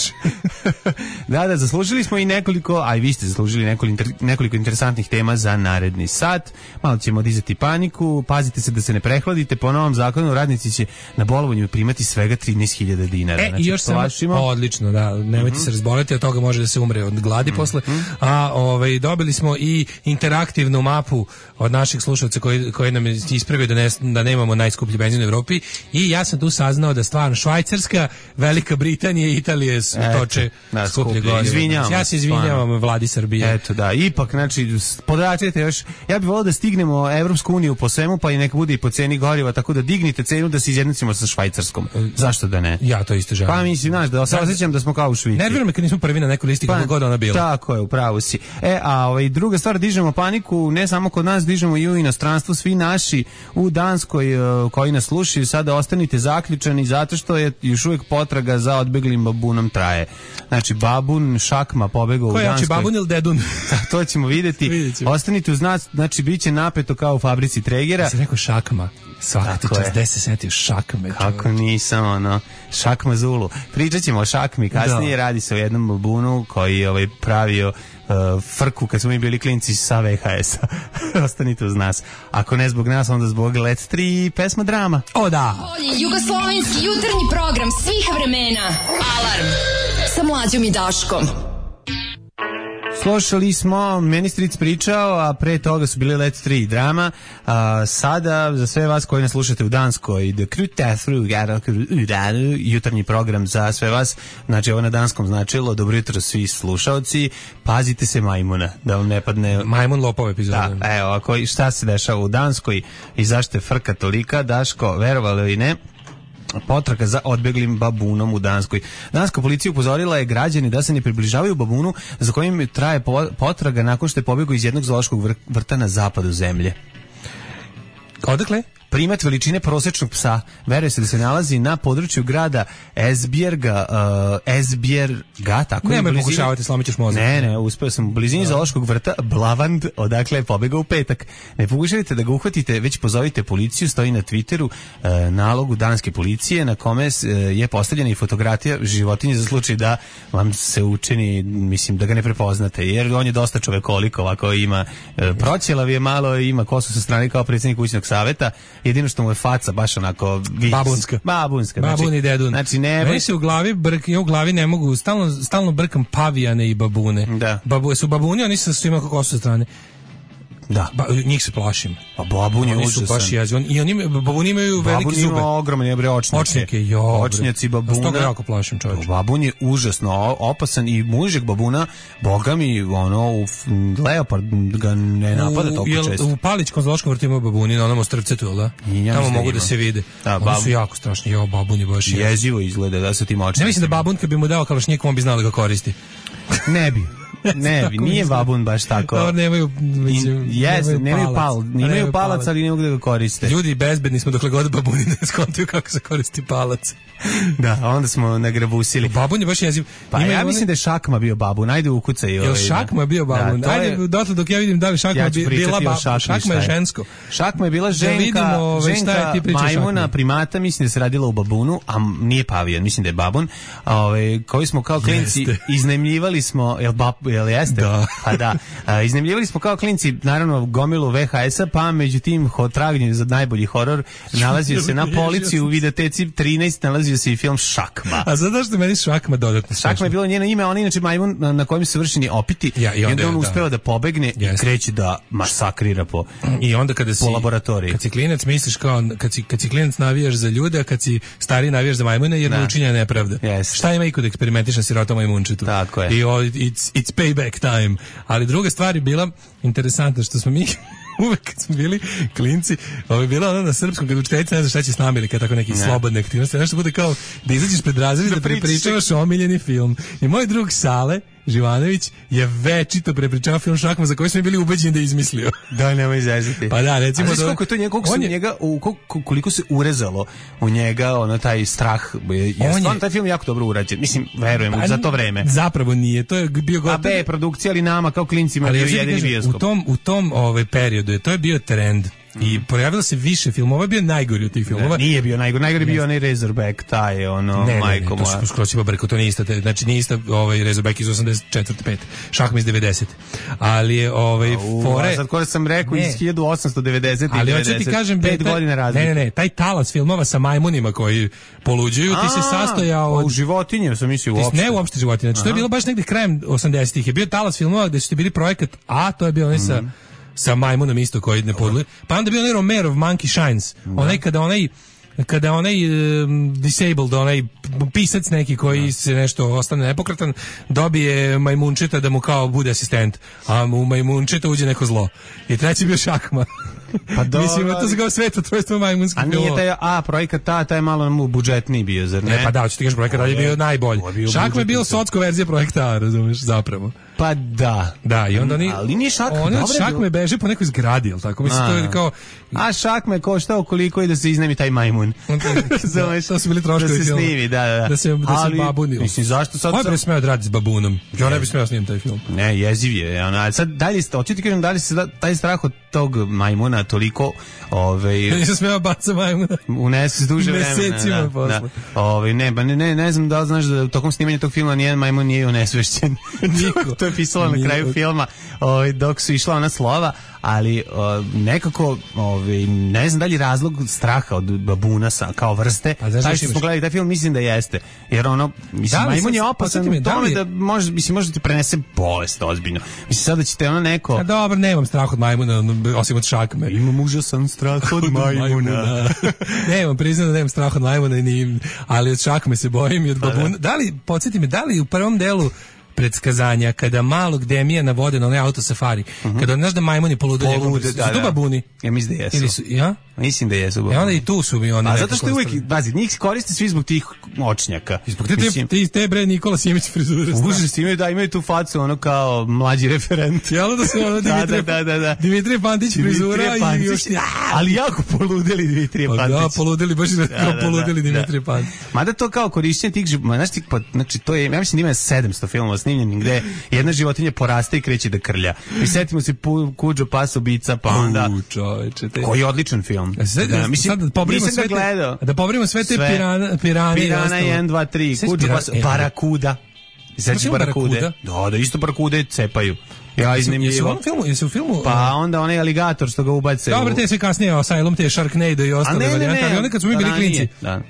Da, da, zaslužili smo i nekoliko, a i vi ste zaslužili nekoliko, inter, nekoliko interesantnih tema za naredni sat. Malo ćemo dizati paniku, pazite se da se ne prehladite. Po novom zakonu radnici će na bolovanju primati svega trinaest hiljada dinara. E, znači, i još samo, odlično, da, nemojte mm-hmm. se razboleti, od toga može da se umre od gladi mm-hmm. posle. A ovaj, dobili smo i interaktivnu mapu od naših slušalca koji, koji nam je ispravio da, ne, da nemamo najskuplji benzin u Evropi i ja sam tu saznao da stvarno Švajcarska, Velika Britanija i Italije toče da, skuplje gorivo. Izvinjavam. Ja se izvinjavam vladi Srbije. Eto da, ipak znači podračite još. Ja bih voleo da stignemo Evropsku uniju po svemu, pa i neka bude i po ceni goriva, tako da dignite cenu da se izjednačimo sa Švajcarskom. Zašto da ne? Ja to isto želim. Pa mislim, znaš, da se osjećam da smo kao u Švici. Nervira me kad nismo prvi na nekoj listi kako pa, god ona bila. Tako je, upravo si. E, a ovaj druga stvar, dižemo paniku, ne samo kod nas, dižemo i u inostranstvu, svi naši u Danskoj koji nas slušaju, sada ostanite zaključani zato što je još uvijek potraga za odbeglim babunom traje. Znači, babun, šakma pobegao u Danskoj. Ko je, babun ili dedun? To ćemo vidjeti. Ostanite uz nas, znači, bit će napeto kao u fabrici Tregera. Ja sam rekao šakma. Svaki čas, gde se setio šakme. Kako nisam, ono, šakma Zulu. Pričat ćemo o šakmi, kasnije da. Radi se o jednom babunu koji je ovaj, pravio uh, frku kad smo mi bili klinci sa V H S-a. Ostanite uz nas. Ako ne zbog nas, onda zbog Let tri i pesma Drama. O da! Bolji jugoslovenski jutarnji program svih vremena. Alarm! sa Mlađom i Daškom. Slušali smo Meni stric pričao, a pre toga su bili Let tri drama. A, sada, za sve vas koji nas slušate u Danskoj, The Crew, jutarnji program za sve vas, znači ovo na danskom značilo, dobro jutro svi slušaoci, pazite se majmuna, da vam ne padne... Majmun lopov epizoda. Da, evo, ako, šta se dešava u Danskoj i zašto je frka tolika, Daško, verovali ili ne, potraga za odbeglim babunom u Danskoj. Danska policija upozorila je građani da se ne približavaju babunu za kojim traje potraga nakon što je pobjegao iz jednog zoološkog vrta na zapadu zemlje. Odakle? Primat veličine prosječnog psa veruje se da se nalazi na području grada Esbjerga, uh, Esbjerga, tako je. Nemoj pokušavati, slomit ćeš mozak. Ne, ne, uspeo sam u blizini zoološkog vrta Blavand, odakle je pobegao u petak. Ne pokušavite da ga uhvatite, već pozovite policiju, stoji na Twitteru uh, nalogu danske policije na kome uh, je postavljena i fotografija životinje za slučaj da vam se učini, mislim, da ga ne prepoznate, jer on je dosta čovekolik, ovako ima uh, proćelav je malo, ima kosu sa strane kao predsjednik kućnog saveta. Jedino što mu je faca baš onako vis, babunska. Babunska. Babun znači, i dedun. Znači ne. Meni se u glavi brk, ja u glavi ne mogu, stalno stalno brkam pavijane i babune. Da. Babu, su babuni, oni su svima kako su sa strane. Da. Ba, njih se plašim. Pa babun je užasan. Oni su baš jezivi. I oni babuni imaju velike babun zube. Babun ima ogromne bre očnjake. Očnjake, jo. Očnjaci babuna. Stoga jako plašim, čovječe. Babun je užasno opasan i mužek babuna, boga mi, ono, u leopard ga ne napada toliko često. U Palićkom zoološkom vrtu ima babuni na onom ostrvcetu, jel da? Ja tamo mogu da se vide. Da, oni babun. Su jako strašni. Jo, babun je baš jezivo izgleda da su tim očnjacima. Ne mislim da babun kad bi mu dao kalašnjik, on bi znao da ga koristi. Ne bi. Ne, nije babun baš tako. Dobro, nemaju, mislim, jes, nemaju, nemaju pal, nemaju palac, ali ne mogu da ga koriste. Ljudi bezbedni smo dokle god babuni ne skontuju kako se koristi palac. Da, onda smo nagrabusili. Babun je baš jeziv. Pa ja mislim da je Šakma bio babun, ajde ukucaj. Jel Šakma je bio babun? Da, ajde, dotle dok ja vidim da li Šakma ja bila babun. Šakma je žensko. Šakma je bila ženka, da vidimo, ženka majmuna, primata, mislim da se radila u babunu, a nije pavijan, mislim da je babun. Ove, koji smo kao klinci iznajmljivali smo, jel, bab, jel jeste? Da. Pa da. A, iznajmljivali smo kao klinci, naravno, gomilu V H S-a, pa međutim, tragnje za najbolji horor nalazio se na policiji u videoteci trinaest, nalazio se i film Šakma. A zato što meni Šakma dodatno strašno. Šakma je bilo njeno ime, on inače majmun na, na kojem su vršeni opiti, ja, i onda on uspeo da, da pobegne yes. i kreće da masakrira po, i onda kada si, po laboratoriji. Kad si klinac misliš kao, kad si, kad si klinac navijaš za ljude, a kad si stari navijaš za majmune, jer ne učinja nepravda. Yes. Šta ima i kod eksperimentiša sirotom majmunčetu? Tako je. I o, it's, it's payback time. Ali druga stvar je bila interesantna što smo mi uvek kad smo bili klinci, ovo je bila ona na srpskom, kad učiteljica ne zna šta će s nama ili kad tako neki ne. slobodne aktivnosti, nešto bude kao da izađeš pred razred da prepričavaš omiljeni film. I moj drug Sale Živanović je večito prepričavao film Šakma za koji smo bili ubeđeni da je izmislio. Da, nema izaziti. Pa da, recimo... A znaš koliko je to njega, koliko, je, njega, u, koliko se urezalo u njega, ono, taj strah, je, stvarno, taj film je jako dobro urađen. Mislim, verujem, pa, za to vreme. Zapravo nije, to je bio gotovo... A B, produkcija, ali nama kao klincima bio jedini bioskop. U tom, u tom ovaj, periodu je, to je bio trend. I pojavilo se više filmova, ovo je bio najgori od tih filmova. Ne, nije bio najgori, najgori bio onaj Razorback, taj je ono, ne, majko moja. Ne, ne, to su skroz ima brko, to nije ista, znači nije ista ovaj Razorback iz osamdeset četvrte pete Šakma iz devedesete Ali je ovaj fore... A sad koje sam rekao ne. Iz hiljadu osamsto devedesete Ali hoću ti kažem, pet taj, godina razlike. Ne, ne, ne, taj talas filmova sa majmunima koji poluđuju, ti se sastojao od... U životinje sam mislio uopšte. Ne uopšte životinje, znači to je bilo baš negdje krajem osamdesetih Je bio talas filmova gde su ti bili projekat, a to je bio onaj sa... sa majmunom isto koji ne podluje. Pa onda bio onaj Romerov Monkey Shines. Da. Onaj kada onaj kada onaj um, disabled, onaj pisac neki koji da. se nešto ostane nepokratan, dobije majmunčeta da mu kao bude asistent, a u majmunčeta uđe neko zlo. I treći bio Šakma. Pa dobro, mislim, to se kao svetotrojstvo majmunskih filmova. A nije taj, a projekat ta, taj malo mu budžetniji bio, zar ne? Ne, pa da, hoću ti kažeš, projekat je bio najbolji. Šakma je bio socko verzija projekta A, razumiješ, zapravo. Pa da. Da, i onda oni... Ali nije Šakma, oni od Šakme beže po nekoj zgradi, jel tako? Mislim, to je kao... A Šakme koštao koliko i da se iznajmi taj majmun. da, to su bili troškovi da se snimi, da, da. Da se, da ali, se babuni. Mislim, zašto sad... Ovo je smeo da radi s babunom. Ja ne bi smeo snimiti taj film. Ne, jeziv je. Ona, sad, dalje, hoću ti kažem, da li se taj strah od tog majmuna toliko... Ove, nisam smeo baca majmuna. Unese duže vremena. Mesecima da, posle. Da. Ove, ne, ba, ne, ne, ne znam da li znaš da tokom snimanja tog filma nijedan majmun nije unesvešćen. Niko. To je je pisala na kraju filma, ovaj, dok su išla ona slova, ali o, nekako ovaj, ne znam da li razlog straha od babuna sa, kao vrste, taj što smo gledali taj film, mislim da jeste, jer ono, mislim, majmun je opasan u tome da može, mislim, može ti prenese bolest ozbiljno. Mislim, sada ćete ono neko... A dobro, nemam strah od majmuna, osim od šakme. Imam užasan strah od majmuna. Nemam, priznam da nemam strah od majmuna, ni, ali od šakme se bojim i od babuna. Da li, podsjeti me, da li u prvom delu predskazanja, kada malog Demija navode na onaj auto safari, uh-huh. kada znaš da majmuni polude, polude su da, tu babuni? Ja mislim da jesu. Ili su, ja? Mislim da jesu babuni. E onda i tu su mi oni. A zato što je uvijek, bazi, njih koriste svi zbog tih očnjaka. Zbog te, te, te, te bre Nikola Simić frizure. Užas, imaju, da, imaju tu facu, ono kao mlađi referent. Jel da se ono Dimitrije, da, da, da, da. Dimitrije Pantić frizura i još... Ali jako poludeli Dimitrije pa Pantić. Da, poludeli, baš da, da, da, poludeli da, Dimitrije Pantić. Mada to kao korišćenje tih, znaš ti, znači to je, ja mislim da ima sedamsto filmova snimljenih gde jedna životinja poraste i kreće da krlja. I setimo se Kuđo pas ubica, pa onda... U, čoveče, te... Koji je odličan film. Da, mislim, sad da pobrimo sve te, da pobrimo sve te pirane, pirane Pirana jedan, dva, tri, Kuđo pas, Barakuda. Znači Barakude. Da, da, isto Barakude cepaju. Ja iznimljivo. Jesu u onom filmu, jesu u filmu... Pa onda onaj aligator što ga ubace. Dobro, te sve kasnije, Asylum, te Sharknado i ostale varijante, ali onda kad smo mi bili klinci. Da.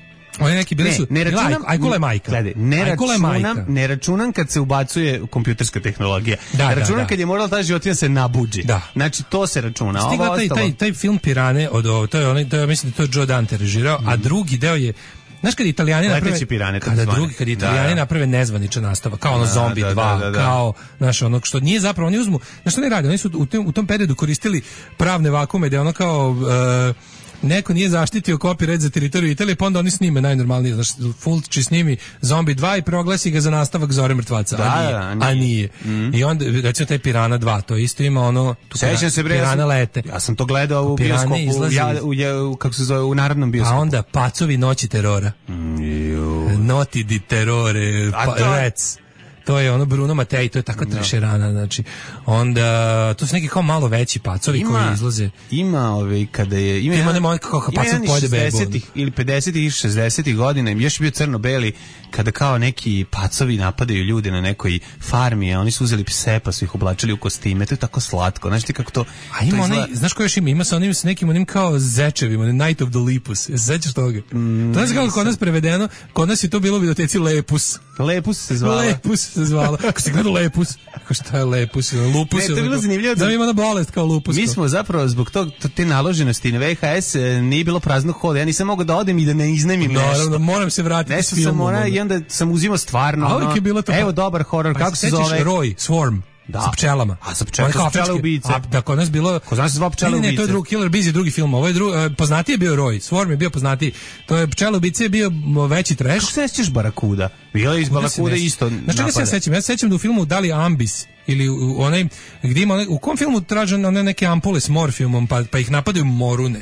Oni neki bili ne, su... Ne računam... Ajkula je majka. Gledaj, ne računam, ne računam kad se ubacuje kompjuterska tehnologija. Da, računam da, da. kad je morala ta životinja se nabuđi. Da. Znači, to se računa. Stigla taj, taj, taj film Pirane, od ovo, to je onaj, to je, mislim da to je Joe Dante režirao, mm. a drugi deo je... Znaš kad Italijani naprave pirane, kada drugi kad Italijani da, naprave nezvaničan nastavak kao ono da, Zombi da, dva, da, da, da. kao znaš ono što nije zapravo oni uzmu, znaš što ne rade, oni su u tom, u tom periodu koristili pravne vakume da ono kao uh, neko nije zaštitio copyright za teritoriju Italije, pa onda oni snime najnormalnije, znaš, Fulci snimi Zombi dva i proglasi ga za nastavak Zore mrtvaca, da, a nije. Da, nije. A nije. Mm. I onda, recimo, taj Pirana dva, to isto ima ono, tu Sećam se, bre, Pirana lete. Ja sam to gledao u bioskopu, ja, u, u, kako se zove, u narodnom bioskopu. A onda Pacovi noći terora. Mm, Noti di terore, pa, to... Rec. To je ono Bruno Matej, to je takva no. trešerana, znači. Onda, to su neki kao malo veći pacovi ima, koji izlaze. Ima ove, kada je... Ima, ima nema kao pacov pojede bebu. Ili pedesetih i šezdesetih godina, još je bio crno-beli, kada kao neki pacovi napadaju ljude na nekoj farmi, a oni su uzeli pse pa su ih oblačili u kostime, to je tako slatko, znaš ti kako to... A ima to onaj, izgleda... znaš ko još ima? Ima sa onim, sa nekim onim kao zečevima, Night of the Lepus, se sećaš toga? Mm, to je kako kod nas prevedeno, kod nas je to bilo u videoteci Lepus. Lepus se zvala. Lepus se zvala. Ako ste gledali Lepus, kako šta je Lepus? Lupus. Ne, to je bilo zanimljivo. Da ima na bolest kao lupus. Mi smo zapravo zbog tog, te naloženosti na V H S nije bilo praznog hoda. Ja nisam mogao da odem i da ne iznemim nešto. Naravno, moram se vratiti nešto s filmom. Sam ona, i onda sam uzimao stvarno. A uvijek je bilo to. Evo dobar horor, kako se zove? Roy, Swarm. Da. Sa pčelama. A sa pčelama, sa pčele ubice. A da kod nas bilo... Kod nas dva pčele ubice. Ne, ne, to je drugi Killer Bees, drugi film. Ovo je drugi, poznatiji je bio Roy. Swarm je bio poznatiji. To je pčele ubice je bio veći trash. Kako se sjećaš Barakuda? Bilo je iz Barakuda isto napada. Znači čega se ja sećam? Ja se sećam da u filmu Da li Ambis ili u onaj gdje ima onaj, u kom filmu traže one neke ampule s morfijumom pa, pa ih napadaju morune.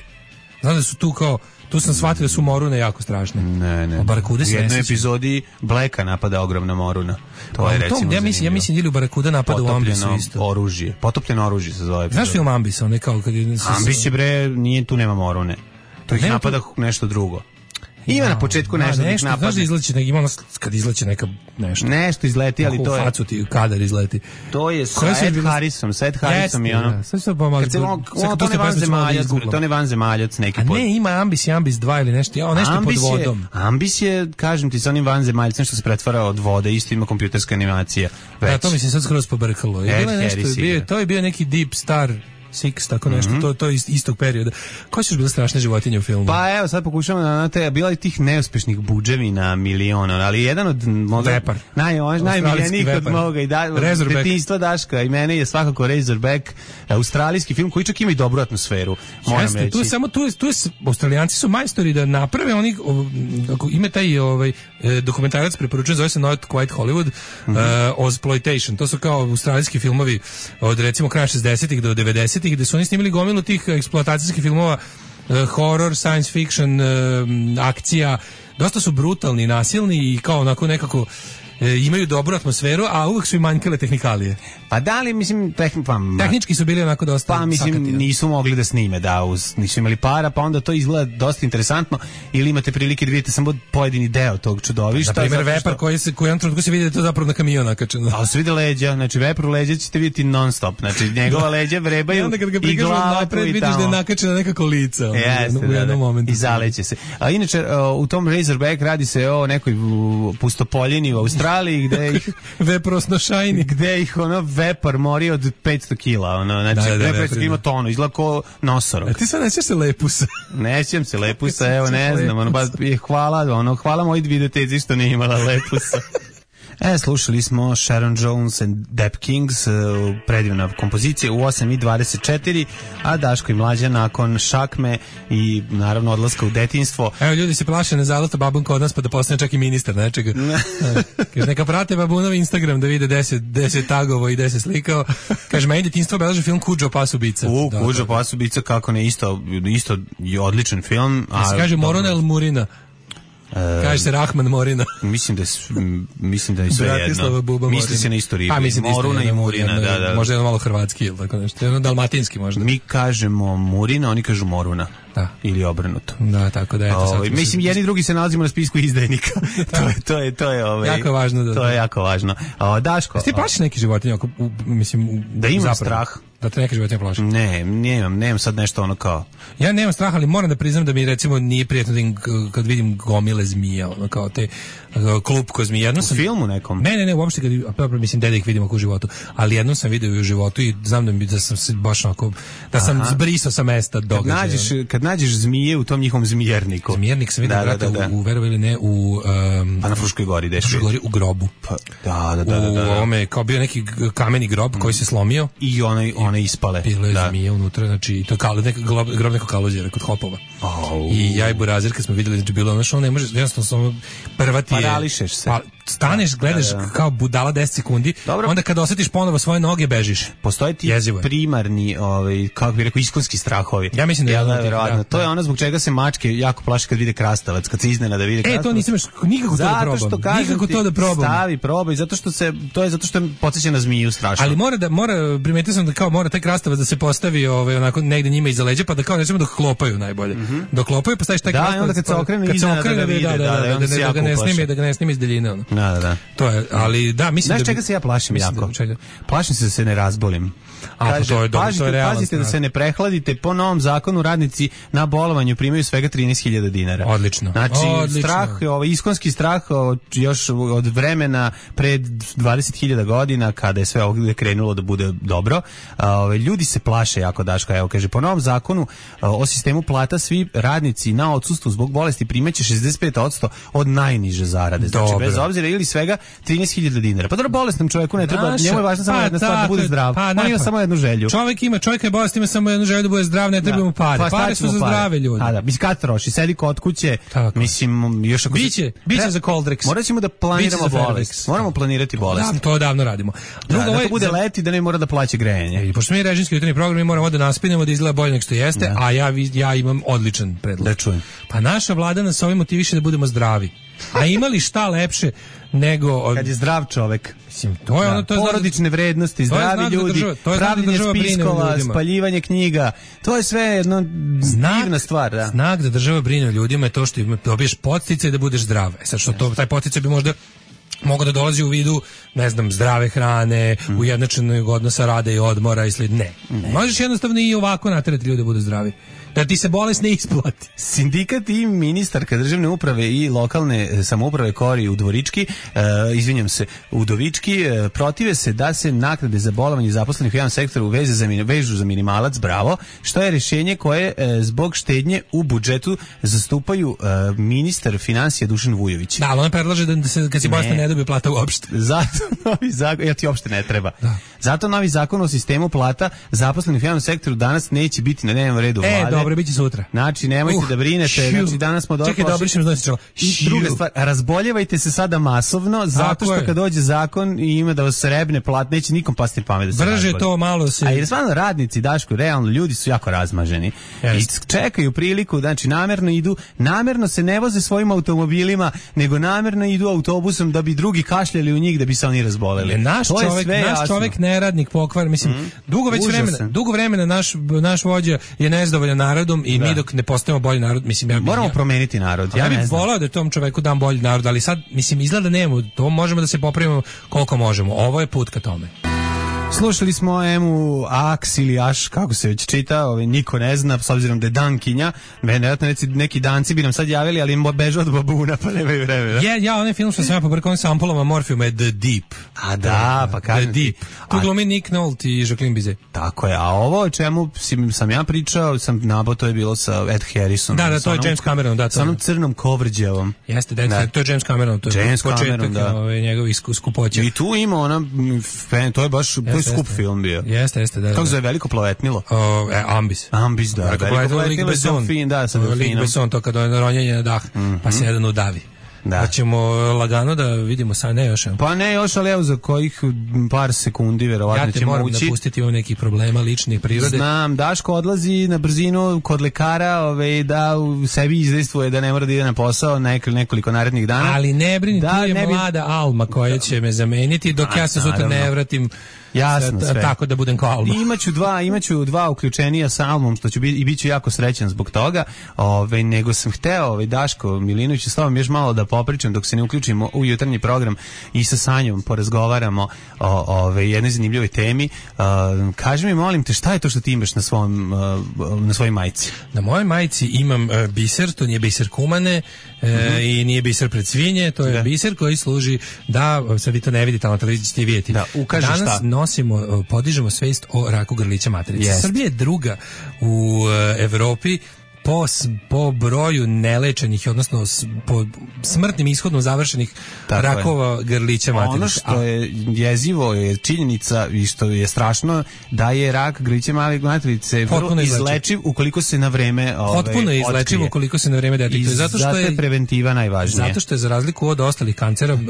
Znam da su tu kao tu sam shvatio da su morune jako strašne. Ne, ne. Barakude u jednoj epizodi Blacka napada ogromna moruna. To je recimo. Ja mislim, ja mislim ili Barakuda napada u Ambisu isto. Oružje. Potopljeno oružje se zove. Znaš film Ambis, on je kao kad je Ambis je bre, nije tu nema morune. To ih napada nešto drugo. Ima ja, na početku nešto da ih napadne. Znaš da izleće, nek, ima ono kad izleće neka nešto. Nešto izleti, ali to je... U facu ti kadar izleti. To je sa Ed Harrisom, sa Ed Harrisom i ono... Sad se pa malo... Kad se on, to ne vanzemaljac, to ne vanzemaljac neki pod... A ne, ima Ambis i Ambis dva ili nešto, ja, nešto pod vodom. Ambis je, kažem ti, sa onim vanzemaljcem što se pretvara od vode, isto ima kompjuterska animacija. Da, to mi se sad skroz pobrkalo. To je bio neki Deep Star... Six, tako nešto, mm-hmm. to, to je iz istog perioda. Koje su još bile strašne životinje u filmu? Pa evo, sad pokušamo na te, bila je tih neuspešnih budževina miliona, ali jedan od moga, Vepar. Naj, najmiljenijih od moga i da, detinjstva Daška i mene je svakako Razorback, australijski film koji čak ima i dobru atmosferu. Moram Jeste, reći. Tu je samo, tu je, tu je, Australijanci su majstori da naprave oni, ako ima taj ovaj, dokumentarac preporučen, zove se Not Quite Hollywood, mm-hmm. uh, Ozploitation, to su kao australijski filmovi od recimo kraja šezdesetih do devedesetih gde su oni snimili gomilu tih eksploatacijskih filmova, uh, horror, science fiction, uh, akcija, dosta su brutalni, nasilni i kao onako nekako e, imaju dobru atmosferu, a uvek su i manjkale tehnikalije. Pa da li, mislim, tehn, pa, tehnički su bili onako dosta pa mislim sakati, nisu mogli da snime, da, uz, nisu imali para, pa onda to izgleda dosta interesantno, ili imate prilike da vidite samo pojedini deo tog čudovišta. Na primjer, vepar što... koji se koji on trenutku se vidi da to zapravo na kamion nakačeno. Ali se vidi leđa, znači vepru leđa ćete vidjeti non stop, znači njegova leđa vrebaju i, onda kad ga i glava napred, vidiš da je nakačena nekako lica. Jeste, u jednom momentu. I zaleće se. A inače, u tom Razorback radi se o nekoj pustopoljini u Australiji gde ih veprosnošajni, gde ih ono vepar mori od petsto kila, ono, znači da, da, petsto kila ima tonu, izgleda kao nosorog. A ti sad nećeš se lepusa? Nećem se lepusa, evo ne znam, ono, baš hvala, ono, hvala moj videoteci što nije imala lepusa. E, slušali smo Sharon Jones and Dap Kings, uh, predivna kompozicija u osam i dvadeset četiri, a Daško i Mlađa nakon šakme i naravno odlaska u detinjstvo. Evo, ljudi se plaše ne zalata babun kod nas pa da postane čak i ministar nečega. Kaže, neka prate babunov Instagram da vide deset tagovo i deset slikao. Kaže, meni detinjstvo obeleži film Kuđo pas ubica. U, da, Kuđo pas ubica, kako ne, isto, isto je odličan film. A se kaže Morona El Murina. Kaže se Rahman Morina. Mislim da je, mislim da je sve jedno. Misli se na isto ribu. Pa, Moruna i Murina, jedno, da, da. Možda jedno malo hrvatski ili tako nešto. Jedno dalmatinski možda. Mi kažemo Murina, oni kažu Moruna. Da. Ili obrnuto. Da, tako da je to. Ovaj mislim jedni drugi se nalazimo na spisku izdajnika. to je to je to je ovaj jako važno da. To je jako važno. A Daško, ti plašiš neki životinje ako mislim u, da imam strah. Da te neke životinje plaši? Ne, nemam, nemam sad nešto ono kao. Ja nemam strah, ali moram da priznam da mi recimo nije prijatno da im, kad vidim gomile zmija, ono kao te klupko zmija. Jednom sam u filmu nekom. Ne, ne, ne, uopšte kad dobro mislim da ih vidimo u životu, ali jednom sam video u životu i znam da mi da sam se baš onako da sam Aha. zbrisao sa mesta događaja. Kad nađeš kad nađeš zmije u tom njihovom zmijerniku. Zmijernik sam vidio, da, brate, da, da, da. u, u verovali ili ne, u um, pa na Fruškoj gori, deš. Fruškoj gori u grobu. Pa, da, da, da, da, da. U ovome kao bio neki kameni grob mm. koji se slomio i one one ispale. Bilo je da. zmije unutra, znači to je kao neki grob nekog kalođera kod hopova. Oh. I ja i Burazir kad smo videli, znači bilo ono što ne može, jednostavno samo prva ti je parališeš se. Pa, staneš, gledaš da, da. kao budala deset sekundi, dobro. Onda kad osjetiš ponovo svoje noge bežiš. Postoji ti primarni, ovaj, kako bih rekao, iskonski strahovi. Ja mislim da je da, da, da. To je ono zbog čega se mačke jako plaše kad vide krastavac, kad se iznenada vide krastavac. E, to nisam još nikako to da probam. Što kažem, nikako to da probam. Stavi, probaj, zato što se to je zato što podsjeća na zmiju strašno. Ali mora da mora primetio sam da kao mora taj krastavac da se postavi ovaj onako negde njima iza leđa pa da kao nećemo dok klopaju najbolje. Mm -hmm. Dok klopaju pa staviš taj da, krastavac. Da, onda kad se okrene iznenada da, da, da, da, da, da ne snimi, da ga ne snimi iz daljine ono. Da, da, da. To je, ali da, mislim znaš da čega se ja plašim jako? Da, plašim se da se ne razbolim. A, Kaže, to je dobro, pazite, to je realno. Pazite da se ne prehladite, po novom zakonu radnici na bolovanju primaju svega trinaest hiljada dinara. Odlično. Znači, Odlično. strah, ovaj, iskonski strah od, još od vremena pred dvadeset hiljada godina, kada je sve ovdje krenulo da bude dobro, ovaj, ljudi se plaše jako, Daška. Evo, kaže, po novom zakonu o sistemu plata svi radnici na odsustvu zbog bolesti primaće šezdeset pet posto od najniže zarade. Znači, dobro. Bez obzira ili svega trinaest hiljada dinara. Pa dobro, bolesnom čovjeku ne treba, Naša, njemu je važno samo pa, jedna stvar da bude zdrav. Pa, on ima samo jednu želju. Čovjek ima, čovjek je bolest, ima samo jednu želju da bude zdrav, ne treba mu pare. Pa, pare su za pare. Zdrave ljude. A da, mislim kad troši, sedi kod kuće, tako. Mislim, još ako biće, se... biće za Coldrex. Morat ćemo da planiramo bolest. Moramo planirati bolest. Da, to davno radimo. Drugo, da, da to bude za... leti da ne mora da plaća grejanje. I pošto mi režimski jutarnji program, mi moramo da naspinemo da izgleda bolje nego što jeste, da. A ja, ja imam odličan predlog. Da čujem. Pa naša vlada nas ovim motiviše da budemo zdravi. A imali šta lepše nego od... kad je zdrav čovek. Mislim, to je da, ono, to je porodične vrednosti, zdravi ljudi, država, pravljenje spiskova, spaljivanje knjiga. To je sve jedno znak, divna stvar, da. Znak da država brine o ljudima je to što dobiješ podsticaj da budeš zdrav. E sad što to, taj podsticaj bi možda mogu da dolazi u vidu, ne znam, zdrave hrane, mm. ujednačenog odnosa rada i odmora i slično. Ne. ne. Možeš jednostavno i ovako naterati ljude da budu zdravi. Da ti se bolest ne isplati. Sindikat i ministarka državne uprave i lokalne samouprave Kori Udvorički, e, izvinjam se, Udovički, e, protive se da se naknade za bolovanje zaposlenih u javnom sektoru veze za, vežu za minimalac, bravo, što je rješenje koje e, zbog štednje u budžetu zastupaju e, ministar financija Dušan Vujović. Da, ali on predlaže da se kad si bolestan ne dobije plata uopšte. Zato novi zakon, ja ti uopšte ne treba. Da. Zato novi zakon o sistemu plata zaposlenih u javnom sektoru danas neće biti na dnevnom redu e, vlade. Dobro, biće sutra. Znači, nemojte uh, da brinete, šiu. Znači danas smo došli. Čekaj, da obrišem znosičala. I druga stvar, razboljevajte se sada masovno, zato Tako što je. Kad dođe zakon i ima da vas srebne plat, neće nikom pasti pamet da se Brže razbolje. To malo se... A jer stvarno radnici, Daško, realno, ljudi su jako razmaženi. Jest. I čekaju priliku, znači namerno idu, namerno se ne voze svojim automobilima, nego namerno idu autobusom da bi drugi kašljali u njih da bi se oni razboleli. Je naš to čovjek, je naš čovjek neradnik, pokvar, mislim, mm. dugo već Užasen. vremena, dugo vremena naš naš vođa je nezadovoljan narodom i da. mi dok ne postajemo bolji narod, mislim ja moramo ja, promeniti narod. Ja, ja bih ne znam. voleo da tom čoveku dam bolji narod, ali sad mislim izgleda da nemamo, to možemo da se popravimo koliko možemo. Ovo je put ka tome. Slušali smo Emu Aks ili Aš, kako se već čita, ovaj, niko ne zna, s obzirom da je dankinja, vjerojatno neki, neki danci bi nam sad javili, ali im beže od babuna, pa nemaju vremena. Je, ja, onaj film što sam ja pobrkao sa ampulama morfijuma je The Deep. A da, pa kažem The Deep. Tu glumi Nick Nolte i Jacqueline Bisset. Tako je, a ovo o čemu sam ja pričao, sam nabao, to je bilo sa Ed Harrisonom. Da, da, to je James Cameron, da. Sa onom crnom kovrđavom. Jeste, da, da. To je James Cameron, to je James početak Cameron, da. Ove, njegovih skupoća. I tu ima ona, to je baš, to je skup film bio. Jeste, jeste, da. Kako zove veliko plovetnilo? O, e, Ambis. Ambis, da. Veliko plovetnilo je sa fin, da, sa delfinom. Lik Besson, to kada je ronjenje na dah, mm-hmm. pa se jedan udavi. Da. Hoćemo lagano da vidimo sad, ne još. Pa ne još, ali evo za kojih par sekundi verovatno ćemo ući. Ja te moram napustiti, imam nekih problema ličnih prirode. Znam, Daško odlazi na brzinu kod lekara, ove, da u sebi izdejstvuje da ne mora da ide na posao nekoliko narednih dana. Ali ne brini, da, tu je bi... mlada Alma koja će me zameniti dok A, ja se sutra ne vratim. Jasno, sve. Tako da budem kao Alma. Imaću dva, imaću dva uključenija sa Almom, što ću biti i biću jako srećan zbog toga. Ove, nego sam hteo, ovaj Daško Milinović, s tobom još malo da popričam dok se ne uključimo u jutarnji program i sa Sanjom porazgovaramo o ove jednoj zanimljivoj temi. Uh, kaži mi, molim te, šta je to što ti imaš na svom uh, na svojoj majici? Na mojoj majici imam uh, biser, to nije biser kumane uh, mm-hmm. i nije biser pred svinje, to je da. biser koji služi da, sad vi to ne vidite, ali na televiziji ćete vidjeti. Da, ukaži danas šta. nosimo, podižemo svest o raku grlića materice. Yes. Srbija je druga u uh, Evropi po, po broju nelečenih, odnosno s, po smrtnim ishodom završenih tako rakova je. grlića materice. Ono što je jezivo je činjenica i što je strašno da je rak grlića materice vrlo izlečiv ukoliko se na vreme ove, potpuno je izlečiv ukoliko se na vreme detektuje. Zato što je preventiva najvažnija. Zato što je za razliku od ostalih kancera uh,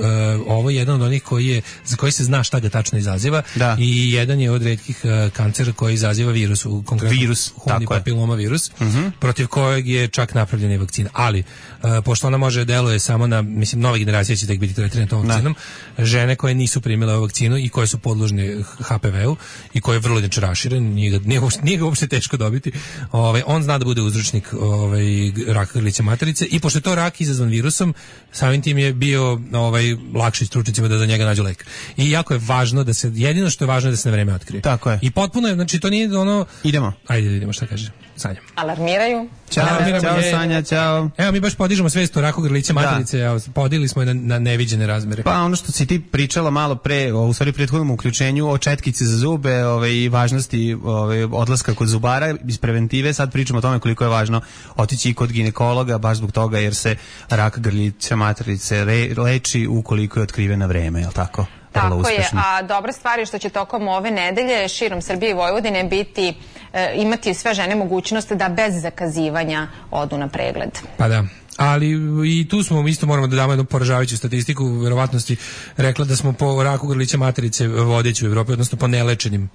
ovo je jedan od onih koji je, za koji se zna šta ga tačno izaziva da. i jedan je od retkih uh, kancera koji izaziva virus, u konkretno virus, humani papiloma virus, uh-huh. protiv kojeg je čak napravljena i vakcina. Ali, uh, pošto ona može deluje samo na, mislim, nove generacije će tek biti tretirane tom vakcinom, ne. žene koje nisu primile ovu vakcinu i koje su podložne ha pe ve u i koje je vrlo inače raširen, nije ga, nije, nije ga uopšte teško dobiti, ovaj, on zna da bude uzročnik ovaj, raka grlića materice i pošto je to rak izazvan virusom, samim tim je bio ovaj, lakše stručnicima da za njega nađu lek. I jako je važno da se, jedino što je važno je da se na vreme otkrije. Tako je. I potpuno je, znači to nije ono... Idemo. Ajde, idemo, šta kaže Sanja. Alarmiraju. Ćao, ćao Sanja, ćao. Evo mi baš podižemo svest o raku grlića materice, evo, podili smo je na, na neviđene razmere. Pa ono što si ti pričala malo pre, u stvari prethodnom uključenju o četkici za zube, ove, i važnosti ove, odlaska kod zubara iz preventive, sad pričamo o tome koliko je važno otići i kod ginekologa, baš zbog toga jer se rak grlića materice re, leči ukoliko je otkriven na vreme, je li tako? Tako je, a dobra stvar je što će tokom ove nedelje širom Srbije i Vojvodine biti, e, imati sve žene mogućnost da bez zakazivanja odu na pregled. Pa da. Ali i tu smo isto moramo da damo jednu poražavajuću statistiku, verovatnosti rekla da smo po raku grlića materice vodeći u Evropi, odnosno po nelečenim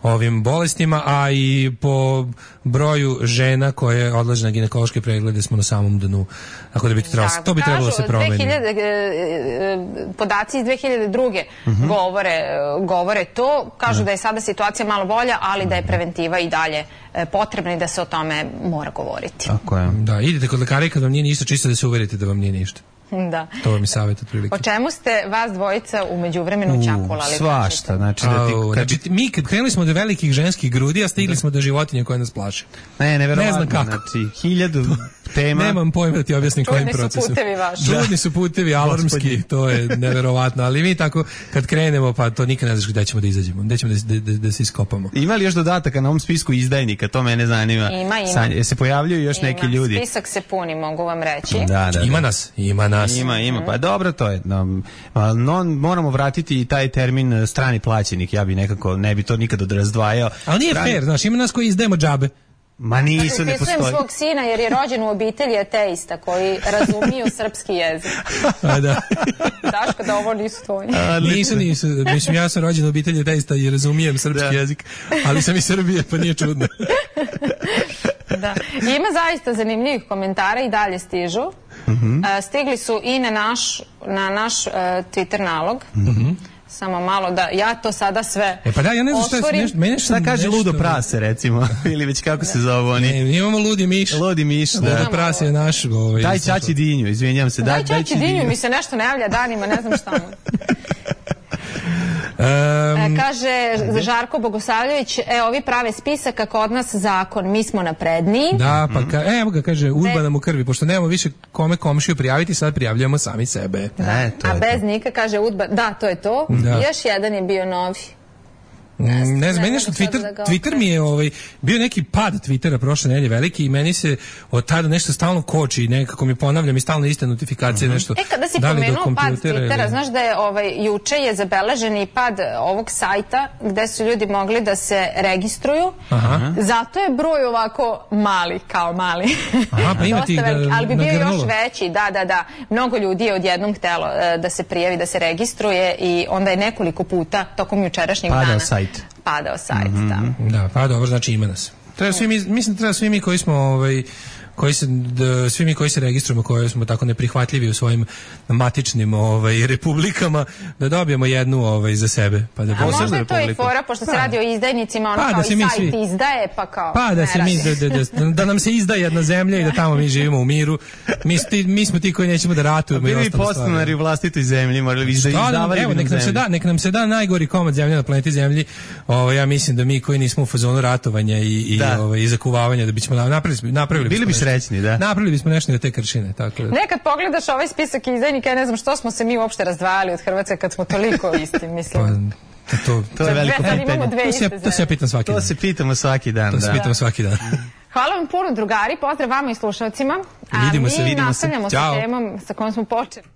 ovim bolestima, a i po broju žena koje odlaze na ginekološke preglede smo na samom dnu. Tako da bi to trebalo, da, to bi trebalo da se promeni. dve hiljade, podaci iz dve hiljade druge uh-huh. govore, govore to, kažu uh-huh. da je sada situacija malo bolja, ali uh-huh. da je preventiva i dalje potrebna i da se o tome mora govoriti. Tako je. Da, idite kod lekara i kad vam nije ništa, čisto da se uverite da vam nije ništa. Da. To vam je savjet otprilike. O čemu ste vas dvojica u međuvremenu čakulali? Svašta, znači da ti... Au, kad... znači, mi kad krenuli smo do velikih ženskih grudi, a stigli da. smo do životinje koje nas plaše. Ne, neverovatno. Ne znam kako. Znači, hiljadu tema. Nemam pojma da ti objasnim kojim procesom. Čudni su putevi vaši. Čudni su putevi, alarmski, to je neverovatno. Ali mi tako, kad krenemo, pa to nikad ne znaš gde ćemo da izađemo. Gde ćemo da, da, da se iskopamo. Ima li još dodataka na ovom spisku izdajnika? To mene zanima. Ima, ima. Sanja, se pojavljuju još ima. neki ljudi? Spisak se puni, mogu vam reći. Da, da, da. Ima nas, ima nas. Ima, ima. Pa dobro, to je. No, no, moramo vratiti i taj termin strani plaćenik. Ja bi nekako, ne bi to nikad razdvajao. Ali nije strani... fair, znaš, ima nas koji izdajemo džabe. Ma nisu, ne postoji. Upisujem svog sina jer je rođen u obitelji ateista koji razumiju srpski jezik. A da. Daško, da ovo nisu tvoji. A, nisu, nisu. Mislim, ja sam rođen u obitelji ateista i razumijem srpski da. jezik, ali sam iz Srbije, pa nije čudno. Da. Ima zaista zanimljivih komentara i dalje stižu. Mm-hmm. Uh, stigli su i na naš, na naš uh, Twitter nalog. Mm-hmm. Samo malo da ja to sada sve e pa da, ja ne znam šta je, nešto, meni šta kaže ludo prase, recimo, ili već kako se zove oni. Ne, imamo ludi miš. Ludi miš, da. Ludo prase je naš. Ovaj, daj Ćaći dinju, izvinjam se. Daj, daj Ćaći dinju, mi se nešto ne javlja danima, ne znam šta mu. Um, e, kaže Žarko Bogosavljević, e, ovi prave spisak kako od nas zakon, mi smo napredniji. Da, pa ka, evo ga kaže, udba nam u krvi, pošto nemamo više kome komšiju prijaviti, sad prijavljujemo sami sebe. Da. E, to A bez to. Nika kaže udba, da, to je to. Da. Još jedan je bio novi. Ne znam, ne znam, meni nešto Twitter, da Twitter mi je ovaj, bio neki pad Twittera prošle nedelje veliki i meni se od tada nešto stalno koči i nekako mi ponavljam i stalno iste notifikacije, uh-huh. nešto. E, kada si da pomenuo pad Twittera, ili... znaš da je ovaj, juče je zabeležen i pad ovog sajta gde su ljudi mogli da se registruju, aha. Zato je broj ovako mali, kao mali. Aha, pa ima ti da, ali bi bio nagrnulo. Još veći, da, da, da. Mnogo ljudi je odjednom htelo da se prijavi, da se registruje i onda je nekoliko puta tokom jučerašnjeg Padao dana. Sajt. Padao sajt, mm-hmm. da. Da, pa dobro, znači ima nas. Treba svi mi, mislim da treba svi mi koji smo ovaj, koji se, da, svi mi koji se registrujemo, koji smo tako neprihvatljivi u svojim matičnim ovaj, republikama, da dobijemo jednu ovaj, za sebe. Pa da a možda je to i fora, pošto se pa, radi o izdajnicima, ono pa, kao da i sajt svi, izdaje, pa kao pa da, se mi, da, da, da, da nam se izdaje jedna zemlja i da tamo mi živimo u miru. Mi, ti, mi smo ti koji nećemo da ratujemo. Bili podstanari u vlastitoj zemlji, morali bi da izdavali. Evo, nek nam, se da, nek nam se da najgori komad zemlje na planeti Zemlji. Ovo, ja mislim da mi koji nismo u fazonu ratovanja i, i, da. ovaj, i zakuvavanja, da bismo napravili, napravili bili bi srećni, da. Napravili bismo nešto na te kršine, tako da. Nekad pogledaš ovaj spisak izdajnika, ja ne znam što smo se mi uopšte razdvajali od Hrvatske kad smo toliko isti, mislim. Pa, to, to je veliko pitanje. To se, to se ja pitam svaki to dan. To se pitamo svaki dan, to da. se pitamo svaki dan. Hvala vam puno, drugari, pozdrav vama i slušalcima. A vidimo se, mi vidimo nastavljamo se. sa temom sa kojom smo počeli.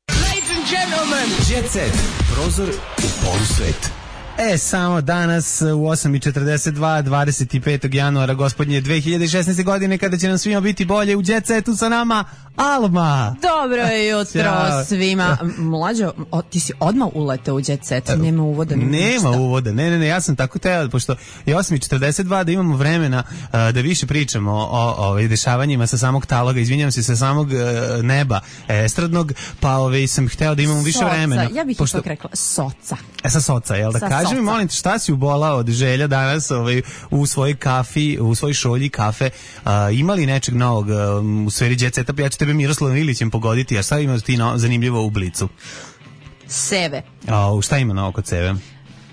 Ladies and gentlemen, Jet Set, prozor u polusvet. E, samo danas u osam i četrdeset dva, dvadeset petog januara gospodnje dve hiljade šesnaeste. godine, kada će nam svima biti bolje, u Jet Setu sa nama Alma. Dobro jutro svima. Mlađo, o, ti si odmah uletao u Jet Set, nema uvoda. Nema uvoda, ne, ne, ne, ja sam tako teo, pošto je osam i četrdeset dva da imamo vremena uh, da više pričamo o, o, o dešavanjima sa samog taloga, izvinjam se, sa samog uh, neba estradnog, pa ove, sam hteo da imamo više soca, vremena. Ja bih pošto... ipak rekla soca. E, sa soca, jel da? Sa kaži mi, molim te, šta si ubolao od želja danas ovaj, u svojoj kafi, u svojoj šolji kafe, uh, imali nečeg novog uh, u sferi Jet Seta? Ja ću tebe Miroslavom Ilićem pogoditi, a šta ima ti no, zanimljivo u Blicu? Seve. A, šta ima novo kod Seve?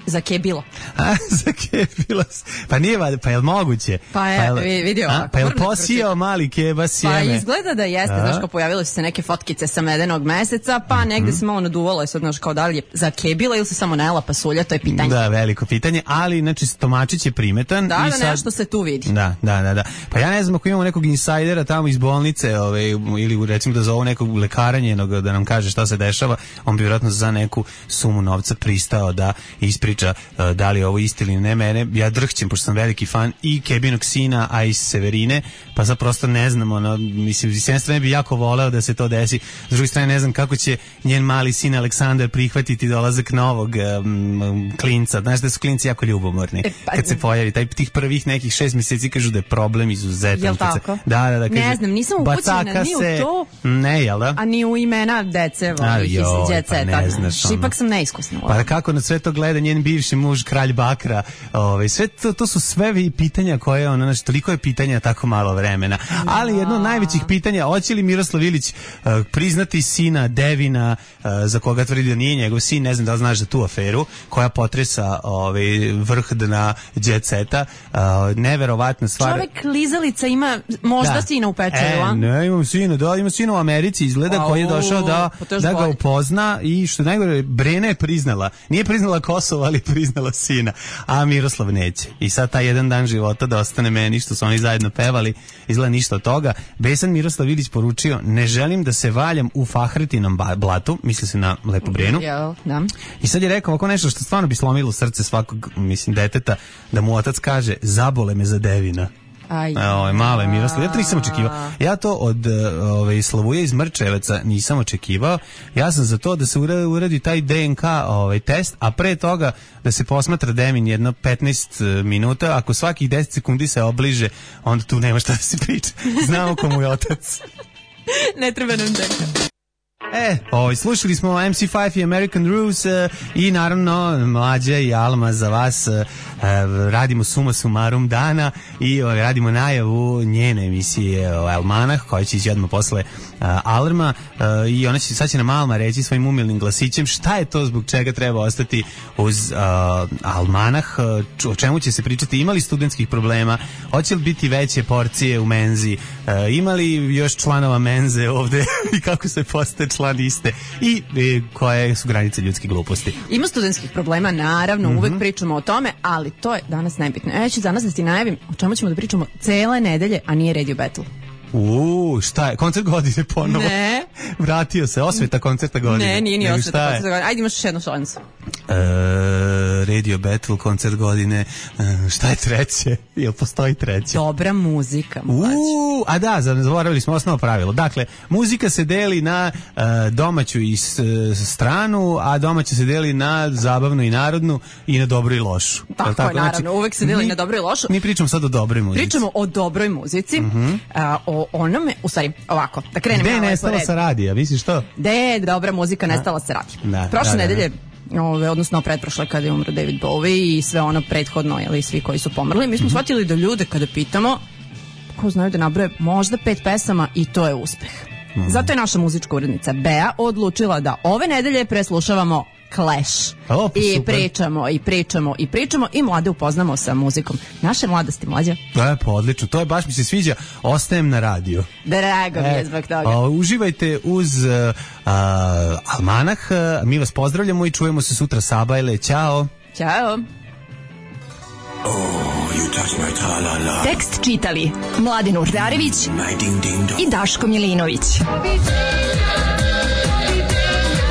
Zakebilo. A, zakebilo. Pa nije, pa je li moguće? Pa je, pa je vidio. A, pa je li posijao mali keba sjeme? Pa izgleda da jeste, a? Znaš, kao pojavilo se neke fotkice sa medenog meseca, pa mm-hmm. negde se malo naduvalo, je sad, znaš, kao da li je zakebila ili se samo najela pasulja, to je pitanje. Da, veliko pitanje, ali, znači, stomačić je primetan. Da, i da, sad... nešto se tu vidi. Da, da, da, da. Pa ja ne znam ako imamo nekog insajdera tamo iz bolnice, ove, ili recimo da zovu nekog lekara njenog da nam kaže šta se dešava, on bi vjerojatno za neku sumu novca pristao da ispriča da li je ovo isti ili ne. Mene, ja drhćem, pošto sam veliki fan i Kebinog sina, a i Severine, pa sad prosto ne znam, ono, mislim, s jedne strane bi jako voleo da se to desi, s druge strane ne znam kako će njen mali sin Aleksandar prihvatiti dolazak novog um, klinca. Znaš da su klinci jako ljubomorni e, pa, kad se pojavi, taj tih prvih nekih šest mjeseci kažu da je problem izuzetan. Jel tako? Se, da, da, da. Kažu, ne znam, nisam upućena ni u to, ne, jel da? A ni u imena dece volih iz Jet Seta. Pa ne znaš, ono. Ipak sam neiskusna. Pa kako na sve to gleda njen bivši muž, kralj Bakra, ovaj, sve to, to su sve pitanja koje, ono, znači, toliko je pitanja, tako malo vremena. Ali jedno od najvećih pitanja, hoće li Miroslav Ilić uh, priznati sina Devina, uh, za koga tvrdi da nije njegov sin, ne znam da li znaš za tu aferu, koja potresa ovaj, vrh na Jet Seta, uh, neverovatna stvar. Čovek klizalica ima možda da. Sina u pečeru, a? E, ne, imam sina, da, ima sina u Americi, izgleda, wow, koji je došao da, da ga upozna i što najgore, Brena je priznala, nije priznala Kosovo, ali priznala sina, a Miroslav neće. I sad taj jedan dan života da ostane meni, što su oni zajedno pevali, izgleda ništa od toga. Besan Miroslav Ilić poručio, ne želim da se valjam u Fahretinom blatu, misli se na Lepu Brenu. Ja, da. I sad je rekao ovako nešto što stvarno bi slomilo srce svakog, mislim, deteta, da mu otac kaže, zabole me za Devina. Aj, Ovo, malo je Miroslav. Ja to nisam očekivao. Ja to od ove, Slavuje iz Mrčeveca nisam očekivao. Ja sam za to da se uradi taj D N K ovaj, test, a pre toga da se posmatra Devin jedno petnaest minuta. Ako svakih deset sekundi se obliže, onda tu nema šta da se priča. Znamo komu je otac. Ne treba nam deka. E, ovaj, slušali smo em ce pet i American Rules uh, i naravno Mlađa i Alma za vas uh, radimo suma sumarum dana i uh, radimo najavu njene emisije uh, Almanah koja će ići odmah posle uh, Alarma uh, i ona će, sad će nam Alma reći svojim umilnim glasićem šta je to zbog čega treba ostati uz uh, Almanah, uh, o čemu će se pričati, imali studentskih problema, hoće li biti veće porcije u menzi, uh, imali još članova menze ovde i kako se postaje član iste i e, koje su granice ljudske gluposti. Ima studentskih problema, naravno, mm-hmm. uvek pričamo o tome, ali to je danas nebitno. Ja ću danas da ti najavim o čemu ćemo da pričamo cele nedelje, a nije Radio Battle. Uuu, šta je? Koncert godine ponovo? Ne. Vratio se, osveta koncerta godine. Ne, nije ni osveta koncerta godine. Ajde, imaš još jednu šansu. E, Radio Battle, koncert godine. E, šta je treće? Jel postoji treće? Dobra muzika, mlađe. Uuu, a da, zaboravili smo osnovno pravilo. Dakle, muzika se deli na uh, domaću i s, stranu, a domaća se deli na zabavnu i narodnu i na dobru i lošu. Tako, tako? je, naravno. Znači, uvek se deli mi, na dobru i lošu. Mi pričamo sad o dobroj muzici. Pričamo o dobroj muzici. Mm-hmm. A, o onome, u stvari, ovako, da krenemo. Gde je nestala sa radija, misliš to? Gde je dobra muzika nestala sa radija? Da, Prošle da, da, nedelje, ove, odnosno pretprošle kada je umro David Bowie i sve ono prethodno, jeli, svi koji su pomrli, mi smo mm-hmm. shvatili da ljude kada pitamo, ko znaju da nabroje možda pet pesama i to je uspeh. Mm-hmm. Zato je naša muzička urednica Bea odlučila da ove nedelje preslušavamo Clash. O, I super. pričamo, i pričamo, i pričamo i mlade upoznamo sa muzikom. Naše mladosti, Mlađe. To je pa odlično, to je baš mi se sviđa. Ostajem na radiju. Drago mi je zbog toga. A, uživajte uz uh, a, Almanah, mi vas pozdravljamo i čujemo se sutra Sabajle. Ćao. Ćao. Oh, you touch my tra-la-la. Tekst čitali Mladin Urdarević i Daško Milinović.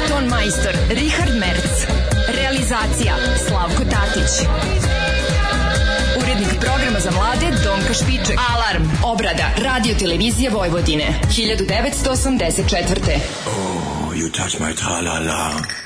Ton majstor Richard Merc. Realizacija Slavko Tatić. Urednik programa za mlade Donka Špiček. Alarm, obrada, radio televizija Vojvodine, hiljadu devetsto osamdeset četvrte. Oh, you touch my tra-la-la.